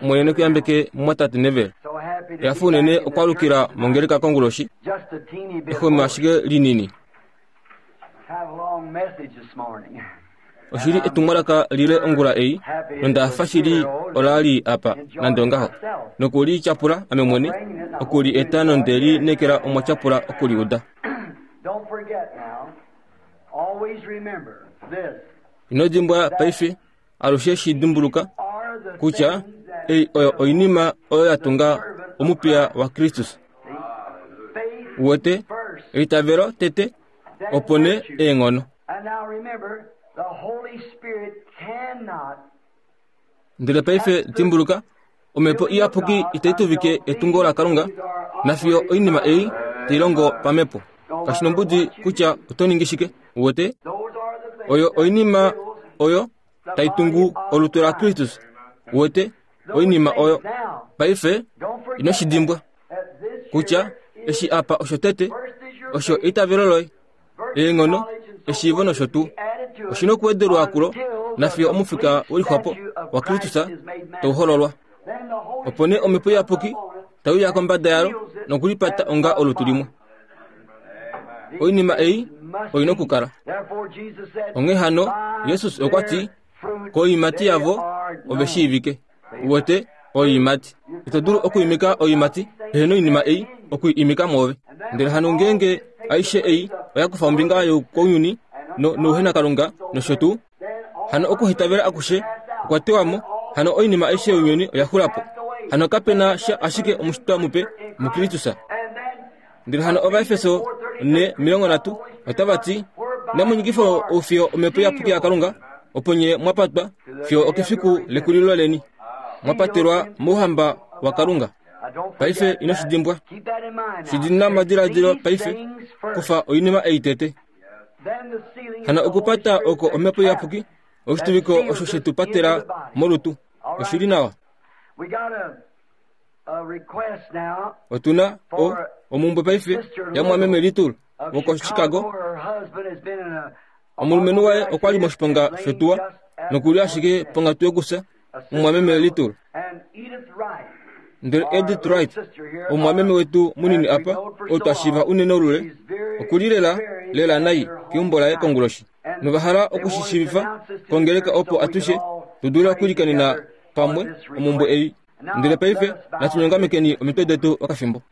Omwene ne ku yambeke mumwatate Neville. Ehafo unene okwaalukila mongeleka konguloshi, exwemo ashike linini. Oshi li etumwalaka lile ongula ei, nonda fa shili ola li apa, nande ongaho. Noku li tyapula ame mwene, oku li eta nonde li nekela omwa tyapula oku li uda. Ino dimbwa paife, alushe shi dimbuluka kutya ei oyo oinima oyo ya tunga omupiya waKristus. Uwete, eitavelo tete, opo nee eenghono. Ndele paife dimbuluka, Omhepo Iyapuki itai tuvike etungo laKalunga nafiyo oinima ei tai longo pamhepo. Kashi nombudi kutya oto ningi shike, uwete, oyo oinima oyo tai tungu olutu laKristus. Uwete, oinima oyo. Paife, ino shi dimbwa kutya eshi apa osho tete, osho eitavelo loye. eenghono, eshiivo nosho tuu. Oshi na okuwedelwa kulo nafiyo omufika we lixwapo waKristus tau hololwa. Opo nee Omhepo Iyapuki tai uya kombada yalo nokulipata onga olutu limwe. Oinima ei oi na okukala. Onghee hano, Jesus okwa ti, Koiimati yavo ove shiivike. Uwete, oiimati. Ito dulu okuimika oiimati pehe noinima ei oku i imika mwoove. Ndele hano ngeenge aishe ei oya kufa ombinga youkounyuni no, nouhenakalunga nosho tuu, hano okuhitavela akushe okwa tewa mo, hano oinima aishe younyuni oya xula po. Hano kape na sha ashike omushitwa mupe muKristus. Ndele hano Ovaefeso 4:30 otava ti, Inamu nyikifa oufiyo Omhepo Iyapuki yaKalunga, opo nye mwa patwa fiyo okefiku lekulilo leni, mwa patelwa mouhamba waKalunga. Paife ino shi dimbwa. Shi dina momadiladilo paife, kufa oinima ei tete. Hano okupata oko Omhepo Iyapuki, oshituviko osho she tu patela molutu. Oshi li nawa. Otu na o, omumbwe paife yamwameme Little wokoChicago. Omulumenhu waye okwa li moshiponga shotuwa noku li ashike ponghatu yokufya, omumwameme Little. Ndele Edith Wright, omumwameme wetu munini apa, ou twa shiiva unene olule, oku li lela, lela nai keumbo laye konguloshi. Nova hala oku shi shiivifa kongeleka opo atushe tu dule okulikanena pamwe omumbwe ei. Ndele paife natu nyongamekeni omitwe detu okafimbo.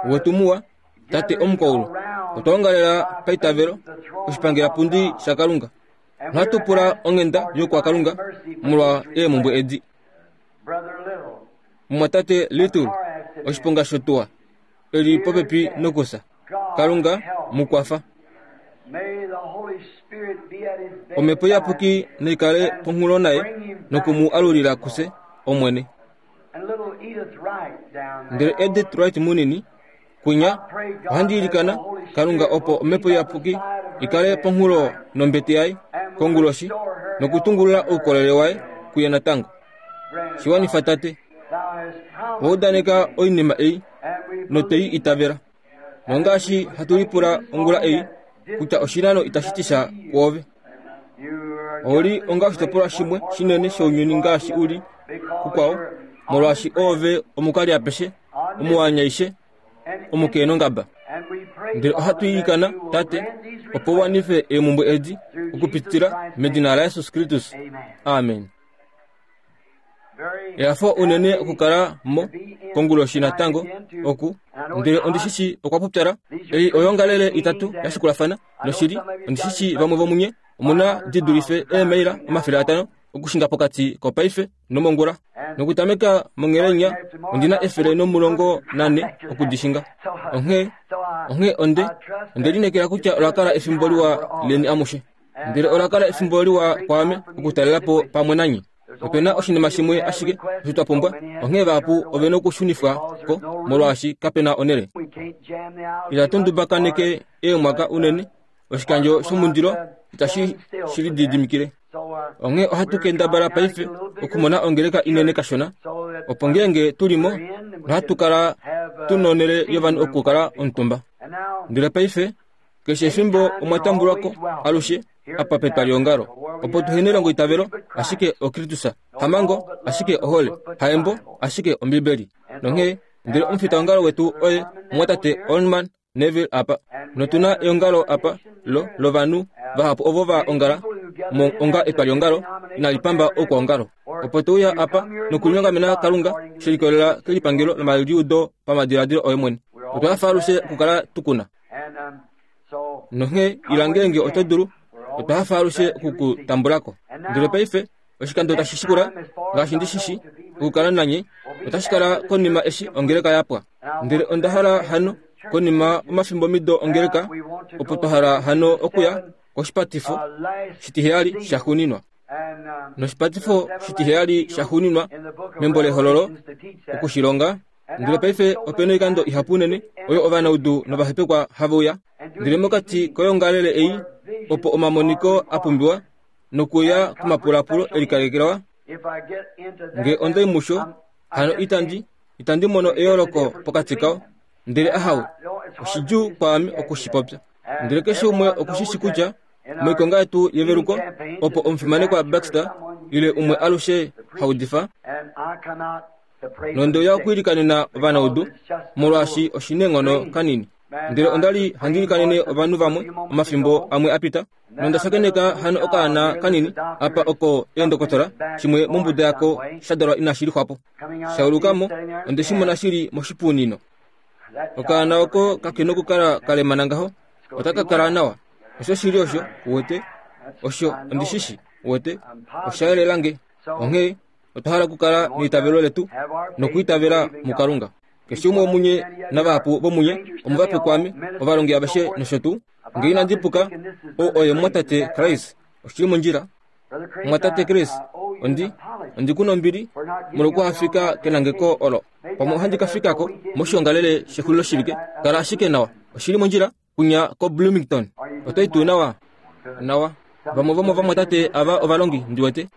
Wetu muwa, Tate omukwaulu, otwa ongalela paitavelo oshipangelapundi shaKalunga. Nohatu pula onghenda yokwaKalunga molwa eemhumbwe edi. Mumwatate Little, oshiponga shotuwa, e li popepi nokufya. Kalunga mu kwafa. Omhepo Iyapuki nai kale ponhulo naye noku mu alulila kufye, Omwene. Ndele Edith Wright munini, kwinya, ohandi ilikana, Kalunga, opo Omhepo Iyapuki i kale ponhulo nombete yaye konguloshi nokutungulula oukolele waye kuye natango. Shi wanifa, Tate. Owa udaneka oinima ei, notwe i itavela. Nongaashi hatu lipula ongula ei, kutya oshinano itashi ti sha kwoove. Ou li onga oshitopolwa shimwe shinene shounyuni ngaashi u li kukwao, molwaashi oove omukali apeshe, omuwanyaishe, omukeenongaba. Ndele ohatu ilikana, Tate, opo u wanife eemhumbwe edi okupitila medina laJesus Kristus. Amen. Ehafo unene okukala mo konguloshi natango oku ndele ondi shi shii okwa pupyala. Ei oyoongalele itatu ya shikulafana, noshili ondi shi shii vamwe vomunye omu na di dulife eemaila 500 okushinga pokati kopaife nomongula. Nokutameka monghelainya ondi na 114 oku di shinga. Onghee, onghee onde, onde lineekela kutya ola kala efimbo liwa leni amushe. Ndele ola kala efimbo liwa kwaame okutalela po pamwe nanye. Ope na oshinima shimwe ashike osho twa pumbwa, onghee vahapu ove nokushunifwa ko molwaashi kape na onhele. Itatu ndubakaneke eemwaka unene, oshikandjo shomundilo itashi shi lididimikile. Onghee ohatu kendabala paife okumona ongeleka inene kashona, opo ngeenge tu li mo, nohatu kala tu nonhele yovanhu okukala omutumba. Ndele paife, Keshe efimbo omwa tambulwa ko alushe apa petwaliongalo, opo tu hene elongoitavelo, ashike oKristus, hamango, ashike ohole, haembo, ashike Ombibeli. Nonghee, ndele omufitaongalo wetu oye omumwatate Orman Neville apa. Notu na eongalo apa lo, lovanhu vahapu ovo va ongala mo onga etwaliongalo inali pamba oukwaongalo. Opo to uya apa nokulinyongamena Kalunga she likolelela kelipangelo lomaliudo pamadiladilo oye mwene. Otwa hafa alushe okukala tu ku na. Nonghee ila ngeenge oto dulu, otwa hafa alushe oku ku tambula ko. Ndele paife, oshikando tashi shikula, ngaashi ndi shi shi, okukala nanye, otashi kala konima eshi ongeleka ya pwa. Ndele onda hala hano, konima omafimbomido ongeleka, opo twa hala hano okuya koshipatifo shitiheyali shaxuuninwa. Noshipatifo shitiheyali shaxuuninwa membo lEhololo, oku shi longa. Ndele paife ope na oikando ihapu unene oyo ovanaudu novahepekwa have uya. Ndele mokati koyoongalele ei, opo omamoniko a pumbiwa nokuya komapulapulo e likalekelwa, nge onda i musho, hano itandi, itandi mono eyooloko pokati kao. Ndele ahawe, oshidjuu kwaame oku shi popya. Ndele keshe umwe oku shi shi kutya moikonga yetu yeveluko, opo omufimanekwa Baxter ile umwe alushe ha udifa, nonde uya okwiilikanena ovanaudu, molwaashi oshi neenghono kanini. Ndele onda li handi ilikanene ovanhu vamwe omafimbo amwe a pita, nonda shakeneka hano okaana kanini apa oko eendokotola shimwe mombuda yako sha dalwa inashi lixwa po. Sha uluka mo, onde shi mona shi li moshipuunino. Okaana oko kake nokukala ka lemana ngaho, otaka kala nawa. Osho shili osho, uwete. Osho, ondi shi shi, uwete. Osha yelela nge. Onghee, otwa hala okukala neitavelo letu nokwiitavela muKalunga. Keshe umwe womunye navahapu vomunye omuvape kwaame, ovalongi aveshe nosho tuu. Nge inandi puka, ou oye omumwatate Chris. Oshi li mondjila. Omumwatate Chris, ondi, ondi ku nombili molwokuhafika kenangeko olo. Pamwe ohandi ka fika ko moshiongalele shexuliloshivike. Kala ashike nawa. Oshi li mondjila? Kunya koBloomington. Oto i tuu nawa? Nawa. Vamwe vomovamwatate ava ovalongi, ndi wete.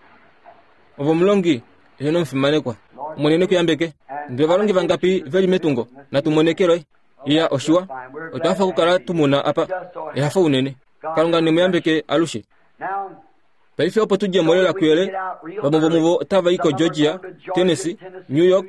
Ove omulongi ehe nomufimanekwa. Omwene ne ku yambeke. Ndele ovalongi vangapi ve li metungo? Natu mone keloye. Iya, oshiwa. Otwa hafa okukala tu mu na apa. Ehafo unene. Kalunga ne mu yambeke alushe. Paife opo tu dje mo lela kuyele, vamwe vomuvo otava i koGeorgia, Tennessee, New York,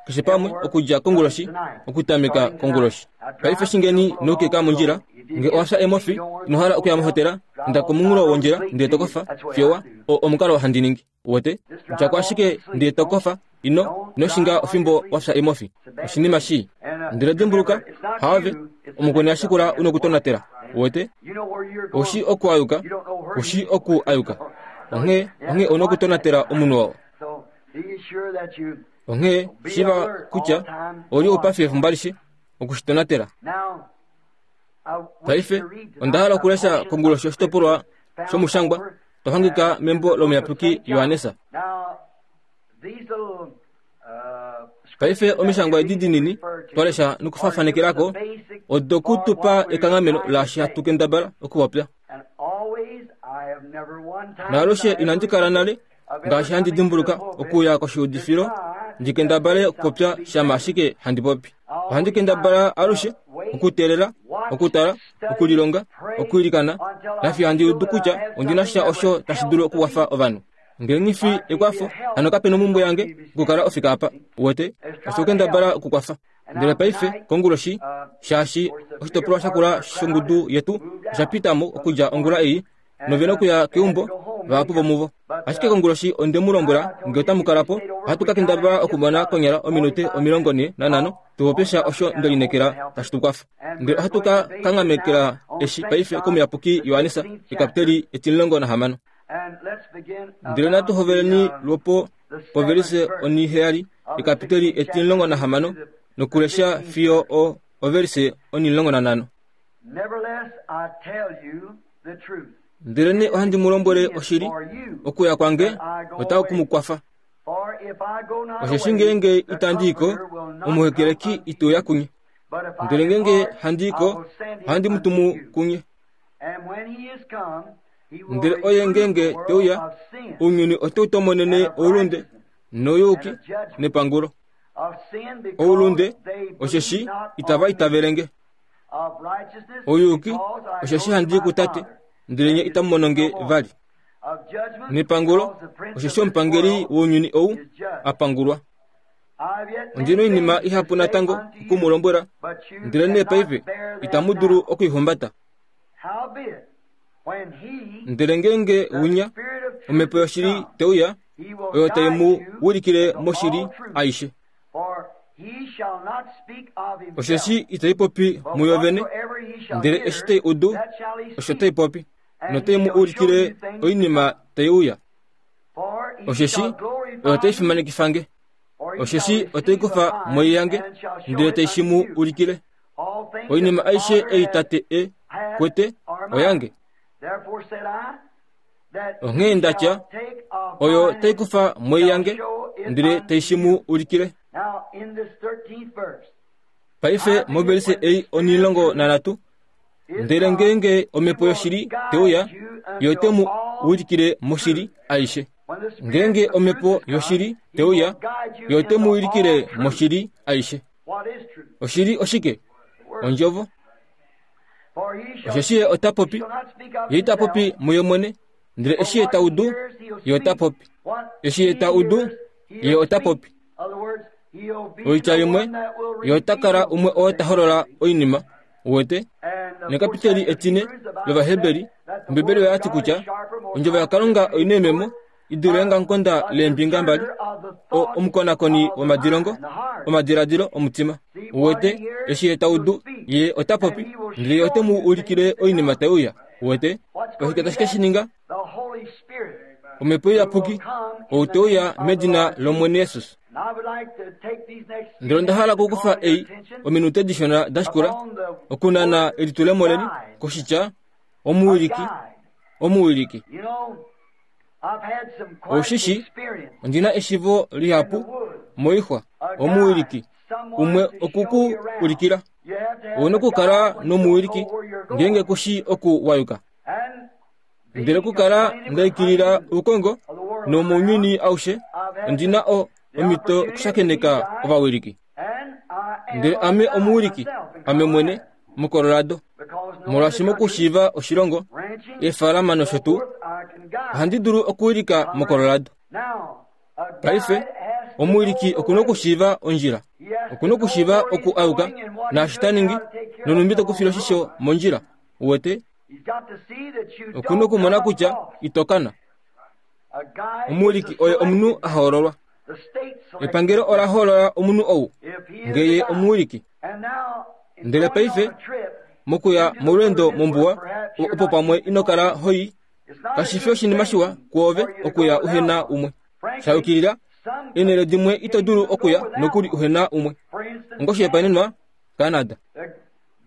keshe pamwe, okudja konguloshi, okutameka konguloshi. Paife shingeni noukeka mondjila. Nge owa fya eemofi, ino hala okuya mohotela, inda komunghulo wondjila ndele to kofa, fiyo wa, o, omukalo handi ningi. Uwete? Dja ko ashike ndele to kofa, ino, ino shinga ofimbo wa fya eemofi. Oshinima shii. Ndele dimbuluka, haave, omukweni a shikula u nokutonatela. Uwete? Ou shii oku a yuka, u shii oku a yuka. Onghee, onghee ou nokutonatela omunhu oo. Onghee shiiva kutya ou li oupafi efimbo alishe, oku shi tonatela. Paife, onda hala okulesha konguloshi oshitopolwa shomushangwa to hangika membo lomuyapuki Johannes. Paife omishangwa edi dinini twa lesha nokufafanekela ko odo ku tu pa ekanghameno laashi hatu kendabala okupopya. Naalushe inandi kala nale ngaashi handi dimbuluka okuuya koshiudifilo ndi kendabale okupopya shama ashike handi popi. Ohandi kendabala alushe okuteelela, okutala, okulilonga, okwiilikana, nafiyo handi udu kutya ondi na sha osho tashi dulu okukwafa ovanhu. Nge nghi fi ekwafo, hano kape nomhumbwe yange okukala ofika apa. Uwete? Osho okendabala okukwafa. Ndele paife, konguloshi, shaashi oshitopolwa shakula shongudu yetu osha pita mo okudja ongula ei, nove na okuya keumbo, vahapu vomuvo. Ashike konguloshi onde mu lombwela, nge otamu kala po, ohatu ka kendabala okumona konyala ominute 45 tu popye sha osho nde lineekela tashi tu kwafa. Ndele ohatu ka kanghamekela eshi paife komuyapuki Johannes, ekapiteli e16. Ndele natu hoveleni lwopo povelise onhiheyali yekapiteli e16 nokulesha fiyo o ovelise o15. Ndelenee ohandi mu lombwele oshili, okuya kwange otaku ku mu kwafa. Osheshi ngeenge itandi i ko, omuhekeleki ite uya kunye. Ndele ngeenge handi i ko, ohandi mu tumu kunye. Ndele oye ngeenge te uya, ounyuni ote u tomonene oulunde nouyuki nepangulo. Oulunde osheshi itava itavele nge. Ouyuki osheshi handi i kuTate. ndele nye itamu mono nge vali. Nepangulo, osheshi omupangeli wounyuni ou a pangulwa. Ondi na oinima ihapu natango oku mu lombwela, ndelenee paife itamu dulu oku i humbata. Ndele ngeenge winya, Omhepo yoshili te uya, oyo tai mu wilikile moshili aishe. Osheshi itai popi muyo vene, ndele eshi tai udu, osho tai popi, notai mu ulikile oinima tai uya. Osheshi oyo tai fimanekifa nge. Osheshi otai kufa moi yange, ndele tai shi mu ulikile. Oinima aishe ei Tate e kwete oyange. Onghee nda tya, Oyo tai kufa moi yange, ndele tai shi mu ulikile. Paife movelise ei onilongo nanhatu, ndele ngeenge omhepo yoshili te uya, ye ote mu ulikile moshili aishe. Ngeenge omhepo yoshili te uya, ye ote mu ulikile moshili aishe. Oshili oshike? Ondjovo. Osheshi ye ota popi, ye ita popi muye mwene, ndele eshi ye ta udu, ye ota popi. Eshi ye ta udu, ye ota popi. Oitya imwe, ye ota kala umwe oo ta holola oinima, uwete. Nekapiteli etine lOvaheberi, Ombibeli oya ti kutya Ondjovo yaKalunga oi na eememo i dule eongamukonda leembinga mbali, o, omukonakoni womadilongo, omadiladilo omutima. Uwete, eshi ye ta udu, ye ota popi, ndele ye ote mu ulikile oinima tai uya. Uwete? Oshike tashi ke shi ninga? Omhepo Iyapuki, ou te uya medina lOmwene Jesus. Ndele onda hala okukufa ei ominute dishona da shikula, okunana elitulemo leni koshitya omuwiliki, omuwiliki. Oushi shi, ondi na eshivo lihapu moixwa, omuwiliki umwe oku ku ulikila. Ou na okukala nomuwiliki ngeenge ku shii oku wa yuka. Ndele okukala nda ikilila oukongo nomounyuni aushe, ondi na o, omhito okushakeneka ovawiliki. Ndele ame omuwiliki, ame mwene, muColorado. Molwaashi mokushiiva oshilongo, eefaalama nosho tuu, ohandi dulu okuwilika muColorado. Paife, omuwiliki oku na okushiiva ondjila. Oku na okushiiva oku a yuka, naashi ta ningi, nonhumbi te ku file oshisho mondjila. Uwete? Oku na okumona kutya ito kana. Omuwiliki oye omunhu a hoololwa. Epangelo ola hoolola omunhu ou nge ye omuwiliki. Ndele paife, mokuya molweendo mombuwa, opo pamwe ino kala ho i, kashi fi oshinima shiwa kwoove okuya uhe na umwe. Sha yukilila, eenhele dimwe ito dulu okuya nokuli uhe na umwe. Ongoshihopaenenwa, Canada.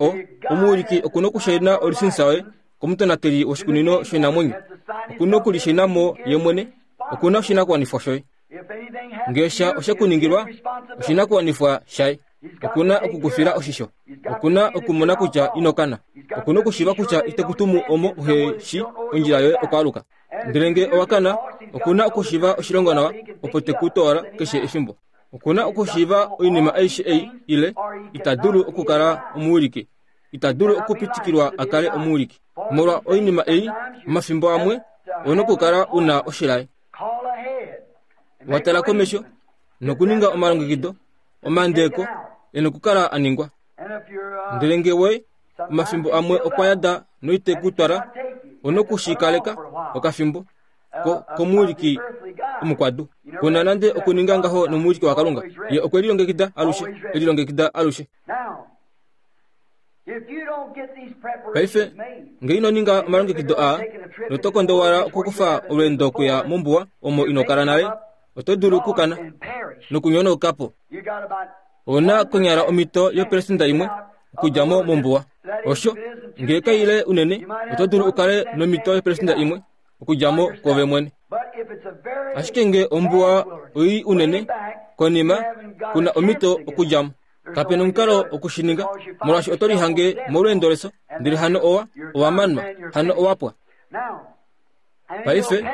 O, omuwiliki oku na okushaina olisinisa yoye komutonateli woshikunino shoinamwenyo. Oku na okulishaina mo ye mwene. Oku na oshinakuwanifwa shoye. Ngee sha oshe ku ningilwa, oshinakuwanifwa shaye. Oku na oku ku fila oshisho. Oku na okumona kutya ino kana. Oku na okushiiva kutya ite ku tumu omo uhe shi ondjila yoye okwaaluka. Ndele ngee owa kana, oku na okushiiva oshilongo nawa opo te ku toola keshe efimbo. Oku na okushiiva oinima aishe ei ile ita dulu okukala omuwiliki. Ita dulu okupitikilwa a kale omuwiliki. Molwa oinima ei, omafimbo amwe ou na okukala u na oshilaye. Wa tala komesho nokuninga omalongekido, omandeeko e na okukala a ningwa. Ndele nge we omafimbo amwe okwa yada noite ku twala, ou na oku shi kaleka okafimbo ko, komuwiliki omukwadu. Ku na nande okuninga ngaho nomuwiliki waKalunga. Ye okwe lilongekida alushe, e lilongekida alushe. Paife, nge ino ninga omalongekido aa, noto kondowala okukufa olweendo okuya mombuwa omo ino kala nale, oto dulu okukana nokunyonauka po. Ou na konyala omhito yopelesenda imwe okudja mo mombuwa. Osho, nge kai le unene, oto dulu u kale nomhito yopelesenda imwe okudja mo kwoove mwene. Ashike nge ombuwa oi unene, konima, ku na omhito okudja mo. Kape na omukalo oku shi ninga, molwaashi oto lihange molweendo leso, ndele hano owa, owa manwa, hano owa pwa. Paife,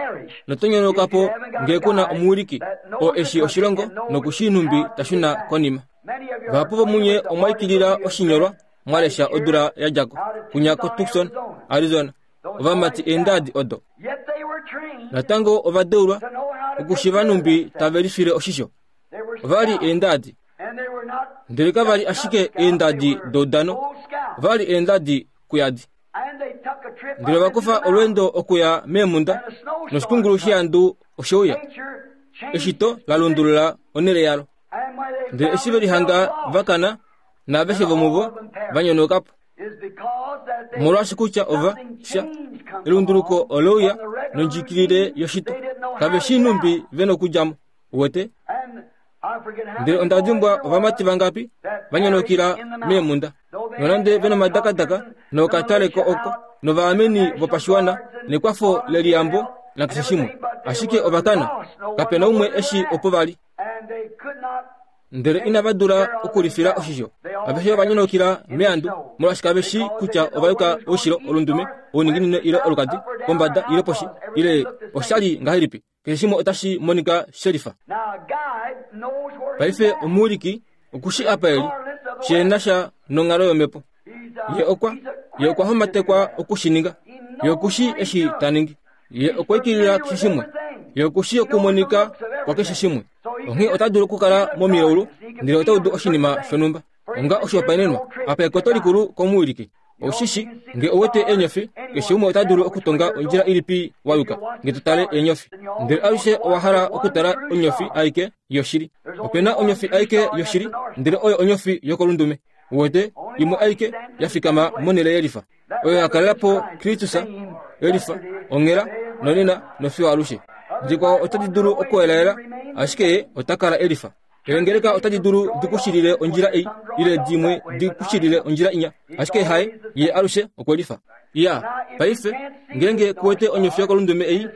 noto nyonauka po nge ku na omuwiliki oo e shii oshilongo noku shii nhumbi ta shuna konima. Vahapu vomunye omwa ikilila oshinyolwa mwa lesha odula ya dja ko, kunya koTucson, Arizona. Ovamati eendaadi odo. Natango ova deulwa okushiva nhumbi tave lifile oshisho. Ova li eendaadi. Ndele kava li ashike eendadi doudano, ova li eendadi kuyadi. Ndele ova kufa olweendo okuya meemhunda, noshikungulu sheandu oshe uya. Eshito la lundulula onhele yalo. Ndele eshi ve lihanga va kana, naaveshe vomuvo va nyonauka po. Omolwaashi kutya ova sha elunduluko ole uya nondjikilile yoshito. Kave shii nhumbi ve nokudja mo. Uwete? Ndele onda dimbwa ovamati vangapi va nyonokila meemhunda, nonande ve nomadakadaka nookataleko oko, novaameni vopashiwana nekwafo leliyambo nakeshe shimwe. Ashike ova kana, kape na umwe eshi opo va li. Ndele inava dula okulifila oshisho. Aveshe ova nyonokila meandu, molwaashi kave shii kutya ova yuka oushilo, olundume, ouninginino ile olukadi, pombada ile poshi, ile osha li ngahelipi. Keshe shimwe otashi monika shelifa. Paife omuwiliki oku shi apa e li, she na sha nonghalo yomhepo. Ye okwa, ye okwa homatekwa oku shi ninga. Ye oku shi eshi ta ningi. Ye okwa ikilila keshe shimwe. Ye oku shi okumonika kwakeshe shimwe. Onghee ota dulu okukala momilaulu, ndele ota udu oshinima shonhumba. Onga oshihopaenenwa, apa ekoto likulu komuwiliki. Ou shi shi, nge ou wete eenyofi, keshe umwe ota dulu okutonga ondjila ilipi wa yuka, nge to tale eenyofi. Ndele alushe owa hala okutala onyofi aike yoshili. Ope na onyofi aike yoshili, ndele oyo onyofi yokolundume. Uwete, imwe aike ya fikama monhele yelifa. Oyo ya kalela po Kristus, elifa, onghela, nonena, nofiyo alushe. Dikwao otadi dulu okuelaela, ashike ye ota kala elifa. Eengeleka otadi dulu di ku shilile ondjila ei, ile dimwe di ku shilile ondjila inya, ashike haye, ye alushe okwe lifa. Ya, paife, ngeenge ku wete onyofi yokolundume ei,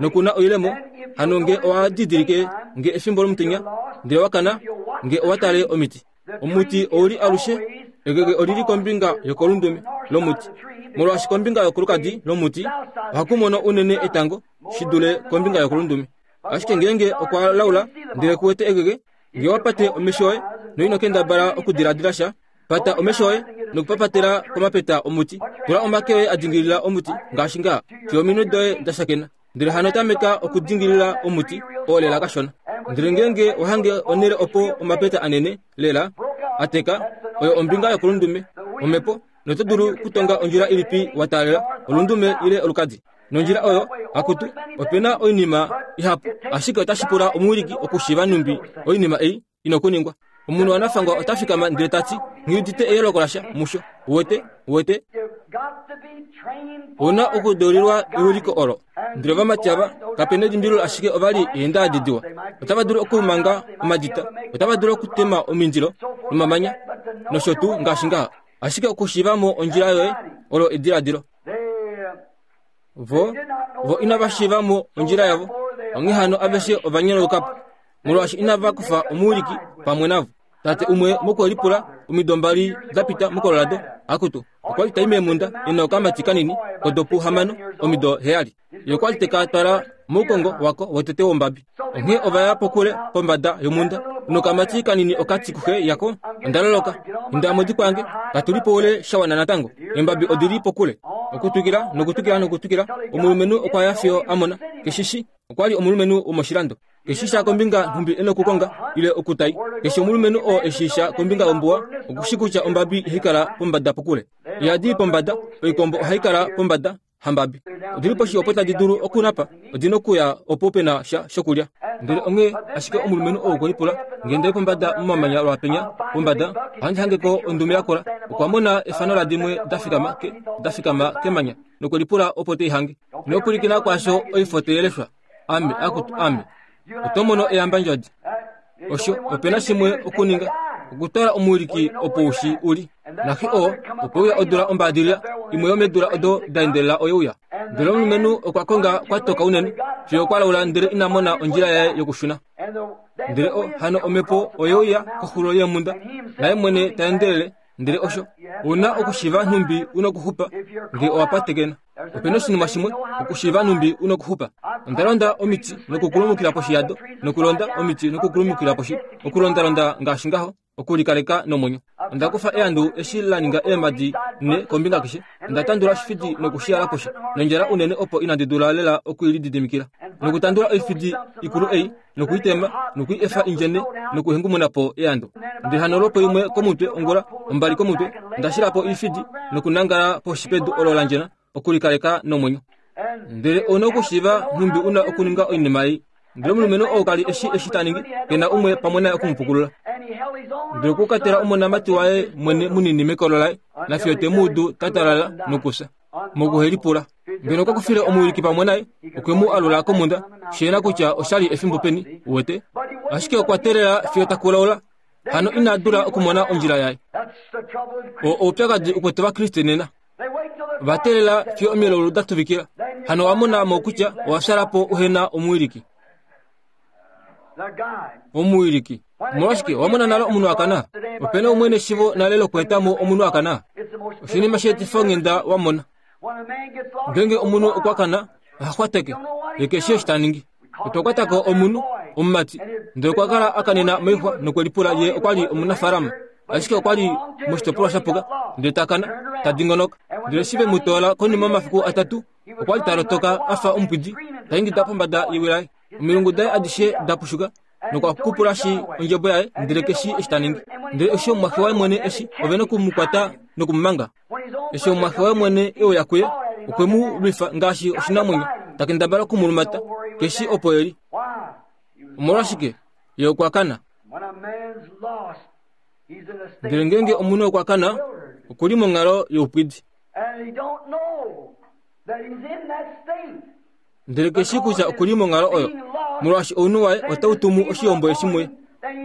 noku na oilemo, hano nge owa didilike nge efimbo lomutenya, ndele wa kana, nge owa tale omiti. Omuti ou li alushe, egege oli li kombinga yokolundume lomuti, molwaashi kombinga yokolukadi lomuti ohaku mono unene etango shi dule kombinga yokolundume. Ashike ngeenge okwa laula ndele ku wete egege, nge wa pate omesho oye noino kendabala okudiladila sha, pata omesho oye nokupapatela komapeta omuti. Tula omake oye a dingilila omuti ngaashi ngaa, fiyo ominwe doye da shakena. Ndele hano tameka okudingilila omuti oo lela kashona. Ndele ngeenge wa hange onhele opo omapeta anene lela a teka, oyo ombinga yokolundume, omhepo, noto dulu okutonga ondjila ilipi wa taalela, olundume ile olukadi. Nondjila oyo, akutu, ope na oinima ihapu, ashike otashi pula omuwiliki okushiiva nhumbi oinima ei ina okuningwa. Omunhu wanafangwa ota fikama ndele ta ti, Nghi udite eyooloko lasha musho. Uwete? Uwete? Ou na okudeulilwa ewiliko olo. Ndele ovamati ava, kape nelimbililo ashike ova li eendaadi diwa. Otava dulu okumanga omadita, otava dulu okutema omindilo nomamanya, nosho tuu ngaashi ngaha. Ashike okushiiva mo ondjila yoye olo ediladilo. Vo, vo inava shiiva mo ondjila yavo, onghee hano aveshe ova nyonauka po, molwaashi inava kufa omuwiliki pamwe navo. Tate umwe mokwelipula omido mbali da pita moColorado, akutu, okwa li tai meemhunda e na okamati kanini kodopu hamano, omido heyali. Ye okwa li te ka twala moukongo wako wotete wombabi. Onghee ova ya pokule pombada yomhunda, nokamati kanini oka ti kuxe yako, Onda loloka. Inda modikwa yange, katu li poule sha wana natango. Eembabi odi li pokule. Okutwikila nokutwikila nokutwikila, omulumenhu okwa ya fiyo a mona. Keshe shi, okwa li omulumenhu womoshilando. Keshe sha kombinga nhumbi e nokukonga, ile okutai. Keshe omulumenhu oo e shii sha kombinga yombuwa, oku shi kutya ombabi ihai kala pombada pokule. Ihadi i pombada, oikombo ohai kala pombada. hambabi. Odi li poshi opo tadi dulu okunapa, odi na okuya opo pe na sha shokulya. Ndele onghee ashike omulumenhu ou okwe lipula, Nge nda i pombada momamanya lwaapenya, pombada, ohandi hange ko ondume yakola. Okwa mona efano ladimwe da fikama ke, da fikama kemanya, nokwe lipula opo te i hange. Ino pwilikina kwaasho oifo tai leshwa. Ame, akutu, ame. Oto mono eyambandjodi. Osho, ope na shimwe okuninga, okutwala omuwiliki opo u shi u li. Naxe oo okwe uya odula ombaadilila, imwe yomeedula odo da endelela oye uya. Ndele omulumenhu okwa konga kwa toka unene, fiyo okwa laula ndele ina mona ondjila yaye yokushuna. Ndele o, hano omhepo oye uya koxulo yeemhunda, naye mwene ta endelele, ndele osho, ou na okushiiva nhumbi u nokuxupa, nge owa patekena. Ope na oshinima shimwe, okushiiva nhumbi u nokuxupa. Onda londa omiti nokukulumukila poshi yado, nokulonda omiti nokukulumukila poshi, okulondalonda ngaashi ngaho, okulikaleka nomwenyo. Onda kufa eandu eshi la ninga eemhadi nhe kombinga keshe. Onda tandula oshifidi noku shi yala poshi, nondjala unene opo inandi dula lela oku i lididimikila. Nokutandula oifidi ikulu ei, noku i tema, noku i efa indjene, nokuhengumuna po eando. Ndele hano lwopo imwe komutwe ongula, ombali komutwe, onda shila po oifidi nokunangala poshi pedu olo la ndjena, okulikaleka nomwenyo. Ndele ou na okushiiva nhumbi u na okuninga oinima ei. Ndele omulumenhu ou ka li eshi eshi ta ningi, ke na umwe pamwe naye oku mu pukulula. Ndele okwa katela omonamati waye mwene munini mekolo laye, nafiyo te mu udu ta talala nokufya, mokuhelipula. Ngeno okwa kufile omuwiliki pamwe naye, okwe mu alula komhunda, shi na kutya osha li efimbo peni, uwete. Ashike okwa teelela fiyo ta kulaula, hano ina dula okumona ondjila yaye. Oo oupyakadi ukwete Ovakriste nena. Va teelela fiyo omilaulu da tuvikila. Hano owa mona mo kutya owa fyala po uhe na omuwiliki. Omuwiliki. Omolwashike owa mona nale omunhu a kana? Ope na umwe neshivo nale lokweeta mo omunhu a kana? Oshinima sheetifa onghenda wa mona. Ngeenge omunhu okwa kana, oha xwateke, ye keshe eshi ta ningi. Otwa kwata ko omunhu, omumati, ndele okwa kala a kanena moixwa nokwe lipula ye okwa li omunafaalama, ashike okwa li moshitopolwa sha puka, ndele ta kana, ta dingonoka. Ndele eshi ve mu toola konima yomafiku atatu, okwa li ta lotoka a fa omupwidi, ta ingida pombada yewi laye. Omilungu daye adishe da pushuka, nokwa kupula shi ondjebo yaye, ndele keshi eshi ta ningi. Ndele eshi omumwaxe waye mwene eshi, ove noku mu kwata noku mu manga. Eshi omumwaxe waye mwene e uya kuye, okwe mu lwifa ngaashi oshinamwenyo, ta kendabala oku mu lumata, keshi opo e li. Omolwashike? Ye okwa kana. Ndele ngeenge omunhu okwa kana, oku li monghalo youpwidi. Ndele keshi kutya oku li monghalo oyo, molwaashi ounhu waye otau tumu oshihombo eshi muye.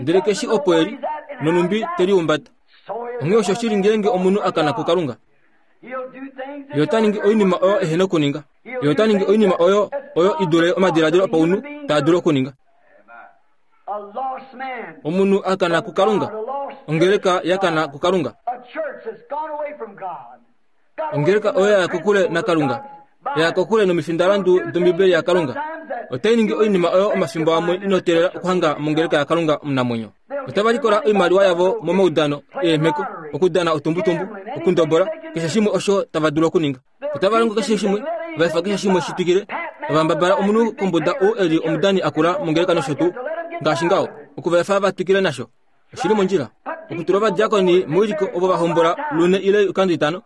Ndele keshi opo e li, nonhumbi te lihumbata. Onghee osho shili ngeenge omunhu a kana kuKalunga. Ye ota ningi oinima oyo ehe nokuninga. Ye ota ningi oinima oyo oyo i dule omadiladilo opaunhu taa dulu okuninga. Omunhu a kana kuKalunga, ongeleka ya kana kuKalunga. Ongeleka oyo ya ya kokule naKalunga, ya ya kokule nomifindalandu dOmbibeli yaKalunga, otai ningi oinima oyo omafimbo amwe ino teelela okuhanga mongeleka yaKalunga omunamwenyo. Otava likola oimaliwa yavo momaudano eemheko, okudana otumbutumbu, okundobola, keshe shimwe osho tava dulu okuninga. Otava longo keshe shimwe, va efa keshe shimwe shi twikile, tava mbabala omunhu kombuda ou e li omudani akula mongeleka nosho tuu, ngaashi ngaho, oku va efa va twikile nasho. Oshi li mondjila okutula ovadiakoni moiliko ovo va hombola lune ile oikando itano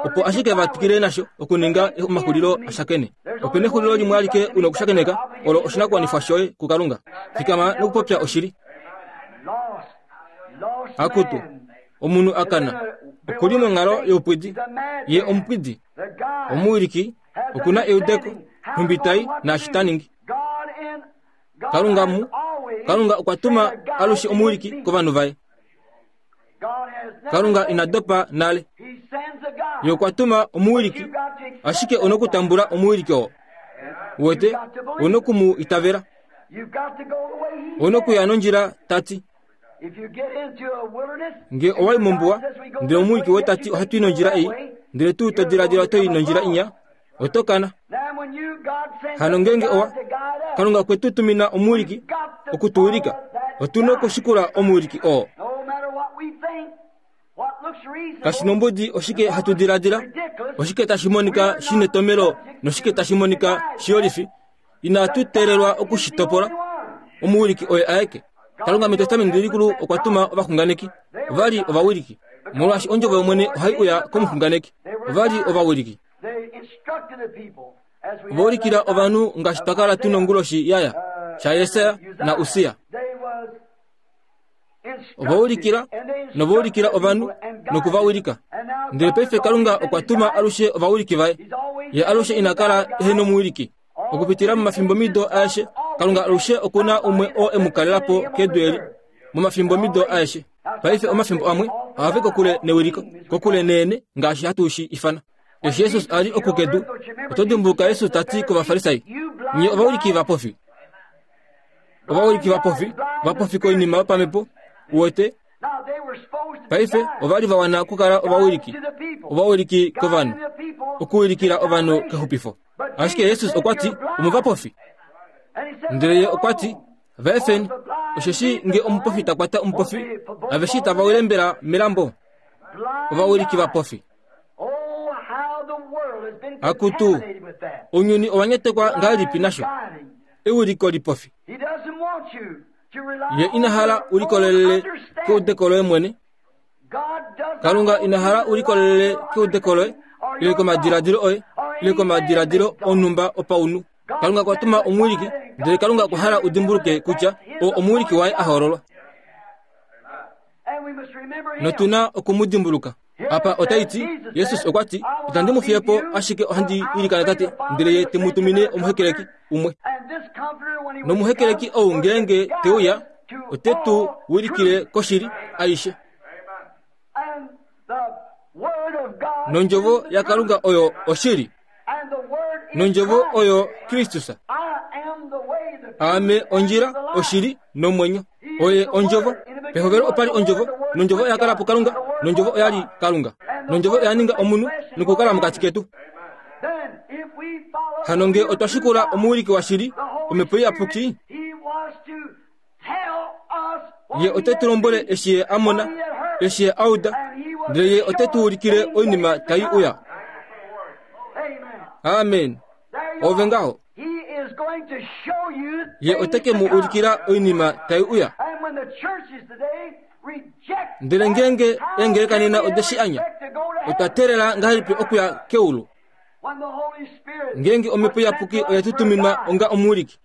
opo ashike va twikile nasho okuninga omaxulilo a shakene. Ope na exulilo limwe alike u na okushakeneka, olo oshinakuwanifwa shoye kuKalunga. Fikama nokupopya oshili. Akutu, omunhu a kana oku li monghalo youpwidi. Ye omupwidi. Omuwiliki oku na eudeko, nhumbi tai naashi ta ningi. Kalunga mu Kalunga okwa tuma alushe omuwiliki kovanhu vaye. Kalunga ina dopa nale. Ye okwa tuma omuwiliki, ashike u nokutambula omuwiliki oo. Uwete, u noku mu itavela. U nokuya nondjila ta ti. Nge owa i mombuwa, ndele omuwiliki woye ta ti ohatu i nondjila ei, ndele tuu to diladila oto i nondjila inya, oto kana. Hano ngeenge owa Kalunga okwe tu tumina omuwiliki oku tu wilika, otu na okushikula omuwiliki oo. Kashi nombudi oshike hatu diladila, oshike tashi monika shi netomelo noshike tashi monika shiyolifi, inatu teelelwa oku shi topola. Omuwiliki oye aeke. Kalunga mEtestamenti Likulu okwa tuma ovaxunganeki. Ova li ovawiliki. Molwaashi ondjovo yOmwene ohai uya komuxunganeki. Ova li ovawiliki. Ova ulikila ovanhu ngaashi twa kala tu nonguloshi ya ya, shaJesaja naUssia. Ova ulikila nova ulikila ovanhu noku va wilika. Ndele paife Kalunga okwa tuma alushe ovawiliki vaye. Ye alushe ina kala ehe nomuwiliki. Okupitila momafimbomido aeshe, Kalunga alushe oku na umwe oo e mu kalela po kedu eli. Momafimbomido aeshe. Paife omafimbo amwe ohava i kokule newiliko, kokule neene ngaashi hatu shi ifana. Eshi Jesus a li oku kedu, oto dimbuluka Jesus ta ti kOvafarisai, Nye ovawiliki vapofi. Ovawiliki vapofi, vapofi koinima yopamhepo, uwete. Paife ova li va wana okukala ovawiliki, ovawiliki kovanhu, okuwilikila ovanhu kexupifo. Ashike Jesus okwa ti, Omuvapofi. Ndele ye okwa ti, Va efeni, osheshi nge omupofi ta kwata omupofi, aveshe itava wile mbela melambo? Ovawiliki vapofi. Akutu, ounyuni owa nyatekwa ngahelipi nasho? Ewiliko lipofi. Ye ina hala u likolelele keudeko loye mwene. Kalunga ina hala u likolelele keudeko loye, ile komadiladilo oye, ile komadiladilo onhumba opaunhu. Kalunga okwa tuma omuwiliki, ndele Kalunga okwa hala u dimbuluke kutya oo omuwiliki waye a hoololwa. Notu na oku mu dimbuluka. Apa otai ti, Jesus okwa ti, Itandi mu fiye po, ashike ohandi ilikana Tate, ndele Ye te mu tumine omuhekeleki umwe. Nomuhekeleki ou ngeenge te uya, ote tu wilikile koshili aishe. Nondjovo yaKalunga oyo oshili. Nondjovo oyo Kristus. Aame ondjila, oshili nomwenyo. Oye ondjovo. Pehovelo opa li ondjovo, nondjovo oya kala puKalunga, nondjovo oya li Kalunga. Nondjovo oya ninga omunhu nokukala mokati ketu. Hano nge otwa shikula omuwiliki washili, Omhepo Iyapuki, Ye ote tu lombwele eshi Ye a mona, eshi Ye a uda, ndele Ye ote tu ulikile oinima tai uya. Amen. Ove ngaho. Ye ote ke mu ulikila oinima tai uya. Ndele ngeenge eengeleka nena ode shi anya, otwa teelela ngahelipi okuya keulu? Ngeenge Omhepo Iyapuki oye tu tuminwa onga omuwiliki,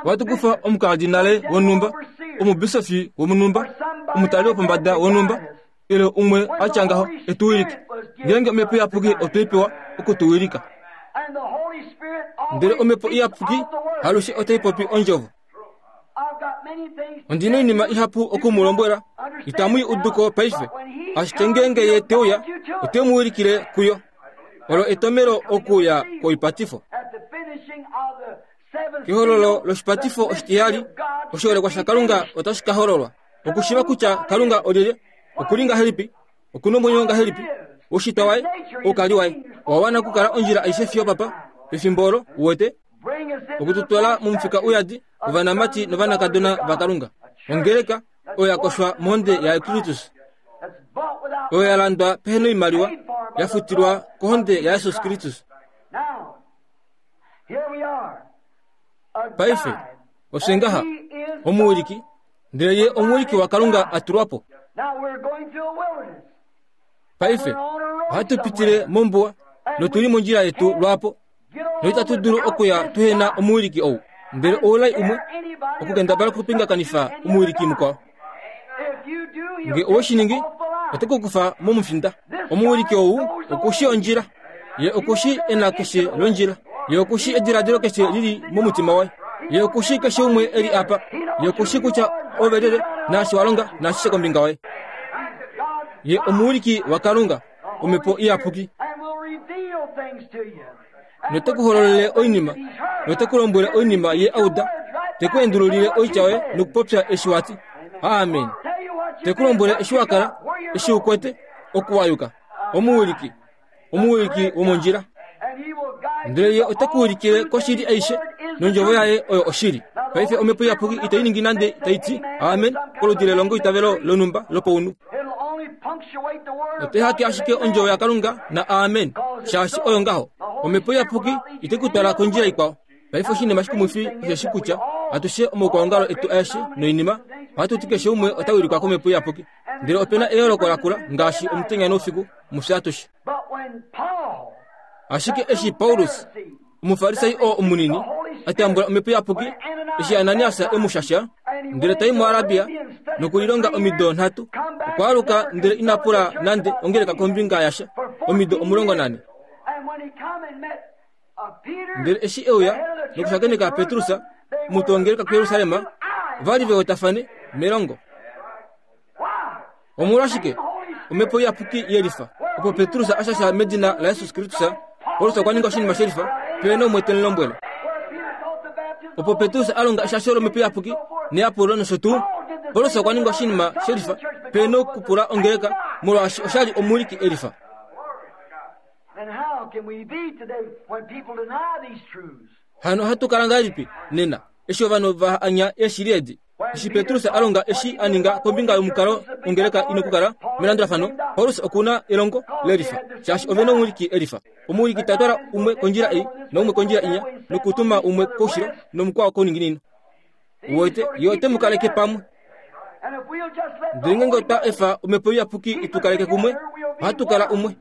ohatu kufa omukardinale wonhumba, omubisofi womunhumba, omutali wopombada wonhumba, ile umwe a tya ngaho e tu wilike. Ngeenge Omhepo Iyapuki otwe i pewa oku tu wilika. Ndele Omhepo Iyapuki alushe otai popi Ondjovo. Ondi na oinima ihapu oku mu lombwela, itamu i udu ko paife, ashike ngeenge ye te uya, ote mu wilikile kuyo. Olo etomelo okuuya kwoipatifo. Kehololo loshipatifo oshitihali, oshiholekwa shaKalunga otashi ka hololwa. Okushiiva kutya Kalunga olyelye, oku li ngahelipi, oku na omwenyo ngahelipi, oushitwa waye, oukali waye, owa wana okukala ondjila aishe fiyo papa, pefimbo olo, uwete, oku tu twala momufika uyadi wovanamati novanakadona vaKalunga. Ongeleka oyo ya koshwa mohonde yaKristus, oyo ya landwa pehe noimaliwa, ya futilwa kohonde yaJesus Kristus. Paife, ofye ngaha, omuwiliki, ndele ye omuwiliki waKalunga a tulwa po. Paife, ohatu pitile mombuwa notu li mondjila yetu lwaapo noitatu dulu okuya tuhe na omuwiliki ou. Ndele oulai umwe okukendabala okupingakanifa omuwiliki mukwao. Nge owe shi ningi, ote ku kufa momufinda. Omuwiliki ou oku shii ondjila. Ye oku shii ena keshe londjila. Ye oku shii ediladilo keshe li li momutima waye. Ye oku shii keshe umwe e li apa. Ye oku shii kutya ove lyelye, naashi wa longa, naashishe kombinga waye. Ye omuwiliki waKalunga, Omhepo Iyapuki. Note ku hololele oinima, note ku lombwele oinima ye a uda, te ku endululile oitya yoye nokupopya eshi wa ti. Amen. Te ku lombwele eshi wa kala, eshi u kwete, oku wa yuka. Omuwiliki, omuwiliki womondjila. Ndele ye ote ku wilikile koshili aishe, nondjovo yaye oyo oshili. Paife Omhepo Iyapuki itai ningi nande tai ti amen koludi lelongoitavelo lonhumba lopaunhu. Otai hake ashike ondjovo yaKalunga na amen, shaashi oyo ngaho. Omhepo Iyapuki itai ku twala kondjila ikwao. Paife oshinima shikumwifi osheshi kutya atushe omaukwaongalo etu aeshe noinima ohatu ti keshe umwe ota wilikwa kOmhepo Iyapuki, ndele ope na eyooloko lakula ngaashi omutenya noufiku mufye atushe. Ashike eshi Paulus, Omufarisai oo omunini, a tambula Omhepo Iyapuki, eshi Ananias e mu shasha, ndele ta i muArabia nokulilonga omido nhatu, okwa aluka ndele ina pula nande ongeleka kombinga yasha omido 14. Ndele eshi e uya nokushakeneka Petrus, omutwe wongeleka kuJerusalem, ova li ve wetafane melongo. Omolwashike omhepo iyapuki yelifa? Opo Petrus a shasha medina laJesus Kristus, Paulus okwa ninga oshinima shelifa pe na umwe te mu lombwele. Opo Petrus a longa eshasho lomhepo iyapuki neyapulo nosho tuu, Paulus okwa ninga oshinima shelifa pe na okupula ongeleka molwaashi osha li omuwiliki elifa. Hano ohatu kala ngahelipi nena eshi ovanhu va anya eeshili edi? Eshi Petrus a longa eshi a ninga kombinga yomukalo wongeleka i nokukala melandulafano, Paulus oku na elongo lelifa, shaashi ove nomuwiliki elifa. Omuwiliki ta twala umwe kondjila ei naumwe kondjila inya, nokutuma umwe koushilo nomukwao kouninginino. Uwete, ye ote mu kaleke pamwe. Ndele ngeenge otwa efa Omhepo Iyapuki i tu kaleke kumwe, ohatu kala umwe.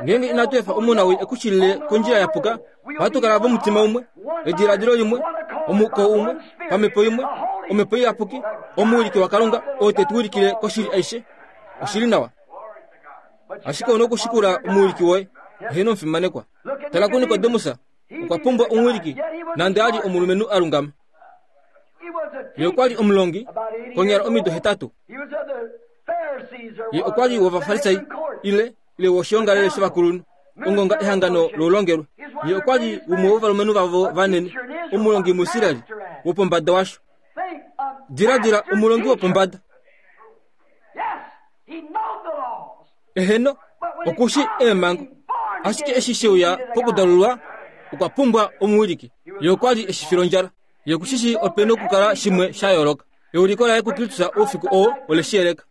Ngeenge inatu efa omunawii e ku shilile kondjila ya puka, ohatu kala vomutima umwe, ediladilo limwe, omuko umwe, pamhepo imwe, Omhepo Iyapuki, omuwiliki waKalunga oo te tu wilikile koshili aishe. Oshi li nawa. Ashike ou na okushikula omuwiliki woye. Eheno omufimanekwa. Tala kuNikodemus, okwa pumbwa omuwiliki, nande a li omulumenhu a lungama. Ye okwa li omulongi konyala omido 8. Ye okwa li wOvafarisai ile ile woshiongalele shovakulunhu, ongonga ehangano loulongelwe. Ye okwa li umwe wovalumenhu vavo vanene, omulongi muIsrael wopombada washo. Diladila omulongi wopombada. Eheno, oku shi eemhango. Ashike eshi she uya pokudalulwa, okwa pumbwa omuwiliki. Ye okwa li eshi filondjala. Ye oku shi shii ope nokukala shimwe sha yooloka. Euliko laye kuKristus oufiku oo ole shi yeleka.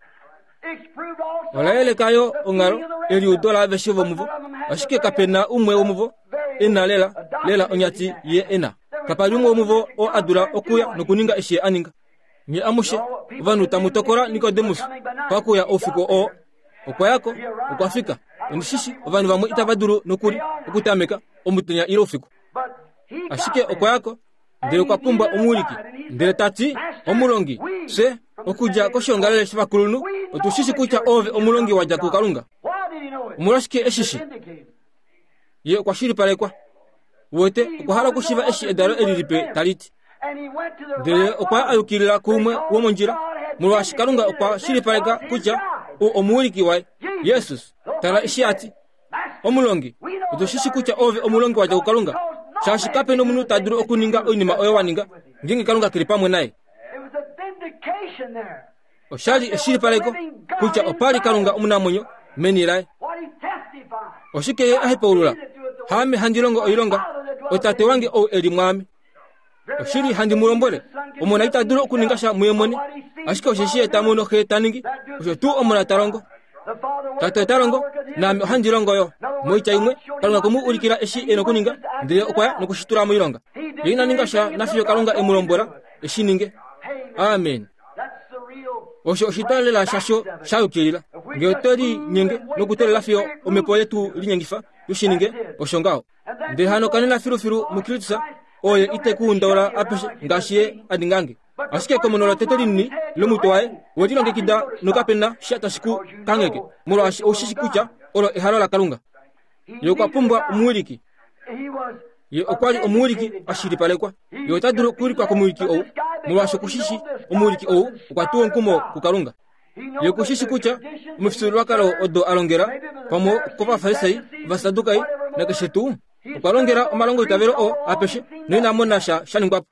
Ola yeleka yo onghalo, eliudo laaveshe vomuvo, ashike kape na umwe womuvo e na lela, lela onyati ye e na. Kapa li umwe womuvo oo a dula okuya nokuninga eshi ye a ninga. Nye amushe ovanhu tamu tokola Nikodemus pakuya oufiku oo. Okwa ya ko, okwa fika. Ondi shi shi ovanhu vamwe itava dulu nokuli okutameka omutenya ile oufiku. Ashike okwa ya ko, ndele okwa pumbwa omuwiliki. Ndele ta ti, Omulongi, fye, okudja koshiongalele shovakulunhu, otu shi shi kutya oove omulongi wa dja kuKalunga. Omolwashike e shi shi? Ye okwa shilipalekwa. Uwete, okwa hala okushiva eshi edalo eli lipe tali ti. Ndele okwa a yukilila kuumwe womondjila, molwaashi Kalunga okwa shilipaleka kutya u omuwiliki waye, Jesus. Tala eshi a ti, Omulongi, otu shi shi kutya oove omulongi wa dja kuKalunga, shaashi kape nomunhu ta dulu okuninga oinima oyo wa ninga, ngeenge Kalunga ke li pamwe naye. Osha li eshilipaleko kutya opa li Kalunga omunamwenyo meni laye. Oshike ye a hepaulula? Haame handi longo oilonga, oTate wange ou e li mwaame. Oshili handi mu lombwele, Omona ita dulu okuninga sha muye mwene, ashike osheshi ye ta mono Xe ta ningi, osho tuu Omona ta longo. Tate ota longo, naame ohandi longo yo. Moitya imwe, Kalunga okwe mu ulikila eshi e nokuninga, ndele okwa ya noku shi tula moilonga. Ye ina ninga sha nafiyo Kalunga e mu lombwela e shi ninge. Amen. Osho oshitwa lela shasho sha yukilila. Nge otwe linyenge nokuteelela fiyo omhepo yetu linyengifa tu shi ninge, osho ngaho. Ndele hano kanena filufilu muKristus, oye ite ku undaula apeshe ngaashi ye a ningange. Ashike ekomono lotete linini lomutwe waye we lilongekida nokape na sha tashi ku kangheke, molwaashi ou shi shi kutya olo ehalo laKalunga. Ye okwa pumbwa omuwiliki. Ye okwa li omuwiliki a shilipalekwa. Ye ota dulu okuwilikwa komuwiliki ou, molwaashi oku shi shi omuwiliki ou okwa tuwa omukumo kuKalunga. Ye oku shi shi kutya omifyuululwakalo odo a longela pamwe kOvafarisai, Ovasadukai nakeshe tuu, okwa longela omalongoitavelo oo apeshe noina mona sha sha ningwa po.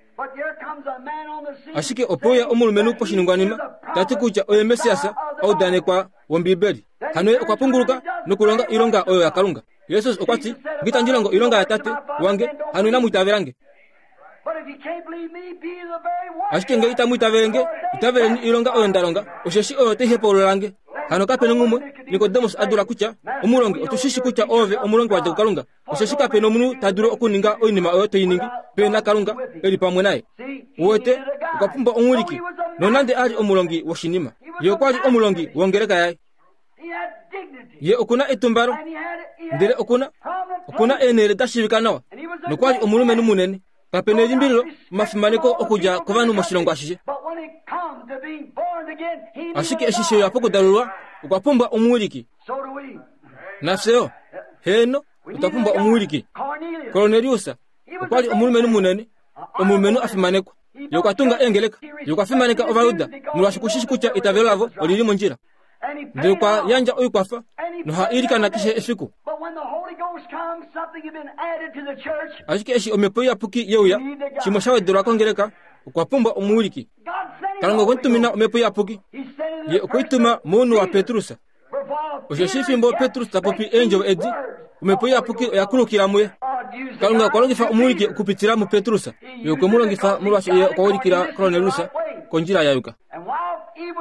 Ashike ope uya omulumenhu poshiningwanima ta ti kutya oye Messias a udanekwa wOmbibeli. Hano ye okwa punguluka nokulonga oilonga oyo yaKalunga. Jesus okwa ti, Nge itandi longo oilonga yaTate wange, hano inamu itavela nge. Ashike nge itamu itavele nge, itaveleni oilonga oyo nda longa, osheshi oyo tai hepaulula nge. Hano kape nongumwe, Nikodemus a dula kutya, Omulongi, otu shi shi kutya oove omulongi wa dja kuKalunga, osheshi kape nomunhu ta dulu okuninga oinima oyo to i ningi pe na Kalunga e li pamwe naye. Uwete, okwa pumbwa omuwiliki, nonande a li omulongi woshinima. Ye okwa li omulongi wongeleka yaye. Ye oku na etumbalo, ndele oku na oku na eenhele da shiivika nawa, nokwa li omulumenhu munene. Kape nelimbililo omafimaneko okudja kovanhu moshilongo ashishe. Ashike eshi she uya pokudalulwa, okwa pumbwa omuwiliki. Nafye yo, heeno, otwa pumbwa omuwiliki. Kornelius okwa li omulumenhu munene, omulumenhu a fimanekwa. Ye okwa tunga eengeleka. Ye okwa fimaneka Ovajuda, molwaashi oku shi shi kutya eitavelo lavo oli li mondjila. Ndele okwa yandja oikwafa noha ilikana keshe efiku. Ashike eshi Omhepo Iyapuki ye uya, shimwe sha wedelwa kongeleka, okwa pumbwa omuwiliki. Kalunga okwe mu tumina Omhepo Iyapuki. Ye okwe i tuma mounhu waPetrus. Osheshi fimbo Petrus ta popi eendjovo edi, Omhepo Iyapuki oya kulukila muye. Kalunga okwa longifa omuwiliki okupitila muPetrus. Ye okwe mu longifa molwaashi ye okwa ulikila Kornelius kondjila ya yuka.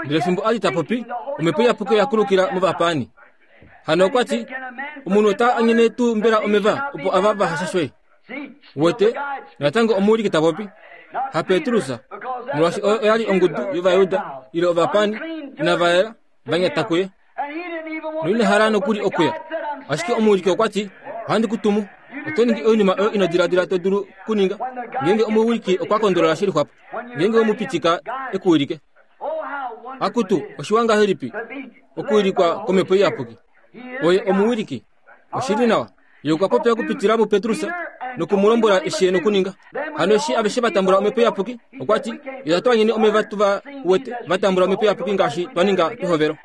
Ndele fimbo a li ta popi, omhepo iyapuki oya kulukila movapaani. Hano okwa ti, Omunhu ota anyene tuu mbela omeva opo ava va hashashwe? Wete, natango omuwiliki ta popi, haPetrus, molwaashi oyo oya li ongudu yOvajuda ile ovapaani inava yela va nyata kuye. Noina hala nokuli okuya. Ashike omuwiliki okwa ti, Ohandi ku tumu. Oto ningi oinima oyo ino diladila to dulu kuninga. Ngeenge omuwiliki okwa kondolola shi lixwapo, ngeenge we mu pitika e ku wilike. Akutu, oshiwa ngahelipi okuwilikwa komhepo iyapuki! Oye omuwiliki. Oshi li nawa. Ye okwa popya okupitila muPetrus noku mu lombwela eshi e nokuninga. Hano eshi aveshe va tambula omhepo iyapuki, okwa ti, Itatu anyene omeva tu va wete va tambula omhepo iyapuki ngaashi twa ninga pehovelo.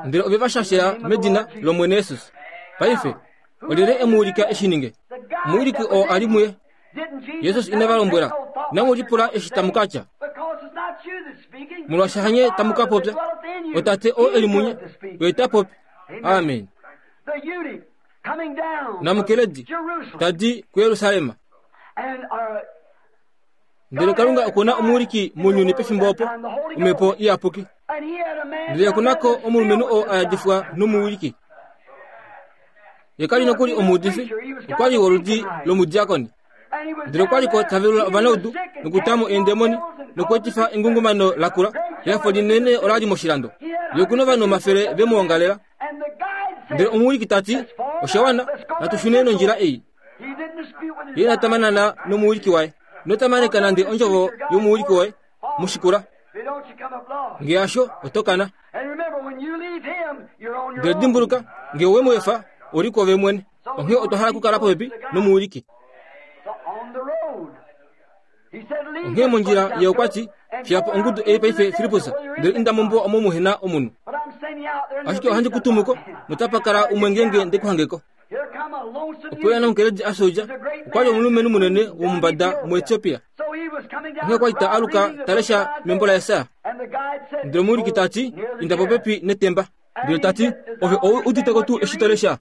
Ndele ove va shashela medina lOmwene Jesus. Paife, olyelye e mu ulika e shi ninge? Omuwiliki oo a li muye. Jesus ine va lombwela, Inamu lipula eshi tamu ka tya, molwaashi hanye tamu ka popya, oTate oo e li munye, oye ta popi. Amen. Namukeledi ta di kuJerusalem. Ndele Kalunga oku na omuwiliki mounyuni pefimbo opo, Omhepo Iyapuki. Ndele oku na ko omulumenhu oo a yadifwa nomuwiliki. Ye ka li nokuli omuudifi, okwa li woludi lomudiakoni. Ndele okwa li ko ta velula ovanaudu nokutamo eendemoni nokweetifa engungumano lakula. Ehafo linene ola li moshilando. Ye oku na ovanhu omafele ve mu ongalela. Ndele omuwiliki ta ti, Osha wana, natu shune nondjila ei. Ye ina tamanana nomuwiliki waye. Ino tamaneka nande ondjovo yomuwiliki woye. Mu shikula. Nge hasho, oto kana. Ndele dimbuluka, nge owe mu efa, ou li kwoove mwene. Onghee otwa hala okukala popepi nomuwiliki. Onghee mondjila ye okwa ti, Fiya po ongudu ei paife, Filippus, ndele inda mombuwa omo muhe na omunhu. Ashike ohandi ku tumu ko, notapa kala umwe ngeenge nde ku hange ko. Opo ya namukeledi a soja, okwa li omulumenhu munene womumbada muEtiopia. Onghee okwa li ta aluka ta lesha membo laJesaja. Ndele omuwiliki ta ti, Inda popepi netemba. Ndele ta ti, Ove ou udite ko tuu eshi to lesha?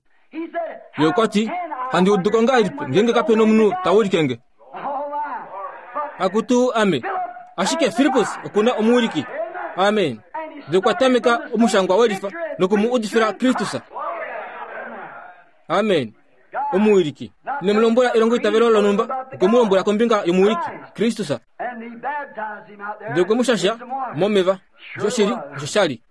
Ye okwa ti, Handi udu ko ngahelipi ngeenge kape nomunhu ta wilike nge? Akutu ame. Ashike Filippus oku na omuwiliki. Amen. Ndele okwa tameka omushangwa welifa noku mu udifila Kristus. Amen. Omuwiliki. Ine mu lombwela elongoitavelo lonhumba, okwe mu lombwela kombinga yomuwiliki, Kristus. Ndele okwe mu shasha momeva. Osho shili, osho sha li.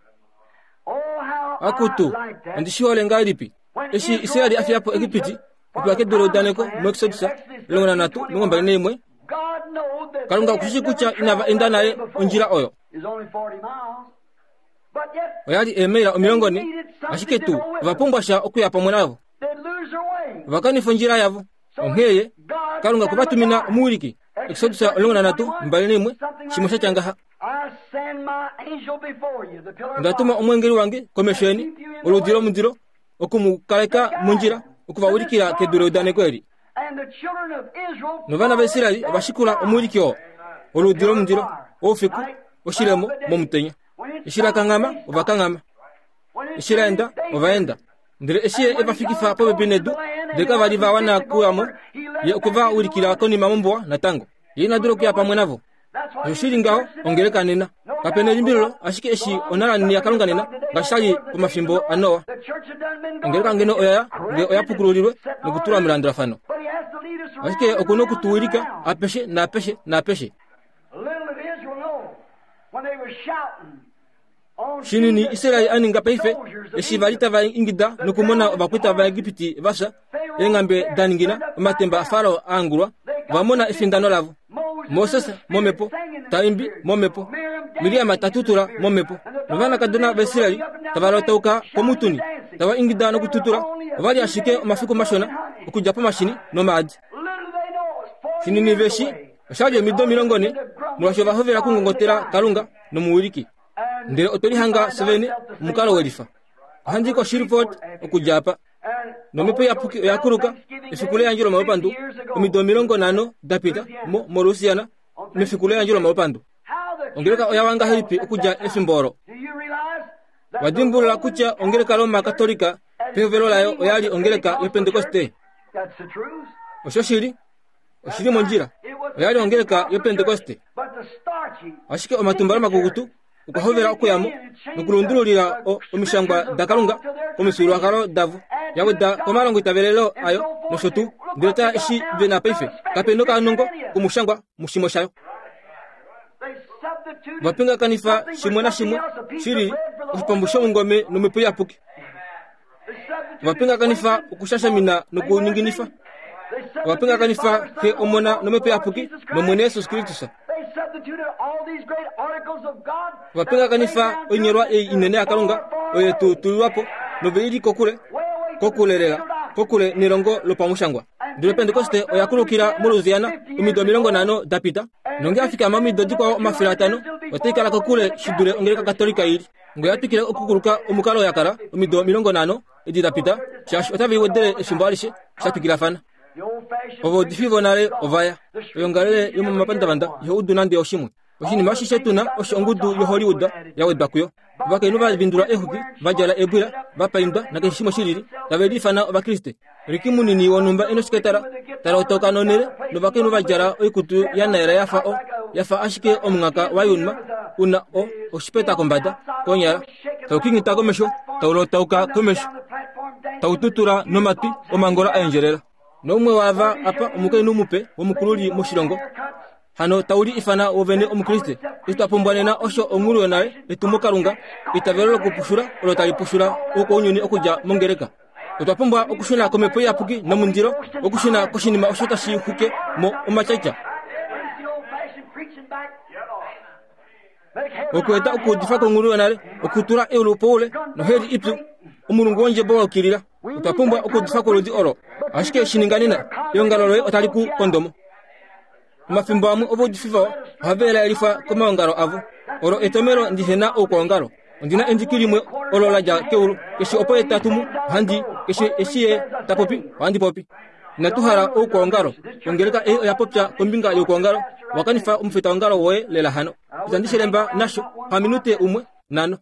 Akutu, ondi shi hole ngahelipi! Eshi Israel a fiya po Egipiti okuya kedu leudaneko muExodus 13:21, Kalunga oku shi kutya inava enda naye ondjila oyo. Oya li eemaila 40, ashike tuu ova pumbwa sha okuya pamwe navo. Ova kanifa ondjila yavo. Onghee ye, Kalunga okwe va tumina omuwiliki. Exodus 13:21, shimwe sha tya ngaha. Onda tuma omweengeli wange komesho yeni, oludi lomundilo, oku mu kaleka mondjila, oku va ulikila kedu leudaneko eli. Novana vaIsrael ova shikula omuwiliki oo, oludi lomundilo, oufiku, oshilemo momutenya. Eshi la kanghama, ova kanghama. Eshi la enda, ova enda. Ndele eshi ye e va fikifa popepi nedu, ndele kava li va wana kuya mo, ye okwe va ulikila konima mombuwa natango. Ye ina dula okuya pamwe navo. Osho shi li ngaho ongeleka nena. Kape nelimbililo, ashike eshi onhalanini yaKalunga nena, ngaashi sha li pomafimbo aNoa. Ongeleka ngeno oya ya, nge oya pukululilwe nokutulwa melandulafano. Ashike oku noku tu wilika apeshe naapeshe naapeshe. Shinini Israel a ninga paife, eshi va li tava ingida nokumona ovakwaita vaEgipiti va fya, eenghambe da ningina, omatemba aFarao a angulwa, va mona efindano lavo. Moses momhepo ta imbi momhepo, Miriam ta tutula momhepo, novanakadona vaIsrael tava lotauka komutuni tava ingida nokututula. Ova li ashike omafiku mashona okudja pomashini nomaadi. Shinini ve shi osha li omido 40 molwaashi ova hovela okungongotela Kalunga nomuwiliki. Ndele otwe lihanga fye vene omukalo welifa. Ohandi i koShreveport okudja apa. Nomhepo iyapuki oya kuluka efiku leyandjo lomalupandu omido 50 da pita mo, moLouisiana, mefiku leyandjo lomalupandu. Ongeleka oya wa ngahelipi okudja efimbo olo? Wa dimbulula kutya ongeleka Roma Katolika pehovelo layo oya li ongeleka yOpentekoste? Oshoshili, oshi li mondjila. Oya li ongeleka yOpentekoste. Ashike omatumbalo makukutu okwa hovela okuya mo nokulundululila omishangwa daKalunga komifyuululwakalo davo, ya weda komalongoitavelelo ayo nosho tuu. Ndele tala eshi ve na paife, kape nokanongo komushangwa mushimwe shayo. Va pingakanifa shimwe nashimwe shi li oshipambu shomungome nomhepo iyapuki. Ova pingakanifa okushashamina nokuninginifa. Ova pingakanifa Xe, Omona nOmhepo Iyapuki nOmwene Jesus Kristus. Ova pingakanifa oinyolwa ei inene yaKalunga oyo tu tulilwa po nove i li kokule, kokule lela, kokule nelongo lopamushangwa. Ndele Pentekoste oya kulukila moLouisiana omido 50 da pita, nonge ya fikama omido dikwao 500, otai kala kokule shi dule ongeleka Katolika i li. Ngee oya twikile okukuluka omukalo ya kala omido 50 edi da pita, shaashi otave i wedele efimbo alishe, sha twikilafana. Ovaudifi vonale ova ya. Oyoongalele yomomapandavanda iho udu nande oshimwe. Oshinima ashishe tu na osho ongudu yoHollywood ya wedwa kuyo. Ovakainhu va vindula eexwiki, va djala eebwila, va paindwa nakeshe shimwe shi lili, tave liifana Ovakriste. Ricky munini wonhumba e noshiketala ta lotoka nonhele novakainhu va djala oikutu ya naela ya fa o ya fa ashike omunghaka wa yunwa u na o oshipeta kombada konyala tau kingita komesho tau lotauka komesho tau tutula nomatwi omangola a endjelela noumwe waava apa omukainhu mupe womukululi moshilongo Hano tau li ifana wovene Omukriste. Eshi twa pumbwa nena osho onghulu yonale etumo Kalunga, eitavelo lokupushula olo tali pushula oukwaunyuni okudja mongeleka. Otwa pumbwa okushuna komhepo iyapuki nomundilo, okushuna koshinima osho tashi xwike mo omatyatya. Okueta okuudifa kwonghulu yonale, okutula eulu poule noheli ipyu, omulungu wondjebo wa yukilila. Otwa pumbwa okuudifa kwoludi olo. Ashike shi ninga nena, eongalo loye otali ku kondo mo. Omafimbo amwe ovaudifi vawa ohava elaelifwa komaongalo avo. Olo etomelo ndi he na oukwaongalo. Ondi na endiki limwe olo la dja keulu. Keshe opo ye ta tumu, ohandi i. Keshe eshi ye ta popi, ohandi popi. Inatu hala oukwaongalo. Ongeleka ei oya popya kombinga youkwaongalo. Owa kanifa omufitaongalo woye lela hano. Itandi shi lemba nasho, paminute umwe, nhano.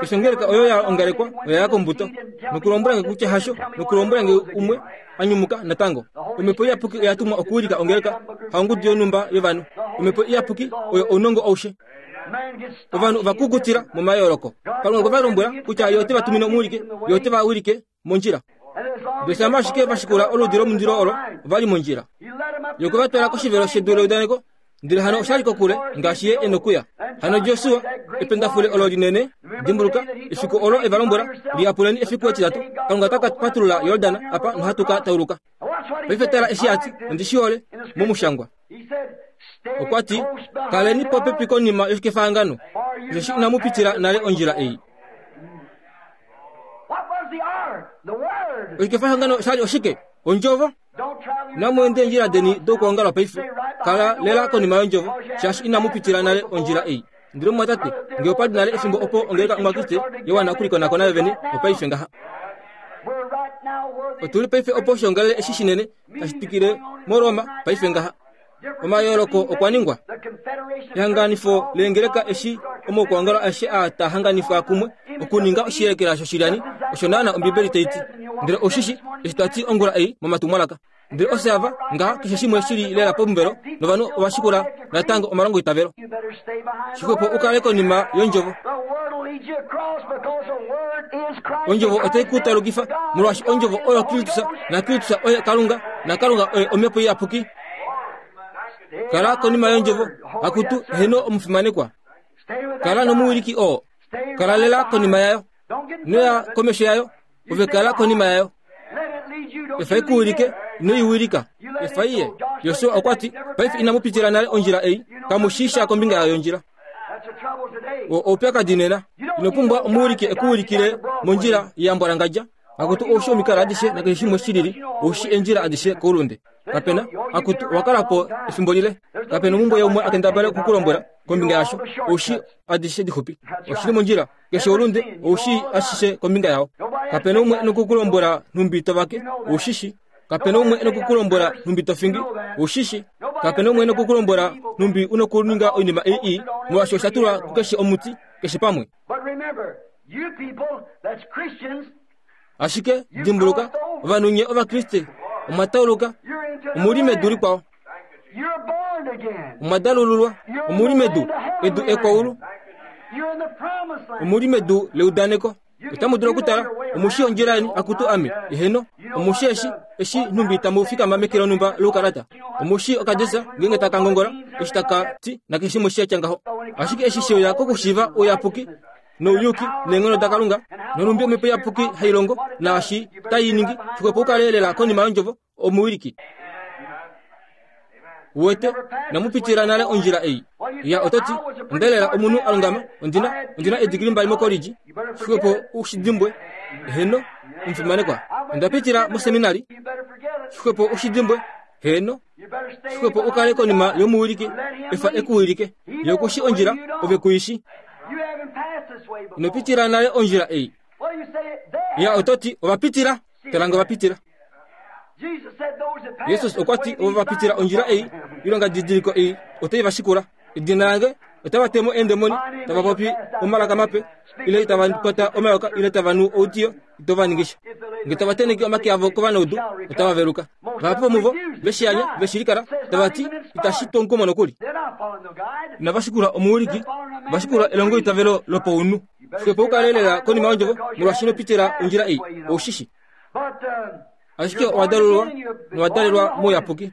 Keshe ongeleka oyo ya ongalekwa oya ya kombuto. Nokulombwela nge kutya hasho, nokulombwela nge umwe a nyumuka natango. Omhepo Iyapuki oya tumwa okuwilika ongeleka, haongudu yonhumba yovanhu. Omhepo Iyapuki oyo ounongo aushe. Ovanhu ova kukutila momayooloko. Kalunga okwe va lombwela kutya Ye ote va tumine omuwiliki, Ye ote va wilike mondjila. Ndele shama ashike va shikula oludi lomundilo olo, ova li mondjila. Ye okwe va twala koshivelo shedu leudaneko, ndele hano osha li kokule ngaashi ye e nokuya. Hano Josua, ependafule olo linene, dimbuluka, efiku olo e va lombwela, liyapuleni efiku etitatu, Kalunga ota ka patulula Yordan apa nohatu ka tauluka. Paife tala eshi a ti, ondi shi hole, momushangwa. Okwa ti, Kaleni popepi konima yoshikefahangano, osheshi inamu pitila nale ondjila ei. Oshikefahangano sha li oshike? Ondjovo. Inamu enda eendjila deni dokwoongala paife. Kala lela konima yondjovo, shaashi inamu pitila nale ondjila ei. Ndele omumwatate, ngee opa li nale efimbo opo ongeleka Omukriste ya wana okulikonakona yo vene, opaife ngaha. Otu li paife opo oshoongalele eshi shinene tashi twikile moRoma paife ngaha. Omayooloko okwa ningwa. Ehanganifo leengeleka eshi omaukwaongalo aeshe aa taa hanganifwa kumwe okuninga oshiyelekela shoshilyani, osho naana Ombibeli tai ti. Ndele oushi shi eshi twa ti ongula ei momatumwalaka. Ndele ofye ava, ngaha keshe shimwe shi li lela pomuvelo, novanhu ova shikula natango omalongoitavelo. Shixwepo u kale konima yOndjovo. Ondjovo otai ku talukifa, molwaashi Ondjovo oyo Kristus, naKristus oye Kalunga, naKalunga oye Omhepo Iyapuki. Kala konima yOndjovo, akutu, heeno omufimanekwa. Kala nomuwiliki oo. Kala lela konima yayo. Noya komesho yayo, ove kala konima yayo. Efa i ku wilike, ino i wilika. Efa i ye. Josua okwa ti, Paife inamu pitila nale ondjila ei, kamu shii sha kombinga yayo yondjila. O oupyakadi nena. Ino pumbwa omuwiliki e ku wilikile mondjila ya mbwalangadja. Akutu oushi omikalo adishe nakeshe shimwe shi lili, oushi eendjila adishe koulunde. Kapena, akutu, owa kala po efimbo lile. Kapena omumbwe yaumwe a kendabale oku ku lombwela kombinga yasho, oushi adishe dixupi. Oshi li mondjila. Keshe oulunde ou shii ashishe kombinga yao. Kape na umwe e noku ku lombwela nhumbi to vake, ou shi shi. Kape na umwe e noku ku lombwela nhumbi to fingi, ou shi shi. Kape na umwe e noku ku lombwela nhumbi u nokuninga oinima ei ii, molwaashi osha tulwa kukeshe omuti, keshe pamwe. Ashike, dimbuluka, ovanhu nye Ovakriste, Omwa tauluka. Omu li medu likwao. Omwa dalululwa. Omu li medu, edu ekwaulu. Omu li medu leudaneko. Otamu dulu okutala, omu shii ondjila yeni, akutu ame. Eheno, omu shii eshi, eshi nhumbi tamu fikama meke lonhumba loukalata. Omu shii okadesa ngeenge taka ngongola, eshi taka ti, nakeshe shimwe sha tya ngaho. Ashike eshi she uya kokushiiva ouyapuki nouyuki neenghono daKalunga, nonhumbi Omhepo Iyapuki hai longo, naashi tai ningi, xwepo u kale lela konima yOndjovo, omuwiliki. Uwete, inamu pitila nale ondjila ei. Ya, oto ti, Onda lela omunhu a lungama, ondina, ondina edigili mbali mokolidji. Xwepo u shi dimbwe. Heeno, omufimanekwa. Onda pitila moseminari. Xwepo u shi dimbwe. Heeno. Xwepo u kale konima yomuwiliki, efa e ku wilike. Ye oku shi ondjila, ove ku i shi. Ino pitila nale ondjila ei. Ya, oto ti, ova pitila. Tala nge ova pitila. Jesus okwa ti ovo va pitila ondjila ei, oilonga didiliko ei otai va shikula. Edina lange otava te mo eendemoni, tava popi omalaka mape, ile tava kwata omayoka, ile tava nu oudiyo, ito va ningi sha. Nge tava tenheke omake avo kovanaudu, otava veluka. Vahapu vomuvo ve shi anya, ve shi likala, tava ti, Itashi tu omukumo nokuli. Inava shikula omuwiliki, va shikula elongoitavelo lopaunhu. Xwepo u kale lela konima yondjovo, molwaashi ino pitila ondjila ei. Ou shi shi. Ashike owa dalulwa nowa dalelwa mouyapuki.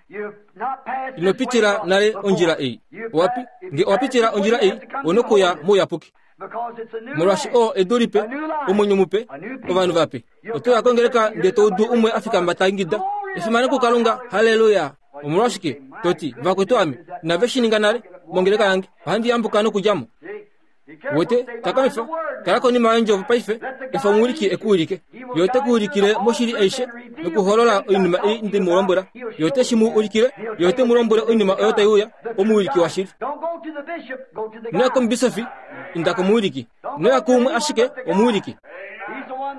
Ino pitila nale ondjila ei. Owapi? Nge owa pitila ondjila ei, ou nokuya mouyapuki. Molwaashi oo edu lipe, omwenyo mupe, ovanhu vape. Oto ya kongeleka ndee to udu umwe a fikama ta ingida, Efimano kuKalunga! Halleluya! Omolwashike to ti, Vakwetu ame, inave shi ninga nale mongeleka yange. Ohandi yambuka nokudja mo. Wete, takamifa, kala konima yondjovo paife, efa omuwiliki e ku wilike. Ye ote ku ulikile moshili aishe nokuholola oinima ei nde mu lombwela. Ye ote shi mu ulikile, ye ote mu lombwele oinima oyo tai uya, omuwiliki washili. Ino ya komubisofi, inda komuwiliki. Ino ya kuumwe ashike, omuwiliki.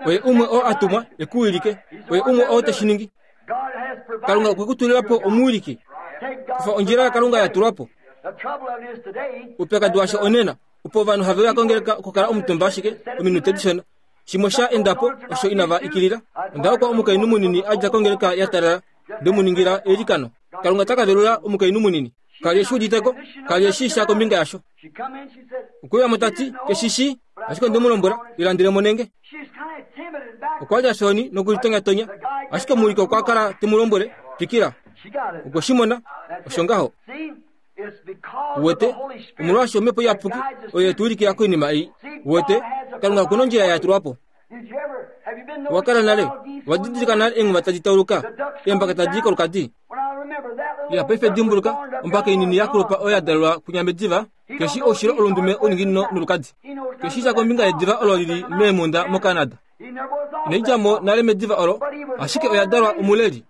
Oye umwe oo a tumwa e ku wilike. Oye umwe oo te shi ningi. Kalunga okwe ku tulila po omuwiliki. Kufa ondjila yaKalunga ya tulwa po. Oupyakadi washo onena opo ovanhu have uya kongeleka okukala omutumba ashike ominute dishona. Shimwe sha enda po osho inava ikilila. Onda hokwa omukainhu munini a dja kongeleka ya talala nde mu ningila eilikano. Kalunga ota ka velula omukainhu munini. Ka li e shi udite ko, ka li e shii sha kombinga yasho. Okwe uya mo ta ti, Ke shi shii, ashike onde mu lombwela, lilandele mo nenge. Okwa li a shoni nokulitonyatonya, ashike omuwiliki okwa kala te mu lombwele, Twikila. Okwe shi mona, osho ngaho. Uwete, omolwaashi Omhepo Iyapuki oyo ye tu wilikila koinima ei. Uwete, Kalunga oku na ondjila ya tulwa po. Owa kala nale wa didilika nale eenghuma tadi tauluka, eembaka tadi i kolukadi? Ya paife dimbuluka, ombaka inini ya kulupa oyo ya dalelwa kwinya mediva, keshi oushilo olundume ouninginino nolukadi. Keshi sha kombinga yediva olo li li meemhunda moCanada. Inai dja mo nale mediva olo, ashike oya dalwa omuleli.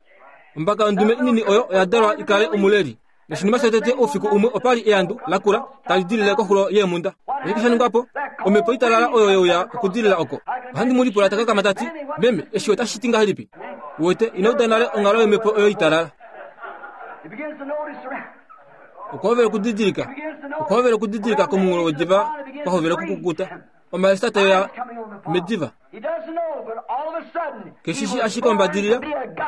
Ombaka yondume inini oyo oya dalwa i kale omuleli. Noshinima shotete oufiku umwe opa li eandu lakula tali dilile koxulo yeemhunda. Oshike sha ningwa po? Omhepo italala oyo ye uya okudilila oko. Ohandi mu lipula ta kakama ta ti, Meme, eshi otashi ti ngahelipi? Uwete, ino uda nale onghalo yomhepo oyo italala. Okwa hovela okudidilika. Okwa hovela okudidilika komunghulo wediva kwa hovela okukukuta. Omalesa tae uya mediva. Keshishi ashike ombadilila,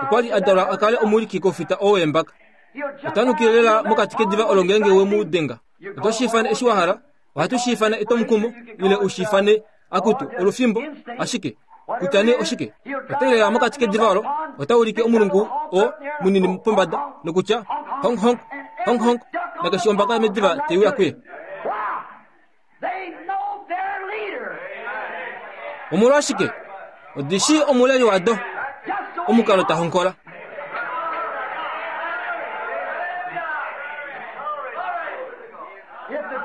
okwa li a dalwa a kale omuwiliki koufita oo weembaka. Ota nukile lela mokati kediva olo ngeenge we mu denga. Oto shi ifane eshi wa hala, ohatu shi ifane etwomukumo, ile u shi ifane, akutu, olufimbo, ashike, kutya nee oshike, ota i lela mokati kediva olo, ota ulike omulungu oo munini pombada, nokutya, Honk, honk, honk, honk, nakeshe ombaka yomediva tai uya kuye. Omolwashike? Odi shii omuleli wado, omukalo ta honkola.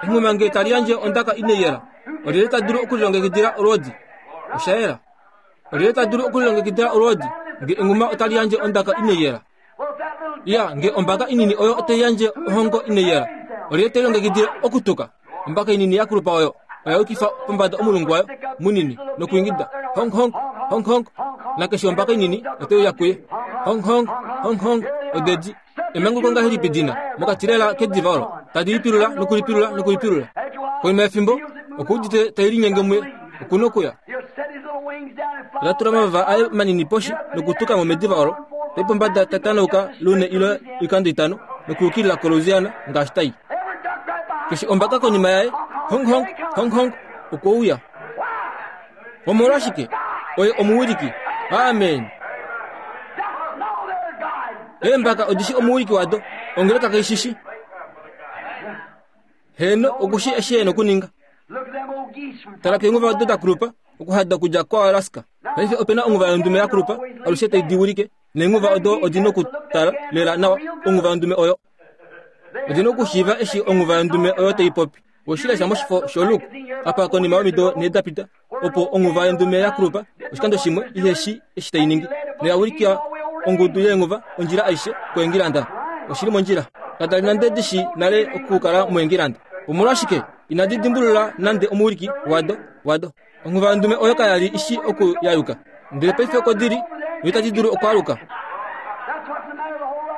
Enghuma nge tali yandje ondaka inai yela, olyelye ta dulu okulilongekidila olwoodi? Osha yela. Olyelye ta dulu okulilongekidila olwoodi nge enghuma otali yandje ondaka inai yela? Ya, nge ombaka inini oyo otai yandje ohongo inai yela, olyelye te lilongekidile okutuka? Ombaka inini ya kulupa oyo oya yukifa pombada omulungu wayo munini nokuingida honk honk honk honk, nakeshe ombaka inini otai uya kuye honk honk honk honk. Odedi emanguluko ngahelipi dina mokati lela kediva olo tadi lipilula nokulipilula nokulipilula. Konima yefimbo okuudite tai linyenge muye, oku na okuya. Ota tula omavava aye manini poshi nokutuka mo mediva olo. Tai pombada ta tanauka lune ile oikando itano nokuyukilila koLouisiana ngaashi tai. Keshe ombaka konima yaye, honk honk, honk honk, okwe uya. Omolwashike? Oye omuwiliki. Amen. Eembaka odi shi omuwiliki wado, ongeleka kai shi shi. Heeno, oku shi eshi e nokuninga. Tala keenguva odo da kulupa, okuhada okudja koAlaska. Paife ope na onguva yondume ya kulupa, alushe tai di wilike, neenguva odo odi nokutala lela nawa onguva yondume oyo. Odi nokushiiva eshi onguva yondume oyo tai popi. Oshilesha moshifo shoLook apa konima yomido nhee da pita, opo onghuva yondume ya kulupa oshikando shimwe ihe shi eshi tai ningi, noya ulikila ongudu yeenghuva ondjila aishe koEngilanda. Oshi li mondjila. Kada li nande di shi nale okukala muEngilanda. Omolwashike inadi dimbulula nande omuwiliki wado, wado? Onghuva yondume oyo kaya li i shi oku yayuka. Ndele paife oko di li, noitadi dulu okwaaluka.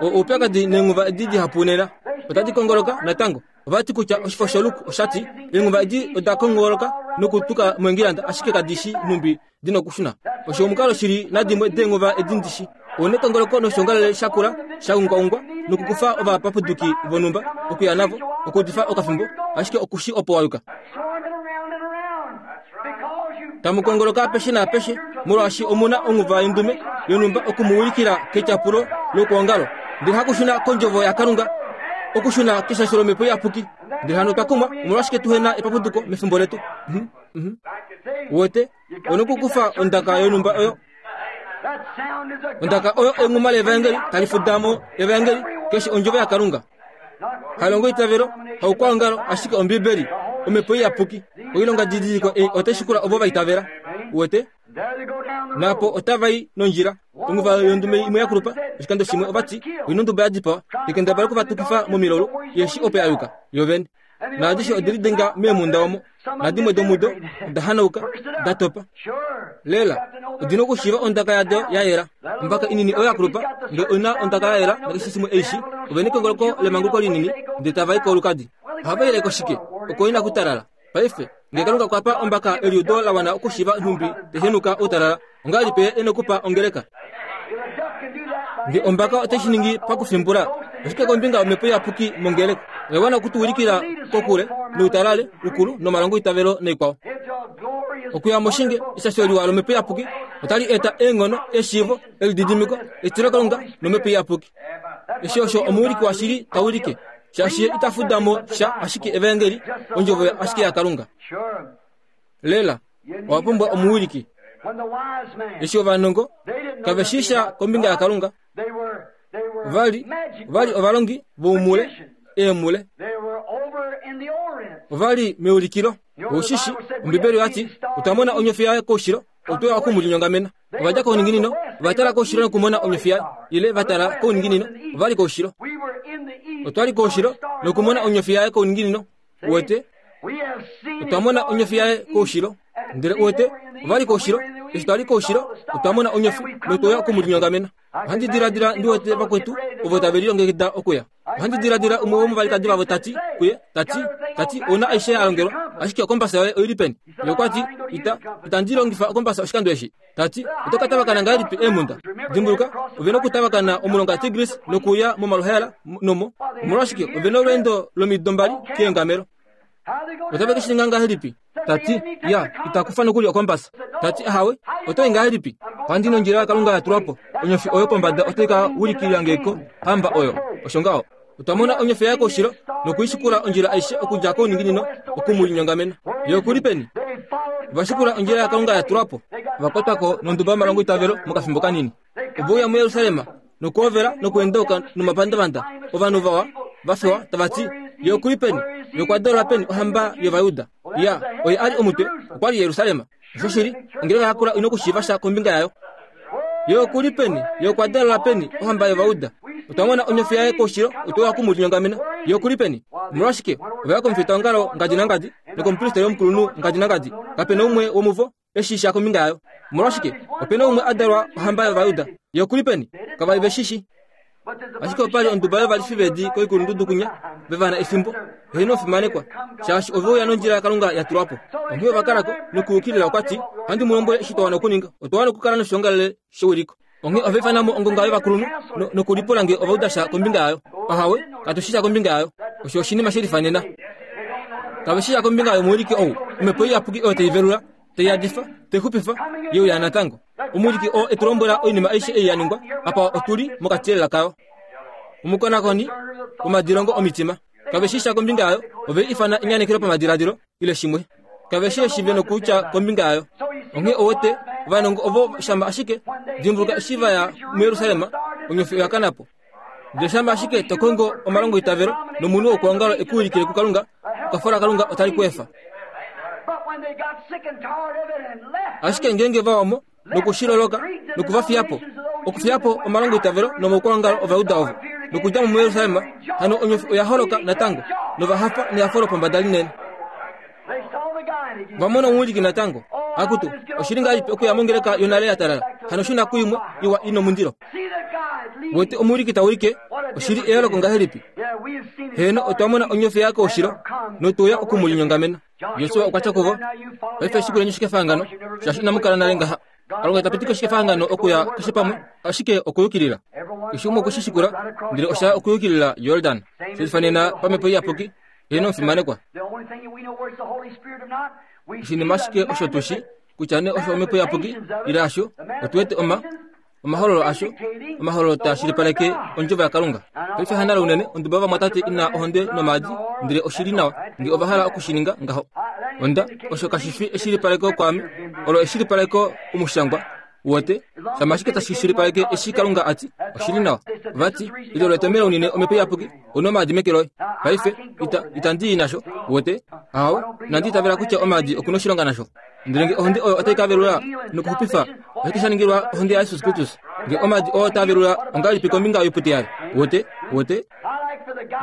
O, oupyakadi neenghuva edi dihapu nena, otadi kongoloka natango. Ova ti kutya oshifo shoLuke osha ti, Eenghuva edi oda kongoloka nokutuka moEngilanda ashike kadi shi nhumbi di nokushuna. Osho omukalo shili nadimwe deenghuva edi ndi shi. Ou nekongoloko noshiongalele sha kula sha ungwaungwa nokukufa ovapapuduki vonhumba okuya navo okuudifa okafimbo, ashike oku shi opo wa yuka. Tamu kongoloka apeshe naapeshe molwaashi omu na onghuva yondume yonhumba oku mu wilikila ketyapulo lokwoongalo, ndele hakushuna kondjovo yaKalunga, okushuna keshasho lOmhepo Iyapuki. Ndele hano otwa kumwa omolwashike tuhe na epapuduko mefimbo letu. Mhm, mhm. Uwete, ou nokukufa ondaka yonhumba oyo. Ondaka oyo enghuma levaengeli tali fuda mo evaengeli keshe ondjovo yaKalunga. Halongo itavelo, haukwaongalo, ashike Ombibeli, Omhepo Iyapuki, oilonga didiliko ei otai shikula ovo va itavela. Uwete? Naapo otava i nondjila. Onguva yondume imwe ya kulupa, oshikando shimwe ova ti, Oina onduba ya dipawa, tekendabala oku va tukifa momilaulu, ye shi opo ya yuka, yo vene. Naadishe ode lidenga meemhunda omo, nadimwe domudo oda hanauka, da topa. Lela, odi na okushiiva ondaka yado ya yela. Ombaka inini oyo ya kulupa, ndele oi na ondaka ya yela nakeshe shimwe ei shi, ove nekongoloko lemanguluko linini, ndele tava i kolukadi. Ohava ile ko shike? Oko inaku talala. Paife, nge Kalunga okwa pa ombaka eliudo la wana okushiiva nhumbi te henuka outalala, ongahelipi Ye e nokupa ongeleka? Nge ombaka otai shi ningi pakufimbula, oshike kombinga yOmhepo Iyapuki mongeleka? Oya wana oku tu wilikila kokule noutalale ukulu nomalongoitavelo naikwao. Okuya moshinge eshasho liwa lOmhepo Iyapuki otali eta eenghono, eshiivo, elididimiko, etilokalunga nOmhepo Iyapuki. Eshi osho omuwiliki washili ta wilike, shaashi ye ita fuda mo sha ashike evaengeli, ondjovo ashike yaKalunga. Lela, owa pumbwa omuwiliki. Eshi ovanongo kave shii sha kombinga yaKalunga, ova li ova li ovalongi voumule, eemule. Ova li meulikilo. Ou shi shi, Ombibeli oya ti, Otwa mona onyofi yaye koushilo, otwe ya oku mu linyongamena. Ova dja kouninginino, ova tala koushilo nokumona onyofi yaye, ile va tala kouninginino, ova li koushilo. Otwa li koushilo nokumona onyofi yaye kouninginino. Uwete? Otwa mona onyofi yaye koushilo. Ndele uwete, ova li koushilo. Eshi twa li koushilo, otwa mona onyofi notwe uya oku mu linyongamena. Ohandi diladila ndi wete vakwetu ovo tave lilongekida okuya. Ohandi diladila umwe womovalikadi vavo ta ti kuye, ta ti, ta ti, Ou na aishe ya longelwa, ashike okombasa yoye oi li peni? Ye okwa ti, Ita, itandi longifa okombasa oshikando eshi. Ta ti, Oto ka tavakana ngahelipi eemhunda? Dimbuluka, ove na okutavakana omulonga Tigris nokuuya momaluhaela nomo. Omolwashike, ove na olweendo lomido mbali keengamelo. Otave ke shi ninga ngahelipi? Ta ti, Ya, ita kufa nokuli okombasa. Ta ti, Ahawe, oto i ngahelipi? Ohandi nondjila yaKalunga ya tulwa po. Onyofi oyo pombada otai ka ulikila nge ko hamba oyo. Osho ngaho. Otwa mona onyofi yaye koushilo noku i shikula ondjila aishe okudja kouninginino oku mu linyongamena. Ye oku li peni? Ova shikula ondjila yaKalunga ya tulwa po. Ova kwatwa ko nonduba yomalongoitavelo mokafimbo kanini. Ove uya muJerusalem nokuhovela nokuendauka nomapandavanda ovanhu vawa va fewa tava ti, Ye oku li peni? Ye okwa dalwa peni ohamba yOvajuda? Ya, oye a li omutwe, okwa li Jerusalem. Oshoshili, ongeleka ya kula ino kushiiva sha kombinga yayo. Ye oku li peni? Ye okwa dalwa peni ohamba yOvajuda? Otwa mona onyofi yaye koushilo, otwe uya oku mu linyongamena. Ye oku li peni? Omolwashike, ova ya komufitaongalo ngadi nangadi, nokomupristeri omukulunhu ngadi nangadi. Kape na umwe womuvo e shii sha kombinga yayo. Omolwashike, ope na umwe a dalwa ohamba yOvajuda. Ye oku li peni? Kava li ve shi shii. Ashike opa li onduba yovalifi veedi koikulundudu kunya, ve va na efimbo, heeno ofimanekwa, shaashi ove uya nondjila yaKalunga ya tulwa po. Onghee ova kala ko, nokuyukilila okwa ti, Ohandi mu lombwele eshi twa wana okuninga. Otwa wana okukala noshiongalele shewiliko. Onghee ova ifana mo ongonga yovakulunhu nokulipula nge ova uda sha kombinga yayo. Ahawe, katu shi sha kombinga yayo. Osho oshinima she lifanena. Kave shi sha kombinga yomuwiliki ou, omhepo iyapuki oyo tai velula, tai yadifa, tai xupifa, ye uya natango. Omuwiliki oo e tu lombwela oinima aishe ei ya ningwa, apa otu li mokati lela kayo. Omukonakoni womadilongo omitima. Kave shi sha kombinga yayo, ove i ifana enyanekelo pamadiladilo, ile shimwe. Kave shi eshi ve nokutya kombinga yayo. Onghee owete, ovanongo ovo shama ashike, dimbuluka eshi va ya muJerusalem, onyofi oya kana po. Ndele shama ashike to kongo omalongoitavelo nomunhu wokwoongalo e ku wilikile kuKalunga, ekwafo laKalunga otali ku efa. Ashike ngeenge va wa mo noku shi loloka noku va fiya po, okufiya po omalongoitavelo nomaukwaongalo Ovajuda ovo, nokudja mo muJerusalem, hano onyofi oya holoka natango, nova hafa nehafo lopombada linene. Va mona omuwiliki natango. Akutu, oshi li ngahelipi okuya mongeleka yonale ya talala, hano shuna kuimwe iwa i nomundilo. Wete omuwiliki ta wilike, oshi li eyooloko ngahelipi? Heeno, otwa mona onyofi ya koushilo, notwe uya oku mu linyongamena. Josua okwa tya kuvo, Paife shikuleni oshikefahangano, shaashi inamu kala nale ngaha. Kalunga ita pitike oshikefahangano okuya keshe pamwe, ashike okuyukilila. Keshe umwe okwe shi shikula, ndele osha ya okuyukilila Jordan. Shelifanena pamhepo iyapuki, heeno omufimanekwa. Oshinima ashike osho tu shi, kutya nee osho omhepo iyapuki ile hasho, otu wete oma omahololo asho, omahololo taa shilipaleke ondjovo yaKalunga. Paife hanale unene onduba yovamwatate ina ohonde nomaadi, ndele oshi li nawa nge ova hala oku shi ninga ngaho. Onda, osho kashi fi eshilipaleko kwaame, olo eshilipaleko omushangwa, uwete, shama ashike tashi shilipaleke eshi Kalunga a ti, oshi li nawa. Va ti, Ilo letomelo unene Omhepo Iyapuki, u na omaadi meke loye. Paife, ita, itandi i nasho, uwete. Ahawe, inandi itavela kutya omaadi oku na oshilonga nasho. Ndele nge ohonde oyo otai ka velula nokuxupifa, oshike sha ningilwa ohonde yaJesus Kristus? Nge omaadi oo taa velula ongahelipi kombinga yoipute yaye? Wote, wote.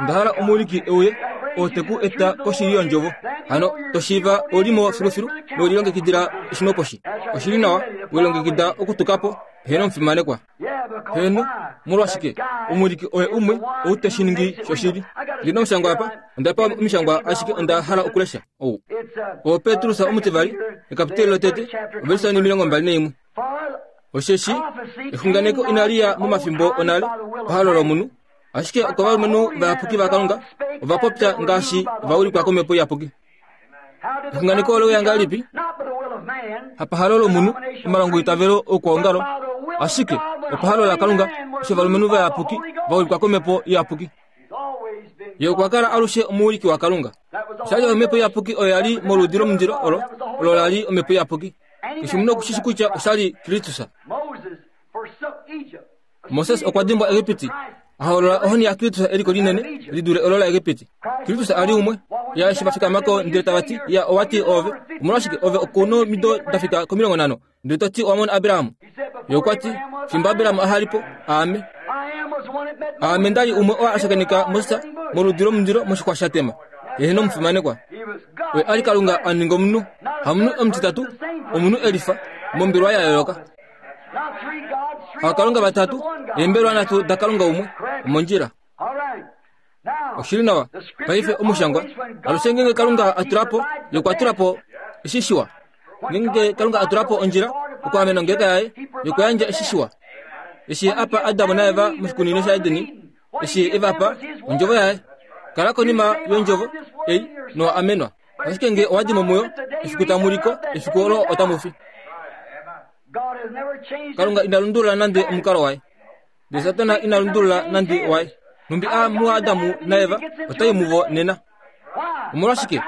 Onda hala omuwiliki e uye oo te ku eta koshili yondjovo. Hano to shiiva ou li mo filufilu nowe lilongekidila eshinoposhi. Oshi li nawa, we lilongekida okutuka po, heeno omufimanekwa. Heeno, molwashike? Omuwiliki oye umwe ou te shi ningi shoshili. Ndi na omushangwa apa, onda pewa omishangwa ashike onda hala okulesha ou. Oo Petrus omutivali, ekapiteli lotete, ovelise 21. Osheshi exunganeko inali ya momafimbo onale pahalo lomunhu, ashike okovalumenhu vayapuki vaKalunga ova popya ngaashi va ulikwa komhepo iyapuki. Exunganeko ole uya ngahelipi? Hapahalo lomunhu, omalongoitavelo oukwaongalo, ashike opahalo laKalunga, osho ovalumenhu vayapuki va ulikwa komhepo iyapuki. Ye okwa kala alushe omuwiliki waKalunga. Osha li omhepo iyapuki oyo ya li moludi lomundilo olo, olo la li omhepo iyapuki. Keshe omunhu oku shi shi kutya osha li Kristus. Moses okwa dimbwa Egipiti, a holola ohoni yaKristus eliko linene li dule olo laEgipiti. Kristus a li umwe. Ya eshi va fikama ko ndele tava ti, Ya, owa ti ove, omolwashike ove oku nomido da fika komilongo nhano, ndele to ti owa mona Abraham? Ye okwa ti, Fimbo Abraham aha li po, aame. Aame nda li umwe oo a shakeneka Moses moludi lomundilo moshixwa sha tema. Ye nomufimanekwa. Oye a li Kalunga a ninga omunhu, hamunhu omutitatu, omunhu e lifa, mombelwa ya yooloka. Ookalunga vatatu, eembelwa nhatu daKalunga umwe, omondjila. Oshili nawa. Paife omushangwa, alushe ngeenge Kalunga a tula po, ye okwa tula po eshi shiwa. Ngeenge Kalunga a tula po ondjila okwaamena ongeleka yaye, ye okwa yandja eshi shiwa. Eshi ye a pa Adam naEva moshikunino shaEdeni, eshi ye e va pa ondjovo yaye. Kala konima yondjovo ei nowa amenwa. Ashike nge owa di mo muyo, efiku tamu li ko, efiku olo otamu fi. Kalunga ina lundulula nande omukalo waye. Ndele Satana ina lundulula nande waye. Nhumbi a muAdamu naEva otai muvo nena. Omolwashike?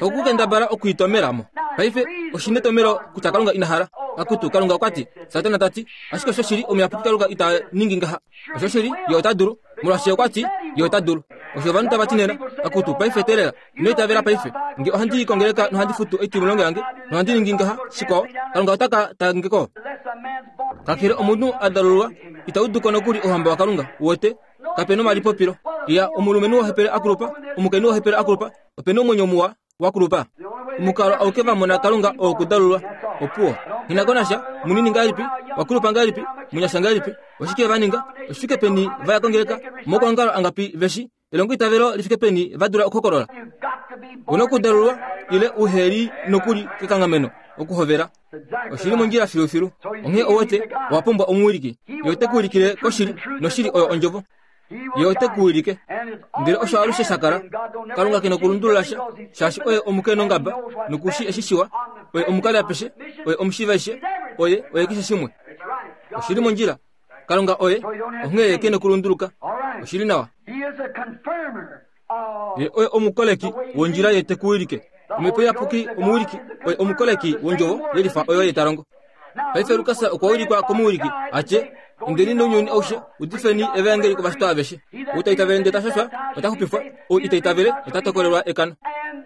Okukendabala okwiitomela mo. Paife oshi netomelo kutya Kalunga ina hala. Akutu, Kalunga okwa ti, Satana ta ti, ashike oshoshili omuyapuki Kalunga ita ningi ngaha. Oshoshili, ye ota dulu, molwaashi okwa ti, ye ota dulu. Osho ovanhu tava ti nena, akutu, paife teelela, ino itavela paife. Nge ohandi i kongeleka nohandi futu oitimulongo yange, nohandi ningi ngaha, shikwao, Kalunga ota ka ta nge ko. Kakele omunhu a dalululwa, ita udu ko nokuli Ouhamba waKalunga, uwete, kape nomalipopilo. Ya, omulumenhu wohepele a kulupa, omukainhu wohepele a kulupa, ope nomwenyo muwa, wa kulupa. Omukalo auke va mona Kalunga oo okudalulwa. Opuwo. Nghi na ko nasha, munini ngahelipi, wa kulupa ngahelipi, munyasha ngahelipi, oshike va ninga, oshifike peni va ya kongeleka, omaukwaongalo angapi ve shi, elongoitavelo li fike peni va dula okuhokolola. U na okudalulwa ile u he li nokuli kekanghameno. okuhovela. Oshi li mondjila filufilu. Onghee owete, owa pumbwa omuwiliki. Ye ote ku wilikile koshili, noshili oyo Ondjovo. Ye ote ku wilike. Ndele osho alushe sha kala. Kalunga ke nokulundulula sha, shaashi oye omukenongaba, noku shii eshi shiwa. Oye omukali apeshe, oye omushiivaishe, oye, oye keshe shimwe. Oshi li mondjila. Kalunga oye, onghee ye ke nokulunduluka. Oshi li nawa. Ye oye omukoleki wondjila ye te ku wilike. Omhepo Iyapuki omuwiliki oye omukoleki wondjovo yelifa oyo ye ta longo. Paife Lukas okwa wilikwa komuwiliki a tye, Indeni nounyuni aushe, udifeni evaengeli kovashitwa aveshe. Ou ta itavele ndele ta shashwa, ota xupifwa, ou ita itavele ota tokolelwa ekano.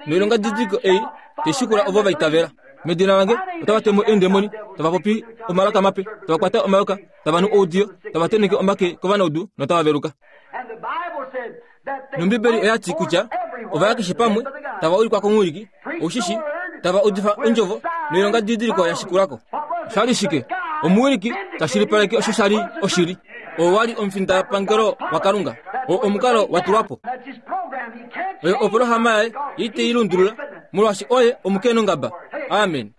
Noilongadidiliko ei tai shikula ovo va itavela. Medina lange otava te mo eendemoni, tava popi omalaka mape, tava kwata omayoka, tava nu oudiyo, tava tenheke omake kovanaudu notava veluka. Nombibeli oya ti kutya ova ya keshe pamwe tava ulikwa komuwiliki, oushishi, tava udifa ondjovo noilonga didiliko ya shikula ko. Osha li shike? Omuwiliki ta shilipaleke osho sha li oshili. Oo wa li omufindapangelo waKalunga. Oo omukalo wa tulwa po. Oyo opolohalama yaye ye ite i lundulula, molwaashi oye omukeenongaba. Amen.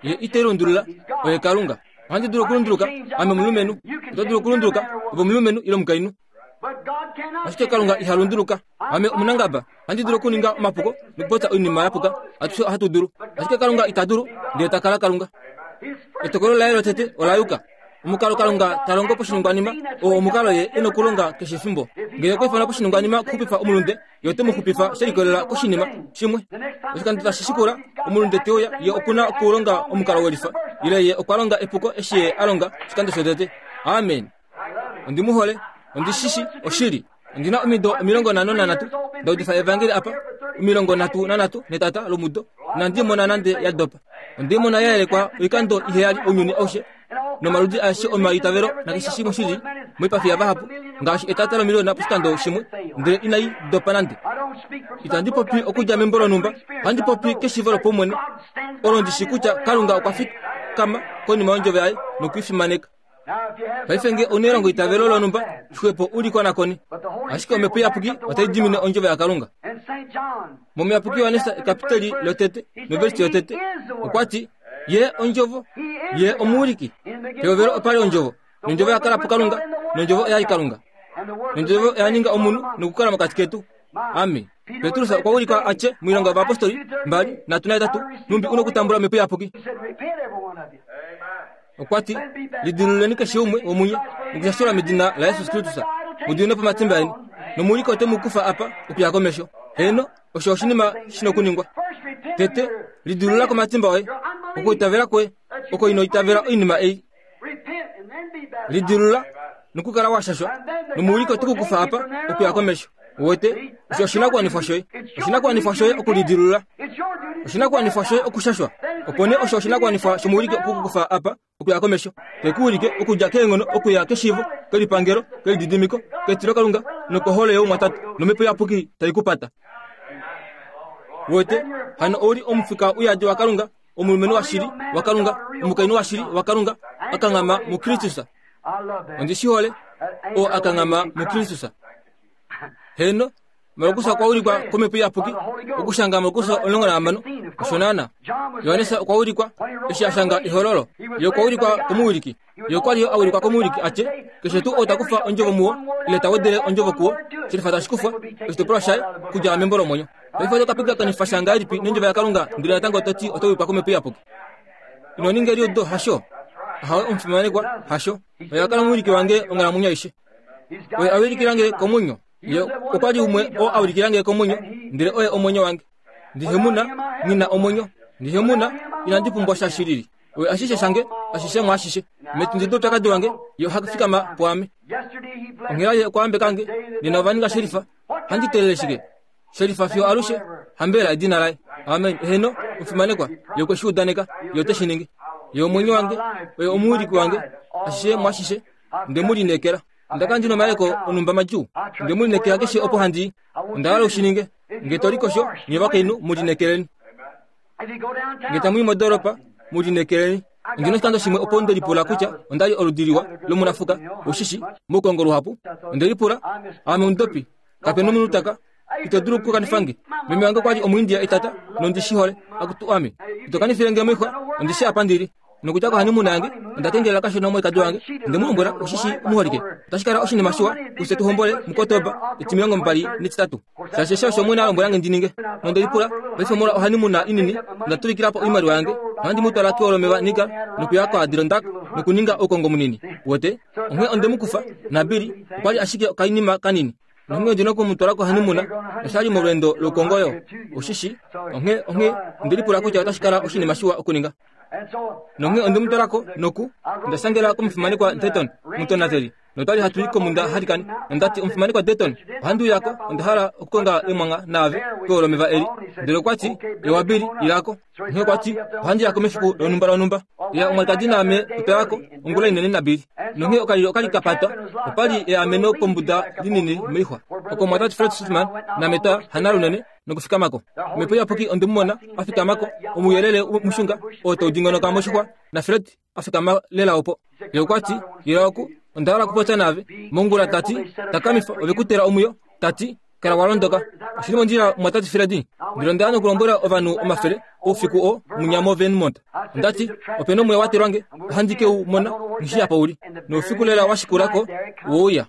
Ye ite lundulula, oye Kalunga. Ohandi dulu okulunduluka, ame omulumenhu. Oto dulu okulunduluka, ove omulumenhu ile omukainhu. Ashike Kalunga iha lunduluka. Ame omunangaba, ohandi dulu okuninga omapuko nokupopya oinima ya puka. Atushe ohatu dulu. Ashike Kalunga ita dulu, ndele ta kala Kalunga. Etokolo laye lotete ola yuka. Omukalo Kalunga ta longo poshiningwanima oo omukalo ye e nokulonga keshe efimbo. Ngele okwa ifana poshiningwanima okuxupifa omulunde, ye ote mu xupifa she likolelela koshinima shimwe. Oshikando tashi shikula, omulunde te uya, ye oku na okulonga omukalo welifa, ile ye okwa longa epuko eshi ye a longa oshikando shotete. Amen. Ondi mu hole. Ondi shi shi oshili. Ondi na omido 53 nda udifa evangeli apa, 33 netata lomudo, inandi mona nande ya dopa. Ondi mona ya yelekwa oikando iheyali ounyuni aushe, nomaludi aeshe omaitavelo nakeshe shimwe shi li moipafi yavahapu, ngaashi etata lomiliona poshikando shimwe, ndele inai dopa nande. Itandi popi okudja membo lonhumba, ohandi popi keshiivo lopaumwene, olo ndi shi kutya Kalunga okwa fikama konima yondjovo yaye noku i fimaneka. Paife nge ouna elongo itavelo lonhumba, xwepo u li konakone. Ashike Omhepo Iyapuki otai dimine ondjovo yaKalunga. MOmuyapuki Johannes ekapiteli lotete noversi yotete, okwa ti, Ye ondjovo, ye omuwiliki. Pehovelo opa li ondjovo, nondjovo ya kala puKalunga, nondjovo oya li Kalunga. Nondjovo oya ninga omunhu nokukala mokati ketu. Amen. Petrus okwa wilikwa a tye moilonga yovayapostoli 2 3, Nhumbi u nokutambula Omhepo Iyapuki. Okwa ti, Lidilululeni keshe umwe womunye nokushashulwa medina laJesus Kristus, mu diminwe po omatimba eni, nomuwiliki ote mu kufa apa okuya komesho. Heeno, osho oshinima shi nokuningwa. Tete, lidilulula komatimba oye, okuitavela kwoye, oko ino itavela oinima ei. Lidilulula nokukala wa shashwa, nomuwiliki ote ku kufa apa okuya komesho. Uwete, osho oshinakuwanifwa shoye. Oshinakuwanifwa shoye okulidilulula. Oshinakuwanifwa shoye okushashwa. Opo nee osho oshinakuwanifwa shomuwiliki okukukufa apa okuya komesho. Te ku wilike okudja keenghono okuya keshiivo, kelipangelo, kelididimiko, ketilokalunga nokohole youmwatate, nomhepo iyapuki tai ku pata. Uwete, hano ou li omufika uyadi waKalunga, omulumenhu washili waKalunga, omukainhu washili waKalunga, a kanghama muKristus. Ondi shi hole, oo a kanghama muKristus. Heeno, Markus okwa ulikwa komhepo iyapuki okushanga Markus 16 osho naana. Johannes okwa ulikwa eshi a shanga Ehololo. Ye okwa ulikwa komuwiliki. Ye okwa li yo a ulikwa komuwiliki a tye, Keshe tuu ou ta kufa ondjovo muwo, ile ta wedele ondjovo kuwo, shelifa tashi kufwa, oshitopolwa shaye, kudja membo lomwenyo. Paife oto ka pingakanifa sha ngahelipi nondjovo yaKalunga ndele natango to ti oto wilikwa komhepo iyapuki? Ino ninga eliudo, hasho? Ahawe, omufimanekwa, hasho. Oye a kala omuwiliki wange onghalamwenyo aishe. Oye a wilikila nge komwenyo. Ye okwa li umwe oo a wilikila nge komwenyo, ndele oye omwenyo wange. Ndi hemuna, nghi na omwenyo. Ndi hemuna, inandi pumbwa sha shilili. Oye ashishe shange, ashishe mwaashishe. Metindi loupyakadi wange, ye oha fikama pwaame. Onghela ye okwa yambeka nge, nena ova ninga shelifa. Ohandi teelele shike? Shelifa fiyo alushe, hambela edina laye. Amen. Eheno, omufimanekwa, ye okwe shi udaneka, ye ote shi ningi. Ye omwenyo wange, oye omuwiliki wange, ashishe mwaashishe. Nde mu lineekela. Onda kala ndi na omayeleko onhumba madjuu. Nde mu lineekela keshe opo handi i. Onda hala u shi ninge. Nge to likosho, nye ovakainhu, mu lineekeleni. Nge tamu i modoolopa, mu lineekeleni. Ondi na oshikando shimwe opo nde lipula kutya onda li oludi liwa lomunafuka, u shi shi, moukongo luhapu. Onde lipula, Aame omudopi? Kape nomunhu taka. Ito dulu okukanifa nge. Meme wange okwa li Omuindia etata, nondi shi hole. Akutu ame. Ito kanifile nge moixwa, ondi shi apa ndi li. Nokudja kohanimuna yange, onda kengelela kashona omwalikadi wange, onde mu lombwela, Oshi shii, omuholike, otashi kala oshinima shiwa kufye tu hombole muKotoba etimilongombali netitatu. Shaashi eshi osho Omwene a lombwela nge ndi ninge. Nonde lipula, Paife molwa ohanimuna inini, onda tuvikila po oimaliwa yange, nohandi mu twala keolomeva Niger, nokuya koAdirondack, nokuninga oukongo munini. Uwete? Onghee onde mu kufa, naBilly okwa li ashike okainima kanini. Nonghee ondi na oku mu twala kohanimuna, nosha li molweendo loukongo yo. Oshi shi? Onghee, onghee onde lipula kutya otashi kala oshinima shiwa okuninga. Nonghee onde mu twala ko, noku, onda shangela komufimanekwa Dayton, omutonateli, notwa li hatu i komunda halikani. Nonda ti, Omufimanekwa Dayton, ohandi uya ko, onda hala okukonga emwangha naave keolomeva eli. Ndele okwa ti, Ewa, Billy, ila ko. Onghee okwa ti, Ohandi ya ko mefiku lonhumba lonhumba. Ya omwalikadi naame otwa ya ko ongula inene naBilly. Nonghee okalilo oka li ka patwa. Opa li eameno kombuda linini moixwa. Oko omumwatate Fred Sothmann naame twa hana lunene nokufikama ko. Omhepo Iyapuki onde mu mona a fikama ko, omuuyelele mushunga oo tau dingonoka moshixwa, naFred a fikama lela opo. Ye okwa ti, Ila oku, onda hala okupopya naave. Mongula ta ti, Takamifa, ove ku tela omwiyo. Ta ti, Kala wa londoka. Oshi li mondjila, mumwatate Fred. Ndele onda ya nokulombwela ovanhu omafele, oufiku oo, munya moVermont. Onda ti, Ope na omwiyo wa telwa nge, ohandi ke u mona, nghi shii apa u li. Noufiku lela wa shikula ko, we uya.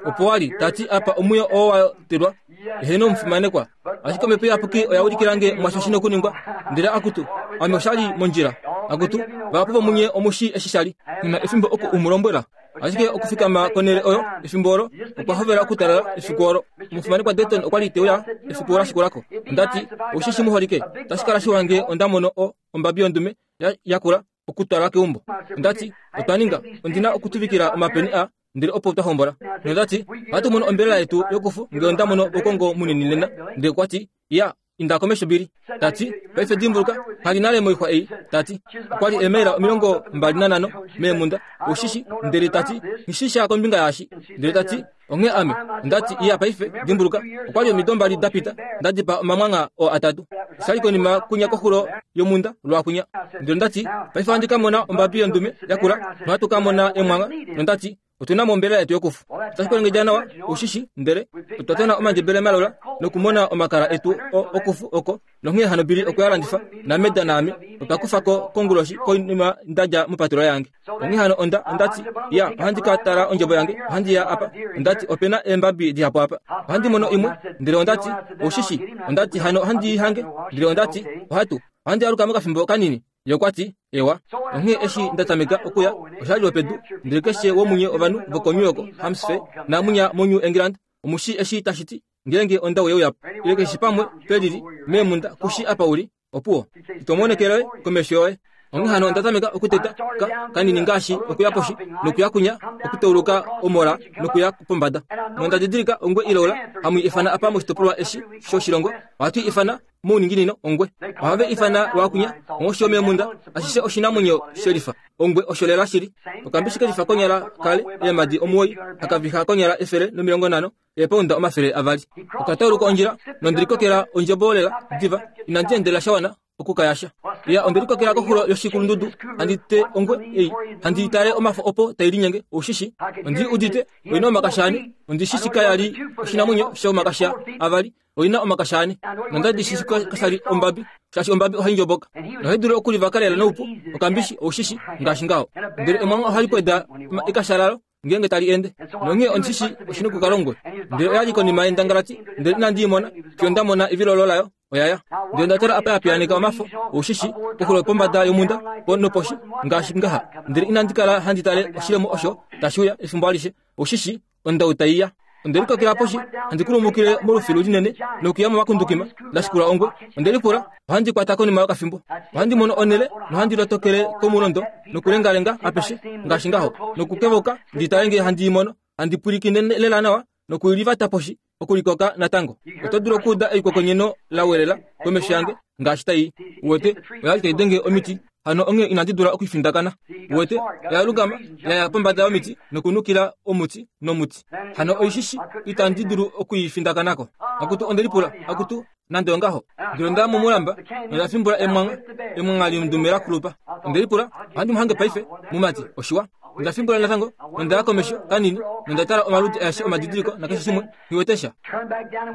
Opo wa li, ta ti, Apa omwiyo oo wa telwa, eheno omufimanekwa. Ashike Omhepo Iyapuki oya ulikila nge mwasho shi nokuningwa. Ndele akutu, ame osha li mondjila. Akutu, vahapu vomunye omu shii eshi sha li. Nghi na efimbo oku u mu lombwela. Ashike okufikama konhele oyo, efimbo olo, okwa hovela okutalala efiku olo. Omufimanekwa Dayton okwa li te uya efiku la shikula ko. Onda ti, Ou shi shi muholike, otashi kala shiwa nge onda mono o, ombabi yondume ya, yakula okutwala keumbo. Onda ti, Otwa ninga, ondi na okutuvikila omapeni a, ndele opo twa hombola. Nonda ti, Ohatu mono ombelela yetu yokufu nge onda mono oukongo munini nena. Ndele okwa ti, Ya, inda komesho Billy. Ta ti, Paife dimbuluka, kali nale moixwa ei. Ta ti, Okwa li eemaila 25 meemhunda, ou shi shi. Ndele ta ti, Nghi shi sha kombinga yaashi. Ndele ta ti, Onghee ame, onda ti, Iya paife, dimbuluka, okwa li omido mbali da pita, nda dipaa omamwangha oo atatu. Osha li konima kwinya koxulo yomhunda, lwaakunya. Ndele onda ti, Paife ohandi ka mona ombabi yondume yakula, nohatu ka mona emwangha. Nonda ti, Otu na mo ombelela yetu yokufu. Otashi kwelengedja nawa, ou shi shi, ndele otwa tona omandjebele malola nokumona omakala etu o, okufu oko, nonghee hano Billy okwe a landifa, naMeda naame otwa kufa ko konguloshi konima nda dja mopatolola yange. Onghee hano onda, onda ti, Ya, ohandi ka tala ondjebo yange, ohandi ya apa. Onda ti, Ope na eembabi dihapu apa. Ohandi mono imwe. Ndele onda ti, Ou shi shi, onda ti, hano ohandi i hange. Ndele onda ti, Ohatu, ohandi aluka mokafimbo kanini. Ye okwa ti, Ewa. Onghee eshi nda tameka okuya, osha li lwopedu, ndele keshe womunye ovanhu vokoNew York, Hampshire, naamunya moNew England, omu shii eshi tashi ti, ngeenge ondau ye uya po, ile keshe pamwe pe lili, meemhunda, ku shii apa u li. Opuwo. Ito monekele komesho yoye. Onghee hano onda tameka okuteta ka, kanini ngaashi okuya poshi, nokuya kunya, okutauluka omola, nokuya pombada. Nonda didilika ongwe ilola, hamu i ifana apa moshitopolwa eshi shoshilongo, ohatu i ifana mouninginino ongwe. Ohave ifana lwaakunya, onghoshi yomeemhunda, ashishe oshinamwenyo shelifa. Ongwe osho lela shili. Okambishi kelifa konyala kale eemadi omuwoi, haka viha konyala 150, eepaunda 200. Oka tauluka ondjila, nonde likokela ondjebo lela diva, inandi endelela sha wana oku ka yasha. Ya, onde likokela koxulo yoshikulundudu, handi te ongwe ei, handi tale omafo opo tai linyenge, ou shi shi. Ondi udite, oi na omakasha ane, ondi shi shi kaya li oshinamwenyo shomakasha avali, oi na omakasha ane. Nonda li shi shi kasha li ombabi, shaashi ombabi ohai ndjoboka nohai dulu okulivaka lela noupu, okambishi, ou shi shi, ngaashi ngaho. Ndele emwangha ohali pweda ekasha lalo ngeenge tali ende. Nonghee ondi shi shii oshi nokukala ongwe. Ndele oya li konima yendangalati, ndele inandi i mona, fiyo nda mona evilolo layo, oya ya. Ndele onda tala apa ya piyaaneka omafo, ou shi shii, koxulo pombada yomhunda, po noposhi, ngaashi ngaha. Ndele inandi kala handi tale oshilemo osho tashi uya efimbo alishe, ou shi shii, ondau tai ya. Onde likokela poshi, handi kulumukile molufilu linene nokuya momakundukima, nda shikula ongwe. Onde lipula, ohandi kwata konima yokafimbo. Ohandi mono onhele nohandi lotokele komulondo nokulengalenga apeshe ngaashi ngaho, nokukevoka ndi tale ngee handi i mono, handi pwilikine lela nawa nokulivata poshi okulikoka natango. Oto dulu okuuda eikokonyeno la welela komesho yange ngaashi tai i. Uwete, oya li tai denge omiti hano onghee inandi dula okufindakana. Uwete, oya lungama, ya ya pombada yomiti nokunukila omuti nomuti. Hano oishishi itandi dulu oku i findakanako. Akutu, onde lipula, akutu, Nande ongaho, ndele onda ya momulamba nonda fimbula emwangha, emwangha londume la kulupa. Onde lipula, Ohandi mu hange paife, mumati? Oshiwa. Onda fimbula natango, nonda ya komesho kanini, nonda tala omaludi aeshe omadidiliko nakeshe shimwe, nghi wete sha.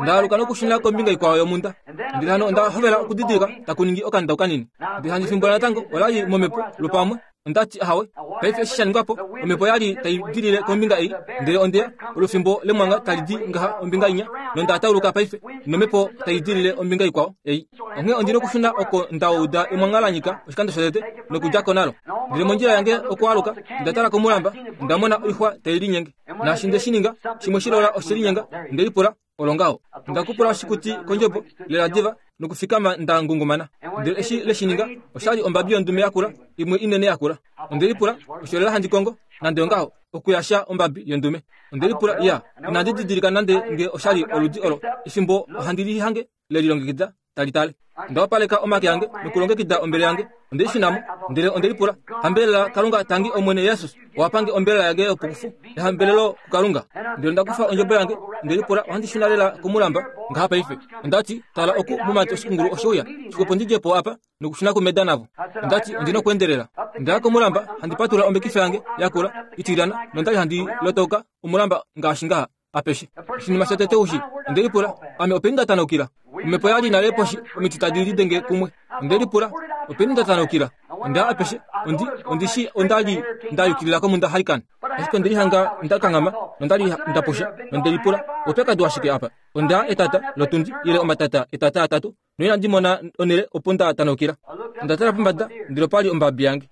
Nda aluka nokushuna kombinga ikwao yomhunda. Ndele hano onda hovela okudidilika taku ningi okandau kanini. Ndele handi fimbula natango, ola li momhepo lwopamwe. Onda ti, Ahawe. Paife eshi sha ningwa po, omhepo ya li tai dilile kombinga ei, ndele onde ya, olufimbo lemwangha tali di ngaha ombinga inya, nonda tauluka paife, nomhepo tai dilile ombinga ikwao ei. Onghee ondi nokushuna oko nda uda emwangha la nyika oshikando shotete, nokudja ko nalo. Ndele mondjila yange okualuka, onda tala komulamba, onda mona oixwa tai linyenge. Naashi nde shi ninga, shimwe shilola oshe linyenga, nde lipula, Olo ngaho. Onda kupula oshikuti kondjobo, lela diva, nokufikama nda ngungumana. Ndele eshi le shi ninga, osha li ombabi yondume yakula, imwe inene yakula. Onde lipula, Osho lela handi kongo, nande ongaho, okuyasha ombabi yondume. Onde lipula, Iya, inandi didilika nande nge osha li oludi olo, efimbo ohandi li hange le lilongekida tali tale. Onda wapaleka omake ange nokulongekida ombele yange. Onde i shuna mo, ndele onde lipula, Hambelela Kalunga tangi Omwene Jesus, owa pange ombelela yange yopokufu. Ehambelelo kuKalunga. Ndele onda kufa ondjebo yange, onde lipula, Ohandi shuna lela komulamba ngaha paife. Onda ti, Tala oku, mumati, oshikungulu oshe uya. Xwepo ndi dje po apa nokushuna kumeda navo. Onda ti, Ondi nokuendelela. Onda ya komulamba, handi patula ombekifa yange yakula, itilyana, nonda li handi lotauka omulamba ngaashi ngaha. apeshe. Oshinima shotete ushi, onde lipula, Ame openi nda tanaukila? Omhepo ya li nale poshi, omiti tadi lidenge kumwe. Onde lipula, Openi nda tanaukila? Onda ya apeshe, ondi, ondi shi onda li nda yukilila komunda Haikan. Ashike onde lihanga nda kanghama, nonda li nda pusha, nonde lipula, Oupyakadi washike apa? Onda ya etata lotundi, ile omatata etata atatu, noinandi mona onhele opo nda tanaukila. Onda tala pombada, ndele opa li ombabi yange.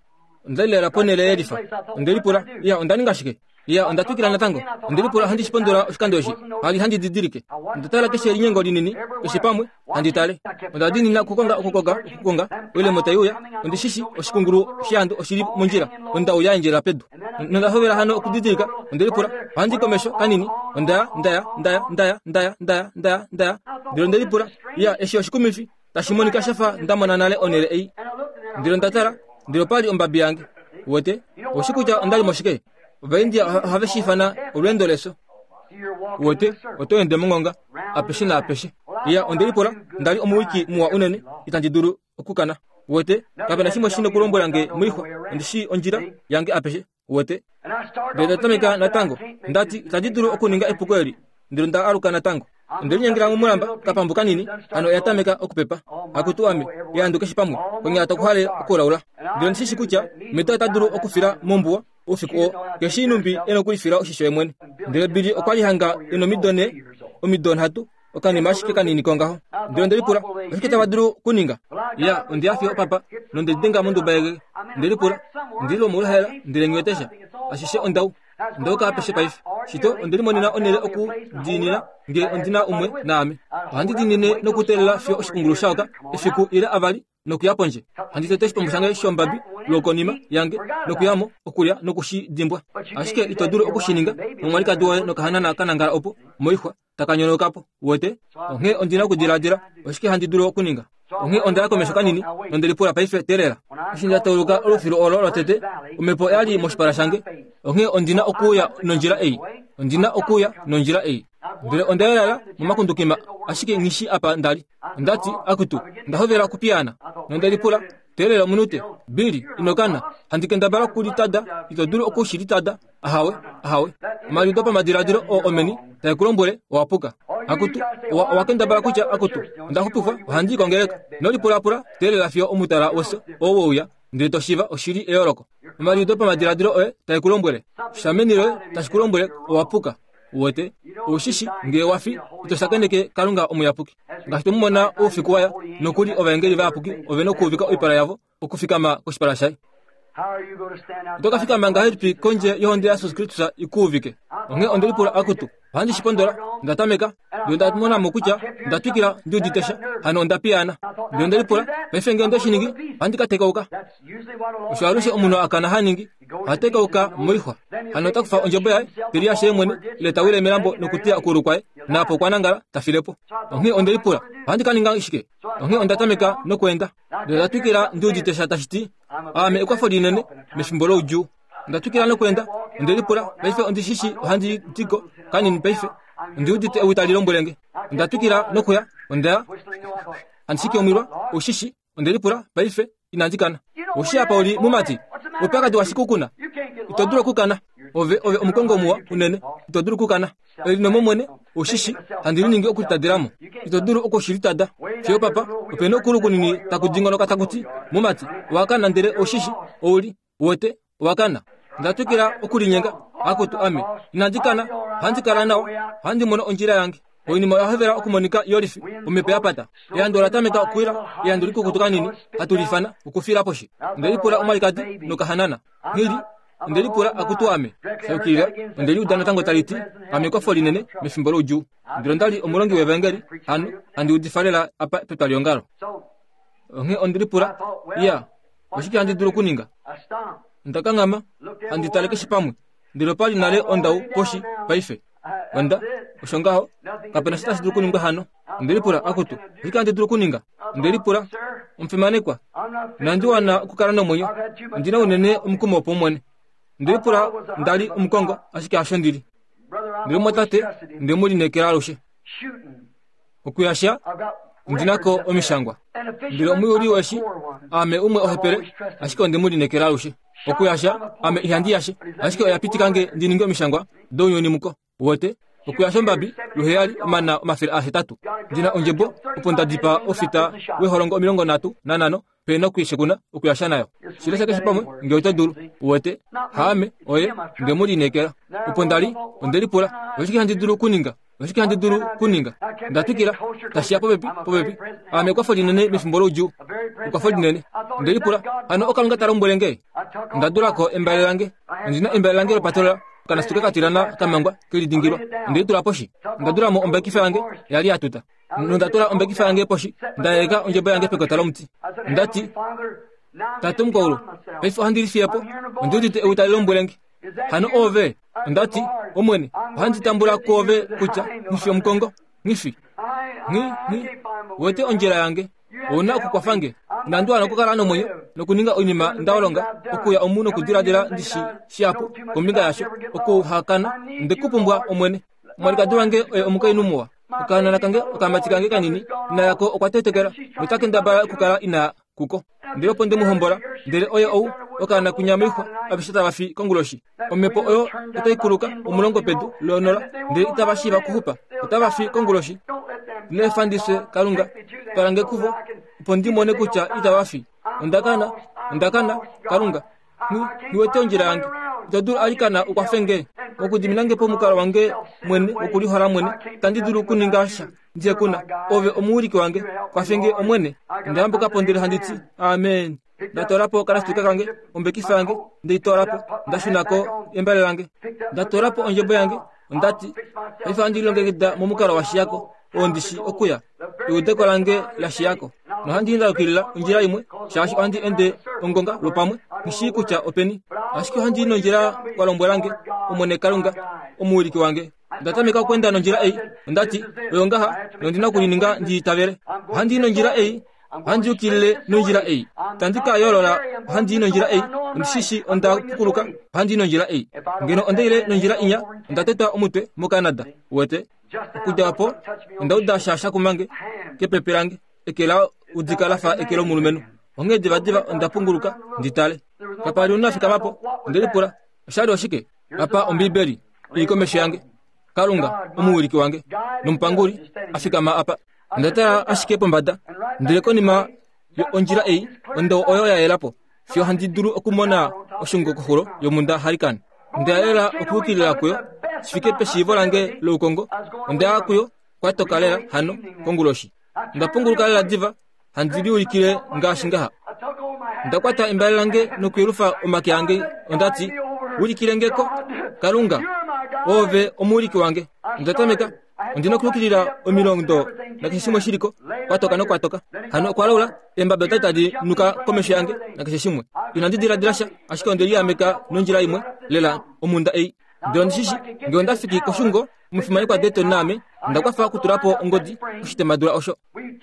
Onda li lela ponhele yelifa. Onde lipula, Iya, onda ninga shike? Iya, onda twikila natango. Onde lipula ohandi shi pondola oshikando eshi. Hali handi didilike. Onda tala keshe elinyengo linini, keshe pamwe, handi tale. Onda diinina okukonga, okukonga, okukonga, oilemo tai uya. Ondi shi shi, oshikungulu shehandu oshi li mondjila. Onda uya endjela pedu. Nonda hovela hano okudidilika. Onde lipula, ohandi komesho kanini. Onda ya, nda ya, nda ya, nda ya, nda ya, nda ya, nda ya, nda ya. Ndele onde lipula, Iya, eshi oshikumifi. Tashi monika sha fa nda mona nale onhele ei. Ndele onda tala, ndele opa li ombabi yange. Uwete? Oushi kutya onda li moshike? Ovaindia ohave shi ifana olweendo lefyo. Uwete, oto ende mongonga, apeshe naapeshe. Iya, onde lipula, nda li omuwiki muwa unene, itandi dulu okukana. Uwete, kape na shimwe shi nokulombwela nge moixwa, ondi shii ondjila yange apeshe. Uwete? Ndele nda tameka natango. Nda ti, Itandi dulu okuninga epuko eli. Ndele nda aluka natango. Onde linyengela momulamba, kapambu kanini, hano oya tameka okupepa. Akutu ame, ehandu keshe pamwe, konyala taku hale okulaula. Ndele ondi shi shi kutya Meda ota dulu okufila mombuwa oufiku oo, keshi numbi e nokulifila oshisho ye mwene. Ndele Billy okwa li hanga e nomido nhe, omido nhatu, okanima ashike kanini kongaho. Ndele onde lipula, Oshike tava dulu okuninga? Ya, onde ya fiyo opapa, nonde lidenga monduba yegege. Onde lipula, Ondi li lwomoluhaela, ndele nghi wete sha. Ashishe ondau. Ondauka apeshe paife. Shito, onde limonena onhele okudiinina, nge ondi na umwe naame. Ohandi diinine nokuteelela fiyo oshikungulu sha oka, efiku ile avali, nokuya pondje. Handi tete oshipambu shange shombabi lwokonima yange nokuya mo, okulya noku shi dimbwa. Ashike ito dulu oku shi ninga nomwalikadi woye nokahanana ka nangala opo, moixwa, taka nyonauka po. Uwete? Onghee ondi na okudiladila, Oshike handi dulu okuninga? Onghee onda ya komesho kanini, nonde lipula paife, Teelela. Eshi nda tauluka olufilu olo lotete, omhepo oya li moshipala shange. Onghee ondi na okuuya nondjila ei. Ondi na okuuya nondjila ei. Ndele onda yelala momakundukima, ashike nghi shii apa nda li. Onda ti, Akutu, onda hovela okupiyaana. Nonde lipula, Teelela omunute, Billy, ino kana. Handi kendabala okulitada, ito dulu oku shi litada. Ahawe, ahawe. Omaliudo pamadiladilo oo omeni tae ku lombwele owa puka. Akutu, owa, owa kendabala kutya, Akutu, onda xupifwa, ohandi i kongeleka. Ino lipulapula, teelela fiyo omutala wefyo oo we uya, ndele to shiiva oshi li eyooloko. Omaliudo pamadiladilo oye tae ku lombwele. Sha meni loye tashi ku lombwele owa puka. Uwete? Ou shi shi, nge wa fi, ito shakeneke Kalunga omuyapuki. Ngaashi twe mu mona oufiku wa ya, nokuli ovaengeli vayapuki ove nokuuvika oipala yavo okufikama koshipala shaye. Oto ka fikama ngahelipi kondje yohonde yaJesus Kristus i ku uvike? Onghee onde lipula, Akutu, ohandi shi pondola? Onda tameka, ndele onda mona mo kutya onda twikila ndi udite sha, hano onda piyaana. Ndele onde lipula, Paife nge onde shi ningi, ohandi ka tekauka. Osho alushe omunhu a kana ha ningi, oha tekauka moixwa. Hano ota kufa ondjebo yaye, te liyashe ye mwene, ile ta wile melambo nokuteya okuulu kwaye, naapo okwa nangala, ta file po. Onghee onde lipula, Ohandi ka ninga shike? Onghee onda tameka nokweenda. Ndele onda twikila ndi udite sha tashi ti, Aame ekwafo linene mefimbo loudjuu. Onda twikila nokweenda. Onde lipula, Paife ondi shi shii ohandi di ko kanini paife. Ondi udite ewi tali lombwele nge. Onda twikila nokuya. Onda ya. Handi shiki omwilwa, ou shi shi. Onde lipula, Paife, inandi kana. Ou shii apa u li, mumati? Oupyakadi washike u ku na? Ito dulu okukana. Ove, ove omukongo muwa unene. Ito dulu okukana. Elinomo mwene, ou shi shi, handi liningi okulitadela mo. Ito dulu oku shi litada. Fiyo papa, ope na okulu kunini taku dingonoka taku ti, Mumati, owa kana ndele ou shi shi, ou li, uwete, owa kana. Nda twikila okulinyenga, Akutu ame, inandi kana, ohandi kala nawa, ohandi mono ondjila yange. Oinima oya hovela okumonika yolifi, omhepo ya pata. Ehandu ola tameka okuwila, ehandu likukutu kanini, hatu li ifana, okufila poshi. Onde lipula omwalikadi nokahanana. Nghi li, onde lipula akutu ame. Sha yukilila, onde li uda natango tali ti, Ame ekwafo linene mefimbo loudjuu. Ndele onda li omulongi wevaengeli, hano, handi udifa lela apa petwaliongalo. Onghee onde lipula, Iya, oshike handi dulu okuninga? Onda kanghama, handi tale keshe pamwe, ndele opa li nale ondau poshi paife. Onda, osho ngaho, kape na sha tashi dulu okuningwa hano. Onde lipula, Akutu, oshike handi dulu okuninga? Onde lipula, Omufimanekwa, inandi wana okukala nomwenyo. Ondi na unene omukumo wopaumwene. Onde lipula nda li omukongo, ashike hasho ndi li. Ndele omumwatate, onde mu lineekela alushe. Okuyasha, ondi na ko omishangwa. Ndele omuyuli weshi, aame umwe ohepele, ashike onde mu lineekela alushe. Okuyasha, ame ihandi yashe, ashike oya pitika nge ndi ninge omishangwa dounyuni muko. Uwete? Okuyasha ombabi, luheyali, omana 800. Ndi na ondjebo, opo nda dipaa ofita weholongo 35, pe nokwiishekuna okuyasha nayo. Shi lesha keshe pamwe, nge oto dulu. Uwete? Haame, oye, nde mu lineekela. Opo nda li, onde lipula, Oshike handi dulu okuninga? Oshike handi dulu kuninga? Nda twikila, tashi ya popepi, popepi. Aame ekwafo linene mefimbo loudjuu. Ekwafo linene. Onde lipula, hano oKalunga ta lombwele nge? Onda dula ko embale lange. Ondi na embale lange lopatola, okanasituke ka tilana ka mangwa, ke lidingilwa. Onde li tula poshi. Onda dula mo ombekifa yange, ya li ya tuta. Nonda tula ombekifa yange poshi, nda yeleka ondjebo yange pekota lomuti. Onda ti, Tate Omukaulu, paife ohandi lifiye po. Ondi udite ewi tali lombwele nge. Hano oove? Onda ti, Omwene, ohandi tambula kwoove kutya nghi fi omukongo, nghi fi. Nghi, nghi wete ondjila yange. Ou na okukwafa nge. Inandi wana okukala nomwenyo nokuninga oinima nda olonga, okuya omu nokudiladila ndi shi shihapu kombinga yasho, okuhakana. Onde ku pumbwa, Omwene. Omwalikadi wange oye omukainhu muwa. Okahanana kange, okamati kange kanini, ina yako okwa tetekela, nota kendabala okukala ina kuko. Ndele opo nde mu hombola, ndele oye ou, okaana kwinya moixwa, aveshe tava fi konguloshi. Omhepo oyo otai kuluka omulongo pedu lonola, ndele itava shiiva okuxupa, otava fi konguloshi. Ino efa ndi fye, Kalunga, twala nge kuvo, opo ndi mone kutya itava fi. Onda kana, onda kana, Kalunga. Nghi wete ondjila yange. Ito dulu alikana u kwafe nge? Mokudimina nge pomukalo wange mwene wokulihola mwene, itandi dulu okuninga sha ndihe ku na. Ove omuwiliki wange. Kwafe nge, Omwene. Onda yambuka po ndele handi ti, Amen. Nda toola po okanasituka kange, ombekifa yange, nde i toola po. Nda shuna ko embale lange. Nda toola po ondjebo yange. Onda ti, Paife ohandi lilongekida momukalo wa shiya ko, oo ndi shi okuya. Eudeko lange la shiya ko. Nohandi ndalukilila ondjila imwe, shaashi ohandi ende ongonga lwopamwe, nghi shii kutya openi. Ashike ohandi i nondjila wa lombwela nge, Omwene Kalunga, omuwiliki wange. Onda tameka okweenda nondjila ei. Onda ti, Oyo ngaha, nondi na okulininga ndi itavele. Ohandi i nondjila ei, ohandi yukilile nondjila ei. Itandi ka yoolola, ohandi i nondjila ei. Ondi shi shi onda pukuluka, ohandi i nondjila ei. Ngeno onda ile nondjila inya, onda tetwa omutwe moCanada. Uwete? Okudja opo, onda uda sha sha kuma nge kepepe lange, eke la udika la fa eke lomulumenhu. Onghee divadiva onda punguluka ndi tale. Kapa li omunhu a fikama po. Onde lipula, Osha li oshike? Apa Ombiibeli i li komesho yange. Kalunga, omuwiliki wange nomupanguli, a fikama apa. Onda tala ashike pombada, ndele konima ondjila ei, ondoo oyo ya yela po, fiyo handi dulu okumona oshungo koxulo yomhunda Hurricane. Onda lela okuyukilila kuyo, shi fike peshiivo lange loukongo. Onda ya kuyo kwa toka lela hano konguloshi. Onda punguluka lela diva, handi liulikile ngaashi ngaha. Onda kwata embale lange nokuyelufa omake ange. Onda ti, Ulikile nge ko, Kalunga, oove omuwiliki wange. Onda tameka Ondi na okuyukilila omilondo nakeshe shimwe shi li ko, kwa toka nokwa toka. Hano okwa laula, eembabi otali tadi nuka komesho yange nakeshe shimwe. Inandi diladila sha, ashike onde liameka nondjila imwe, lela, omhunda ei. Ndele ondi shi shi, nge onda fiki koshungo, omufimanekwa Dayton naame, onda kwafa okutula po ongodi koshitemadula osho.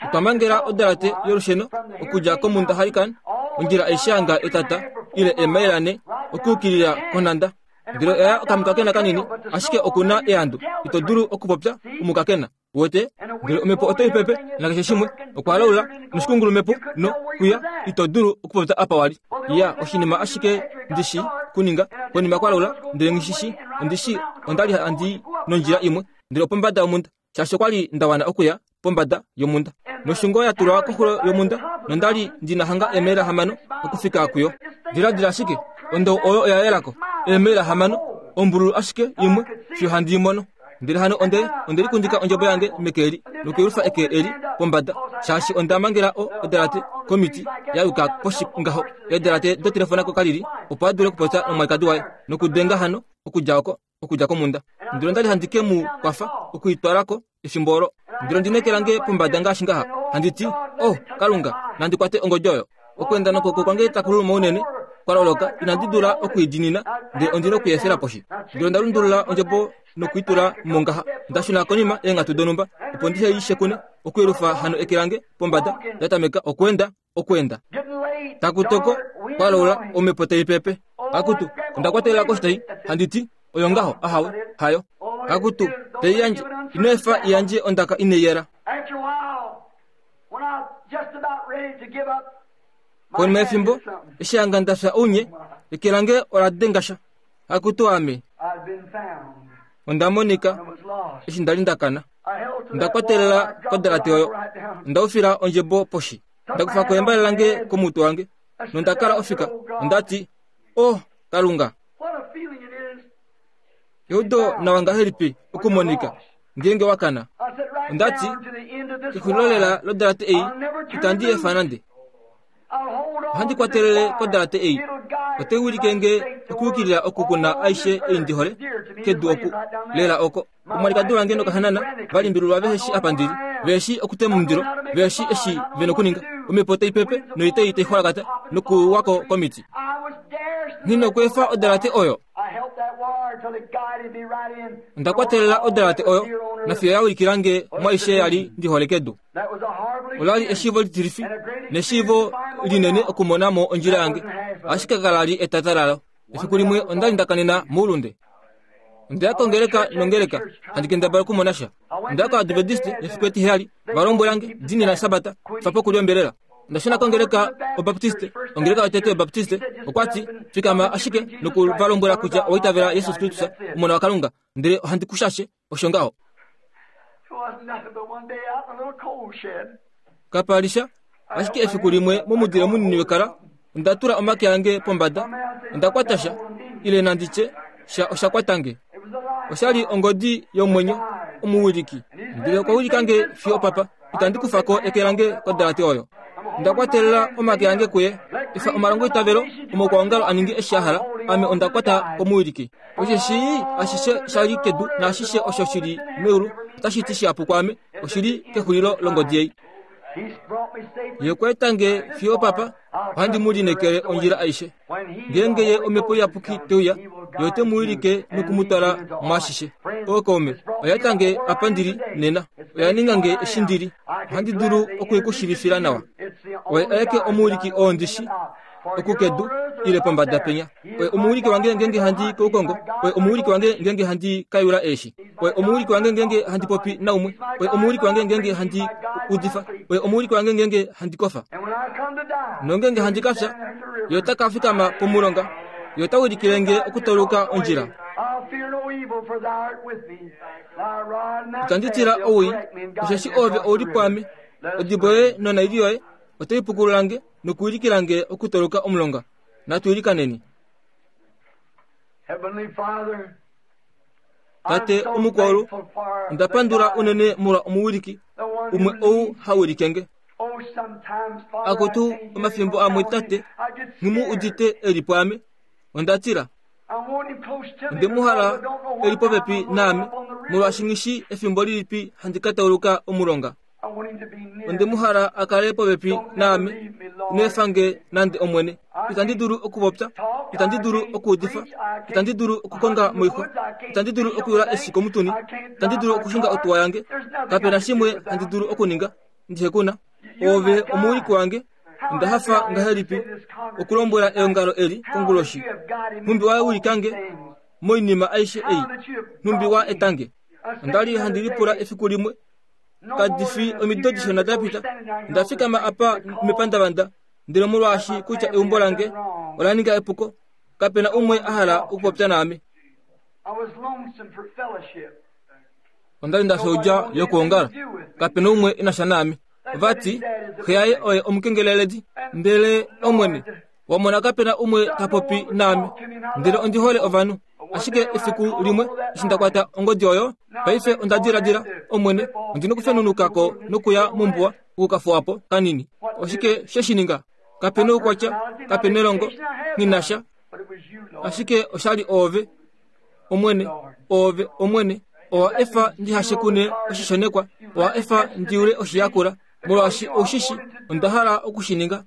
Otwa mangela odalate yolusheno okudja komhunda Hurricane, ondjila aishe hanga etata ile eemaila nhe, okuyukilila konhanda. Ndele oya okamukakena kanini, ashike oku na eandu. Ito dulu okupopya omukakena. Uwete? Ndele omhepo otai pepe, nakeshe shimwe, okwa laula, noshikungulumepo, no, kwiya, ito dulu okupopya apa wa li. Ya, oshinima ashike ndi shi kuninga, konima kwa laula, ndele nghi shi shi, ondi shi onda li handi i nondjila imwe, ndele opombada yomhunda, shaashi okwa li nda wana okuya pombada yomhunda. Noshungo ya tulwa koxulo yomhunda, nonda li ndi na hanga eemaila hamano okufika kuyo. Diladila ashike, ondou oyo oya yela ko, eemaila hamano, ombululu ashike imwe, fiyo handi i mono. Ndele hano onde, onde likundika ondjebo yange meke eli, nokuyelufa eke eli pombada, shaashi onda mangela o, odalate komiti ya yuka poshi ngaho, eedalate dotelefona kokalili, opo a dule okupopya nomwalikadi waye, nokudenga hano okudja oko, okudja komhunda. Ndele onda li handi ke mu kwafa oku i twala ko efimbo olo. Ndele ondi neke lange pombada ngaashi ngaha, handi ti, Oh, Kalunga, nandi kwate ongodi oyo. Okweenda nokwooko kwange taku luluma unene, kwa loloka, inandi dula oku i diinina, ndele ondi noku i efela poshi. Ndele onda lundulula ondjebo noku i tula mo ngaha. Nda shuna konima eenghatu donhumba, opo ndihe i shekune, okuyelufa hano eke lange pombada, nda tameka okweenda, okweenda. Taku toko, kwa laula, omhepo tai pepe. Akutu, onda kwatelela koshitai, handi ti, Oyo ngaho, ahawe, hayo. Akutu, tai yandje, ino efa i yandje ondaka inai yela. Konima yefimbo, eshi hanga nda fya ounye, eke lange ola denga sha. Akutu ame! Onda monika, eshi nda li nda kana. Onda kwatelela kodalate oyo. Onda ufila ondjebo poshi. Nda kufa ko embale lange komutwe wange, nonda kala ofika. Onda ti, Oh, Kalunga! Eudo nawa ngahelipi okumonika ngeenge wa kana. Onda ti, Kexulilo lela lodalate ei, itandi efa nande. Ohandi kwatelele kodalate ei. Otai wilike nge okuyukilila oku ku na aishe ei ndi hole, kedu oku, lela oko. Omwalikadi wange nokahanana va limbililwa vehe shi apa ndi li, vehe shi okutema omundilo, vehe shi eshi ve nokuninga. Omhepo tai pepe noitai tai xwalakata nokuwa ko komiti. Nghi nokweefa odalate oyo. Onda kwatelela odalate oyo nafiyo ya ulikila nge mwaaishe ya li ndi hole kedu. Ola li eshiivo litilifi neshiivo linene okumona mo ondjila yange, ashike kala li etata lalo. Efiku limwe onda li nda kanena moulunde. Onda ya kongeleka nongeleka, handi kendabala okumona sha. Onda ya koAdventiste efiku etiheyali, va lombwela nge, Diinina Esabata, fa pokulya ombelela. Onda shuna kongeleka Obaptiste, ongeleka yotete yObaptiste, okwa ti, Fikama ashike noku va lombwela kutya owa itavela Jesus Kristus, Omona waKalunga, ndele ohandi ku shashe. Osho ngaho. Kapa li sha, ashike efiku limwe momudile munini wekala, onda tula omake ange pombada, onda kwata sha, ile nandi tye, sha osha kwata nge. Osha li ongodi yomwenyo, omuwiliki. Ndele okwa wilika nge fiyo opapa. Itandi kufa ko eke lange kodalate oyo. Onda kwatelela omake ange kuye. Efa omalongoitavelo omaukwaongalo a ninge eshi a hala, ame onda kwata komuwiliki. Osheshi ashishe sha li kedu naashishe osho shi li meulu otashi ti shihapu kwaame, oshi li kexulilo longodi ei. Ye okwa eta nge fiyo opapa, ohandi mu lineekele ondjila aishe. Ngeenge ye Omhepo Iyapuki te uya, ye ote mu wilike noku mu twala mwaashishe. Ookaume, oya eta nge apa ndi li nena. Oya ninga nge eshi ndi li. Ohandi dulu oku i ku shiivifila nawa. Oye aeke omuwiliki oo ndi shi, oku kedu, ile pombada penya. Oye omuwiliki wange ngeenge handi i koukongo. Oye omuwiliki wange ngeenge handi ka yula eeshi. Oye omuwiliki wange ngeenge handi popi naumwe. Oye omuwiliki wange ngeenge handi udifa. Oye omuwiliki wange ngeenge handi kofa. Nongeenge handi ka fya, Ye ota ka fikama pomulonga. Ye ota wilikile nge okutauluka ondjila. Itandi tila owii, osheshi Oove ou li pwaame. Odibo yoye nonaili yoye otai pukulula nge nokuwilikila nge okutauluka omulonga. Natu ilikaneni. Tate omukwaulu, onda pandula unene molwa omuwiliki umwe ou ha wilike nge. Akutu, omafimbo amwe tate, nghi mu udite e li pwaame. Onda tila. Onde mu hala e li popepi naame, molwaashi nghi shii efimbo lilipi handi ka tauluka omulonga. Onde mu hala a kale popepi naame. Ino efa nge nande, Omwene. Itandi dulu okupopya, itandi dulu okuudifa, itandi dulu okukonga moixwa, itandi dulu okuyula eshi komutuni, itandi dulu okushinga otuwa yange. Kape na shimwe handi dulu okuninga ndihe ku na. Oove omuwiliki wange. Onda hafa ngahelipi okulombwela eongalo eli konguloshi, nhumbi wa wilika nge. moinima aishe ei, nhumbi wa eta nge. Onda li handi lipula efiku limwe, kadi fi omido dishona da pita, onda fikama apa mepandavanda, ndele molwaashi kutya eumbo lange ola ninga epuko, kape na umwe a hala okupopya naame. Onda li nda fya oudja yokwoongala, kape na umwe e na sha naame. Va ti, Xe yaye oye omukengeleledi. Ndele, Omwene, wa mona kape na umwe ta popi naame, ndele ondi hole ovanhu. Ashike efiku limwe eshi nda kwata ongodi oyo, paife onda diladila, Omwene, ondi nokufenunuka ko nokuya mombuwa oku ka fuwa po kanini. Oshike she shi ninga? Kape noukwatya, kape nelongo, nghi na sha. Ashike osha li Oove, Omwene, Oove, Omwene. Owa efa ndi hashekune oshishonekwa, owa efa ndi yule oshiyakula, molwaashi ou shi shi onda hala oku shi ninga.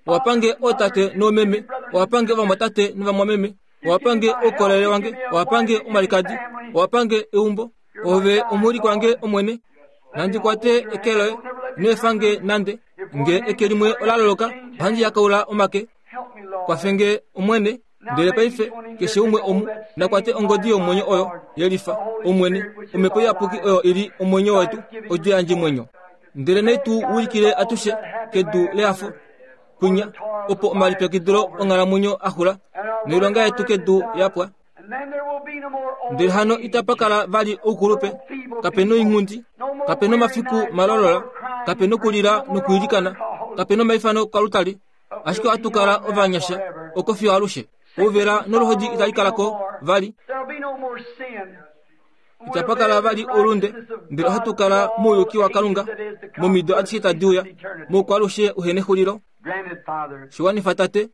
Owa pange ootate noomeme, owa pange ovamwatate novamwameme, owa pange oukolele wange, owa pange omalikadi, owa pange eumbo. Ove omuwiliki wange, Omwene. Nandi kwate eke loye, ino efa nge nande. Nge eke limwe ola loloka, ohandi yakaula omake. Kwafe nge, Omwene. Ndele paife, keshe umwe omu, na kwate ongodi yomwenyo oyo ye lifa, Omwene, Omhepo Iyapuki oyo i li omwenyo wetu, odjo yandjemwenyo. Ndele nai tu wilikile atushe kedu lehafo, kwinya, opo omalipyakidilo onghalamwenyo a xula, noilonga yetu kedu ya pwa. Ndele hano itapa kala vali oukulupe, kape noinghundi, kape nomafiku malolola, kape nokulila nokwiilikana, kape nomaifano kalutali, ashike ohatu kala ovanyasha oko fiyo alushe. Ouvela noluhodi itali kala ko vali. Itapa kala vali oulunde, ndele ohatu kala mouyuki waKalunga momido adishe tadi uya, moukwalushe uhe nexulilo. Shi wanifa, Tate.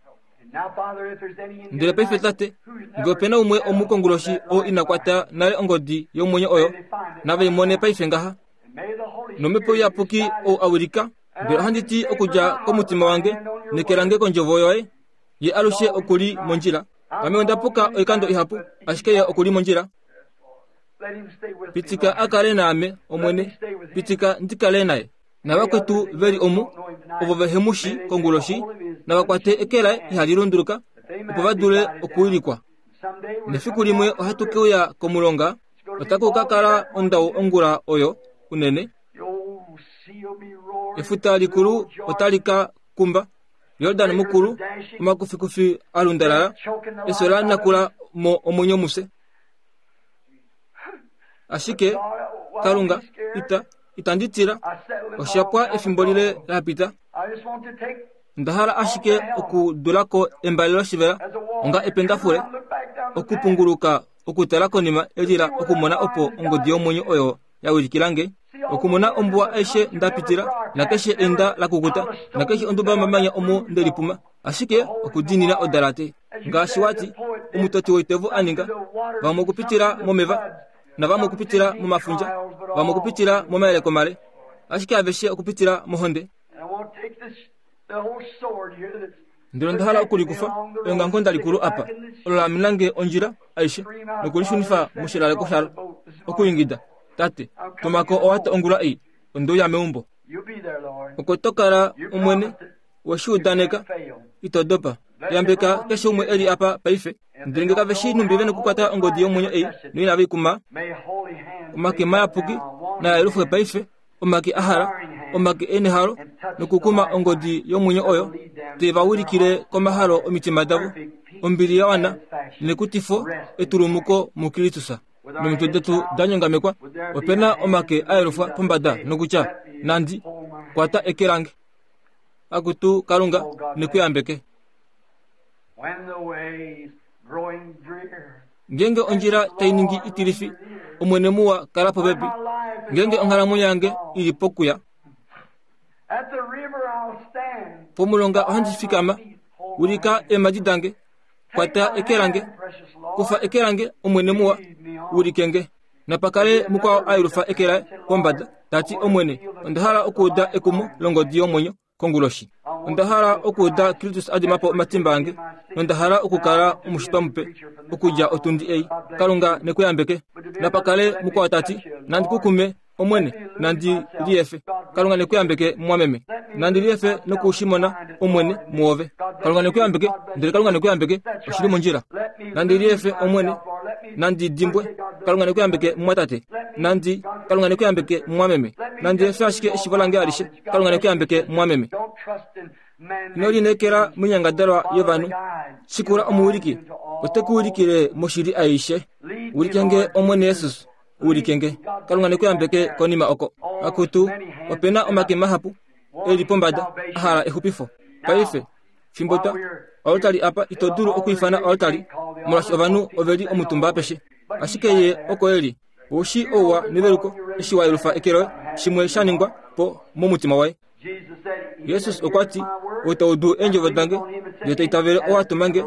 Ndele paife, Tate, nge ope na umwe omu konguloshi oo ina kwata nale ongodi yomwenyo oyo, nave i mone paife ngaha. NOmhepo Iyapuki ou a wilika, Ndele ohandi ti okudja komutima wange, neke lange kondjovo yoye, ye alushe oku li mondjila. Ame onda puka oikando ihapu, ashike ye oku li mondjila. Pitika a kale naame, Omwene, pitika ndi kale naye. Navakwetu ve li omu, ovo vehe mu shi konguloshi, nava kwate eke laye ihali lunduluka, opo va dule okuwilikwa. Nefiku limwe ohatu ke uya komulonga, otaku ka kala ondau ongula oyo unene. Efuta likulu otali ka kumba, Yordan mukulu, omakufikufi a lundalala, efyo la nakula mo omwenyo mufye. Ashike, Kalunga, ita, itandi tila. Osha pwa efimbo lile la pita. Onda hala ashike okudula ko embale loshivela onga ependafule, okupunguluka okutala konima elila okumona opo ongodi yomwenyo oyo ya wilikila nge, okumona ombuwa aishe nda pitila, nakeshe enda la kukuta, nakeshe onduba yomamanya omo nde lipuma, ashike okudiinina odalate, ngaashi wa ti, omutoti woitevo a ninga, vamwe okupitila momeva, navamwe okupitila momafundja, vamwe okupitila momayeleko male, ashike aveshe okupitila mohonde. Ndele onda hala okulikufa eongamukonda likulu apa, olo la amena nge ondjila aishe nokulishunifa moshilaleko shalo, okuingida, Tate, tuma ko owato ongula ei, onde uya meumbo. Oko to kala, Omwene, we shi udaneka, ito dopa. Yambeka keshe umwe e li apa paife. Ndele nge kave shii nhumbi ve nokukwata ongodi yomwenyo ei noinave i kuma, omake mayapuki naa yelufwe paife, omake a hala, omake e nehalo nokukuma ongodi yomwenyo oyo, te va wilikile komahalo omitima davo, ombili ya wana nekutifo etulumuko muKristus. Nomitwe detu da nyongamekwa, ope na omake a yelufwa pombada nokutya, Nandi kwata eke lange. Akutu Kalunga, ne ku yambeke. Ngeenge ondjila tai ningi itilifi, Omwene muwa kala popepi. Ngeenge onghalamwenyo yange i li pokuya, pomulonga ohandi fikama, wilika eemhadi dange, kwata eke lange, kufa eke lange, Omwene muwa, wilike nge. Napa kale mukwao a yelufa eke laye pombada, ta ti, Omwene, onda hala okuuda ekumo longodi yomwenyo. konguloshi. Onda hala okuuda Kristus a dima po omatimba ange, nonda hala okukala omushitwa mupe okudja otundi ei. Kalunga ne ku yambeke. Napa kale mukwao ta ti, Nandi ku kume, Omwene, nandi liefe. Kalunga ne ku yambeke, mumwameme. Nandi liefe noku shi mona, Omwene, muove. Kalunga ne ku yambeke, ndele Kalunga ne ku yambeke, oshi li mondjila. Nandi liefe, Omwene. Nandi dimbwe. Kalunga ne ku yambeke, mumwatate. Nandi, Kalunga ne ku yambeke, mumwameme. Nandi efe ashike eshivo lange alishe. Kalunga ne ku yambeke, mumwameme. Ino lineekela moinyangadalwa yovanhu. Shikula omuwiliki, ote ku wilikile moshili aishe. Wilike nge, Omwene Jesus. Wilike nge. Kalunga ne ku yambeke konima oko. Akutu, ope na omake mahapu e li pombada a hala exupifo. Paife, fimbo twa oaltari apa, ito dulu okwiifana oaltari, molwaashi ovanhu ove li omutumba apeshe. Ashike ye oko e li. Ou shii ouwa neveluko eshi wa yelufa eke loye, shimwe sha ningwa po momutima waye. Jesus okwa ti, Ou ta udu eendjovo dange ndele ta itavele ou a tuma nge,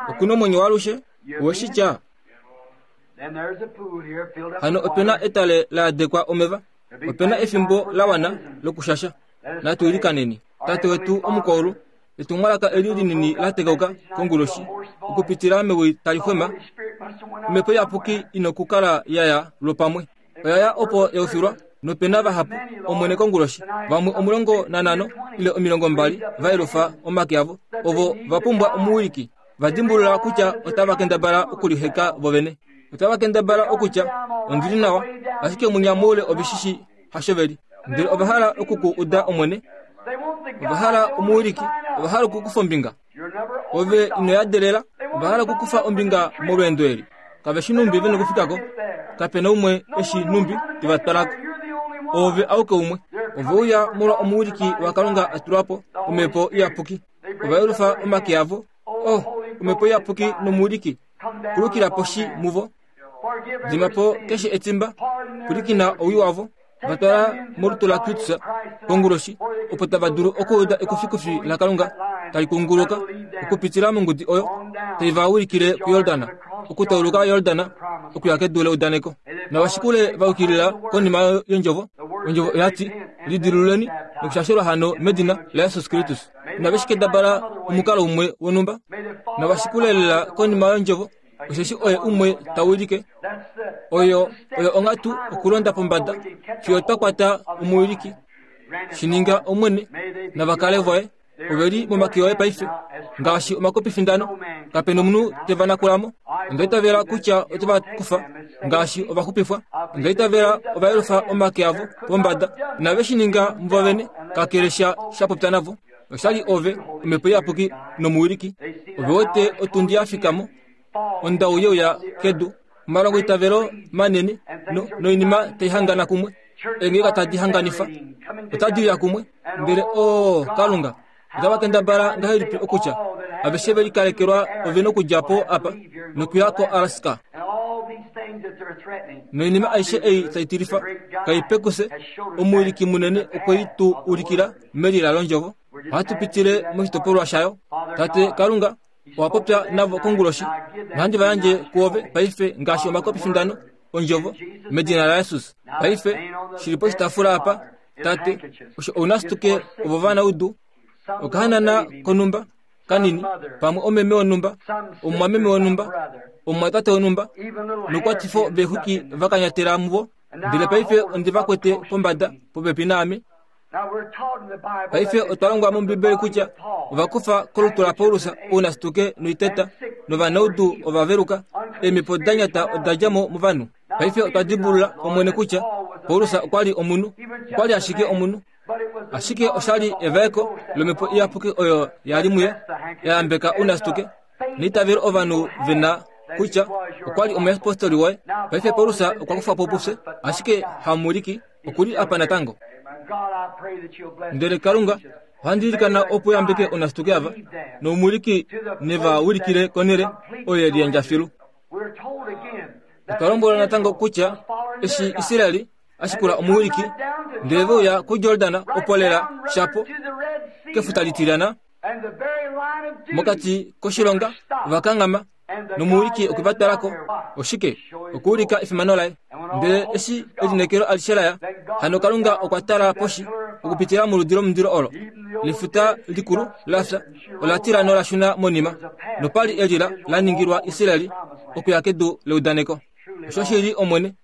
oku na omwenyo waalushe. Owe shi tya? Hano ope na etale la yadekwa omeva, ope na efimbo la wana lokushasha. Natu ilikaneni. Tate wetu omukwaulu, etumwalaka eli linini la tekauka konguloshi okupitila mewi tali xwema, omhepo iyapuki inokukala ya ya lwopamwe. Oya ya opo ya ufilwa, nope na vahapu, Omwene konguloshi, vamwe 15 ile 20 va yelufa omake avo, ovo va pumbwa omuwiliki, va dimbulula kutya otava kendabala okuliheka vovene. Otava kendabala okutya, Ondi li nawa, ashike mwinya moule ove shi shii hasho ve li. Ndele ova hala oku ku uda, Omwene. Ova hala omuwiliki. Ova hala okukufa ombinga. Ove ino yadelela. Ova hala okukufa ombinga molweendo eli. Kave shi numbi ve nokufika ko. Kape na umwe e shi numbi te va twala ko. Oove auke umwe. Ove uya molwa omuwiliki waKalunga a tulwa po, Omhepo Iyapuki. Ova yelufa omake avo. Oh, Omhepo Iyapuki nomuwiliki, kulukila poshi muvo. Dima po keshe etimba, pwilikina owii wavo. Va twala molutu laKristus konguloshi, opo tava dulu okuuda ekufikufi laKalunga tali kunguluka okupitila mongudi oyo tai va wilikile kuJordan, okutauluka Jordan okuya kedu leudaneko. Nava shikule va yukilila konima yondjovo. Ondjovo oya ti, Lidilululeni nokushashelwa hano medina laJesus Kristus. Inave shi kendabala omukalo umwe wonhumba. Nava shikule lela konima yondjovo. Osheshi oye umwe ta wilike. Oyo oyo onghatu okulonda pombada fiyo twa kwata omuwiliki. Shi ninga Omwene, nava kale voye. Ove li momake oye paife, ngaashi omakopifindano. Kape nomunhu te va nakula mo. Onda itavela kutya ote va kufa ngaashi ovaxupifwa. Onda itavela ova yelufa omake avo pombada. Inave shi ninga muvo vene, kakele sha sha popya navo. Oshali ove, Omhepo Iyapuki nomuwiliki. Ove wete otundi ya fika mo, ondau ye uya kedu, omalongoitavelo manene no, noinima tai hangana kumwe, eengeleka tadi hanganifa, otadi uya kumwe. Ndele o Kalunga, otava kendabala ngahelipi okutya aveshe ve likalekelwa ove nokudja po apa nokuya koAlaska noinima aishe ei tai tilifa kai pekuse, omuwiliki munene okwe i tu ulikila melila londjovo. Ohatu pitile moshitopolwa shayo. Tate Kalunga, owa popya navo konguloshi, nohandi va yandje kuove paife ngaashi omakopifindano ondjovo medina laJesus. Paife, shi li poshitaafula apa, Tate, osho ounasituke ovo vanaudu, okahanana konhumba kanini, pamwe omeme wonhumba, omumwameme wonhumba, omumwatate wonhumba, noukwatifo veexwiki va kanyatela muvo, ndele paife ondi va kwete pombada popepi naame. Paife otwa longwa mOmbibeli kutya ova kufa kolutu laPaulus ounasituke noiteta, novanaudu ova veluka, eemhepo da nyata oda dja mo movanhu. Paife otwa dimbulula, Omwene, kutya Paulus okwa li omunhu, okwa li ashike omunhu. Ashike osha li evaeko lOmhepo Iyapuki oyo ya li muye, ya yambeka ounasituke neitavelo ovanhu ve na kutya okwa li omuyapostoli woye. Paife Paulus okwa kufa po pufye, ashike hamuwiliki oku li apa natango. Ndele Kalunga, ohandi ilikana opo yambeke onasituke ava, nomuwiliki ne va wilikile konhele oyo ye liyandja filu. Otwa lombwelwa natango kutya eshi Israel a shikula omuwiliki, ndele ve uya kuJordan opo lela shapo kefuta litilyana, Mokati koshilonga ova kanghama, nomuwiliki okwe va twala ko. Oshike? Okuulika efimano laye. Ndele eshi elineekelo alishe la ya, hano Kalunga okwa tala poshi okupitila moludi lomundilo olo. Lefuta likulu la fya ola tila nola shuna monima, nopa li elila la ningilwa Israel okuya kedu leudaneko. Oshoshili, Omwene,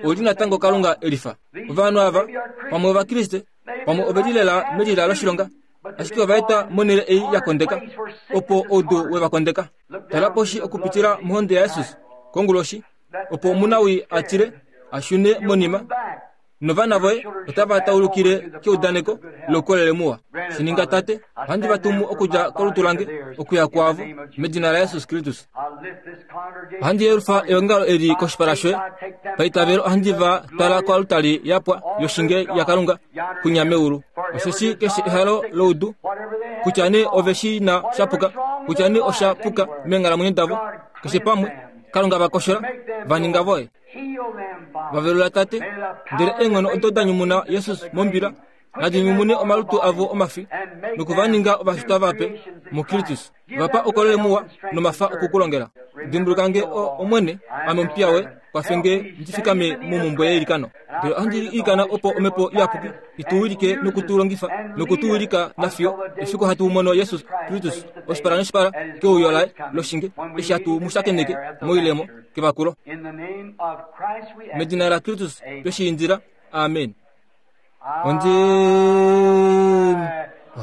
ou li natango Kalunga e lifa. Ovanhu ava, pamwe Ovakriste, pamwe ove li lela melila loshilonga. Ashike ova eta monhele ei ya kondeka, opo oudu we va kondeka. Tala poshi okupitila mohonde yaJesus konguloshi, opo omunawii a tile a shune monima, novana voye otava taulukile keudaneko loukolele muwa. Shi ninga, Tate, ohandi va tumu okudja kolutu lange okuya kwaavo, medina laJesus Kristus. Ohandi yelufa eongalo eli koshipala shoye. Paitavelo ohandi va twala koaltari ya pwa yoshinge yaKalunga kwinya meulu. Osheshi keshe ehalo loudu, kutya nee ove shi na sha puka, kutya nee osha puka meenghalamwenyo davo, keshe pamwe, Kalunga va koshola, va ninga voye. Va velula, Tate, ndele eenghono odo da nyumuna Jesus mombila, nadi nyumune omalutu avo omafi, noku va ninga ovashitwa vape muKristus. Va pa oukolele muwa nomafa oku ku longela. Dimbuluka nge, o Omwene, ame omupiya woye, kwafe nge ndi fikame momhumbwe yeilikano. Ndele ohandi ilikana opo Omhepo Iyapuki i tu wilike noku tu longifa noku tu wilika nafiyo efiku hatu mono Jesus Kristus oshipala noshipala keuyo laye loshinge eshi hatu mu shakeneke moilemo kevakulo. Medina laKristus twe shi indila. Amen. Ondi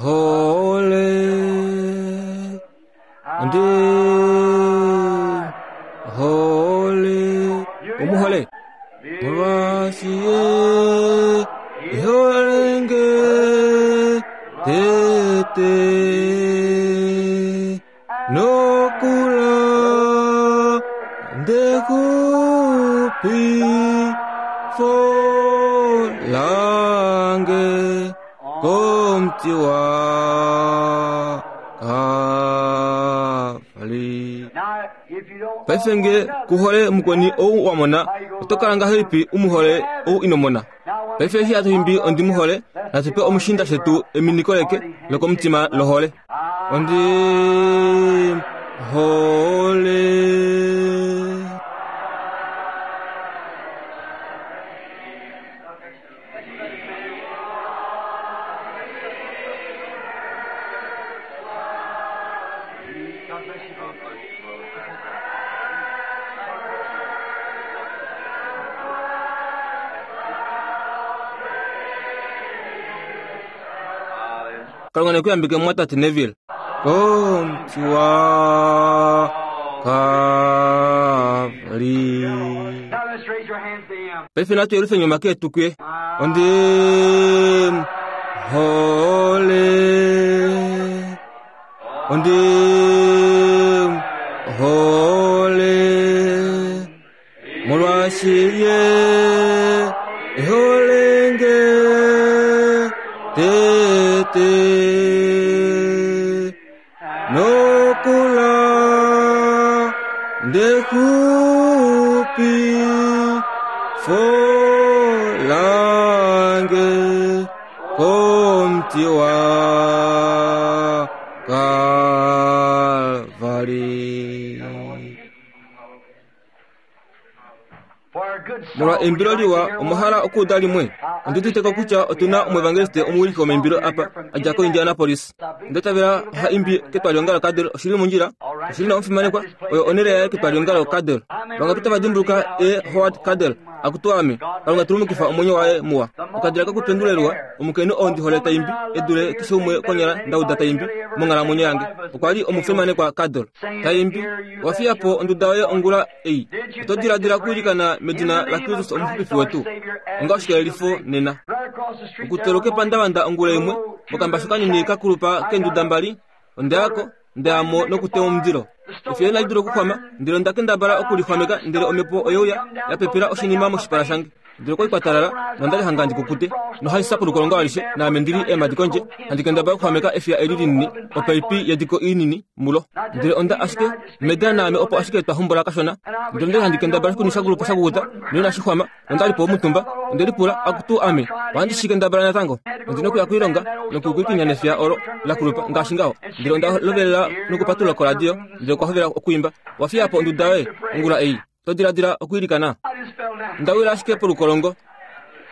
hole ondi hole omuhole molwaashi ye eholenge tete nokula ndekupi fo lange komuti wa Kalvari. Paife nge ku hole mukweni ou wa mona, oto kala ngahelipi u mu hole ou ino mona? Paife eshi hatu imbi ondi mu hole, natu pe omushiinda shetu eminiko leke lokomutima lohole. Ondi hole. Kalunga ne ku yambike mumwatate Neville. Komuti wa Kalvari. Paife natu yelufeni omake etu kuye. Ondi hole. Ondi hole. Molwaashi ye ehole nge tete nokula ndekupi folange komuti wa Kalvari. Molwa eimbilo liwa, omwa hala okuuda limwe? Ondi udite ko kutya otu na omuevangeliste omuwiliki womaimbilo apa, a dja koIndianapolis. Onda itavela ha imbi ketwalihongalo Cadle. Oshi li mondjila? Oshi li nawa omufimanekwa. Oyo onhele yaye ketwalihongalo Cadle. Vangapi tava dimbuluka E. Howard Cadle? Akutu ame! Kalunga tulumukifa omwenyo waye muwa. Okadila kokupendulelwa, omukainhu oo ndi hole ta imbi, e dule keshe umwe konyala nda uda ta imbi monghalamwenyo yange. Okwa li omufimanekwa Cadle. Ta imbi, Owa fiya po onduda yoye ongula ei. Oto diladila okwiilikana medina laKristus Omuxupifi wetu? Onga oshikelelifo nena. Okuteluka epandavanda ongula imwe, mokambashu kanini ka kulupa keenduda mbali, onda ya ko, nda ya mo nokutema omundilo. Efyo inali dula okuxwama, ndele onda kendabala oku li xwameka, ndele omhepo oye uya, ya pepela oshinima moshipala shange. Ndele okwa li kwa talala, nonda li hanga ndi kukute, nohandi sapuluka olonga alishe, naame ndi li eemhadi kondje, handi kendabala okuxwameka efiya eli linini, opaipi yediko inini, mulo. Ndele onda ashike, Meda naame opo ashike twa hombola kashona, ndele onda li handi kendabala oshikuni sha kulupa sha kukuta, noinashi xwama, nonda li po omutumba, onde lipula, Akutu ame, ohandi shi kendabala natango? Ondi nokuya koilonga, nokukwikinya nefiya olo la kulupa, ngaashi ngaho. Ndele onda lovelela nokupatulula koradio, ndele okwa hovela okwiimba, Wa fiya po onduda yoye, ongula ei. To diladila okwiilikana? Onda wila ashike polukolongo.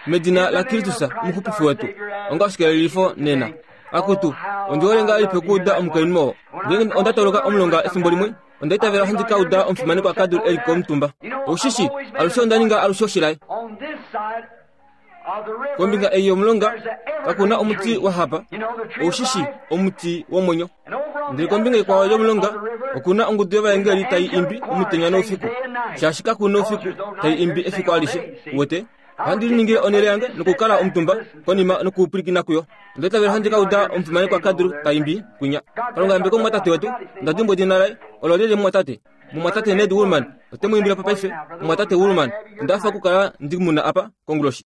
Medina laKristus, Omuxupifi wetu, onga oshikelelifo nena. Akutu, ondi hole ngahelipi okuuda omukainhu oo. Ngeenge onda tauluka omulonga efimbo limwe, onda itavela ohandi ka uda omufimanekwa Cadle e li komutumba. Ou shi shii, alushe onda ninga alushe oshilae. Kombinga ei yomulonga kaku na omuti wa hapa, ou shi shi omuti womwenyo. Ndele kombinga ikwao yomulonga oku na ongudu yovaengeli tai imbi omutenya noufiku, shaashi kaku noufiku tai imbi efiku alishe. Uwete? Ohandi liningile onhele yange nokukala omutumba konima nokupwilikina kuyo. Onda itavela handi ka uda omufimanekwa Kadru ta imbi kwinya. Kalunga yambeka omumwatate wetu. Onda dimbwa edina laye. Olo lyelye mumwatate? Mumwatate Ned Woolman. Ote mu imbile po paife. Mumwatate Woolman. Onda hafa okukala ndi mu na apa konguloshi.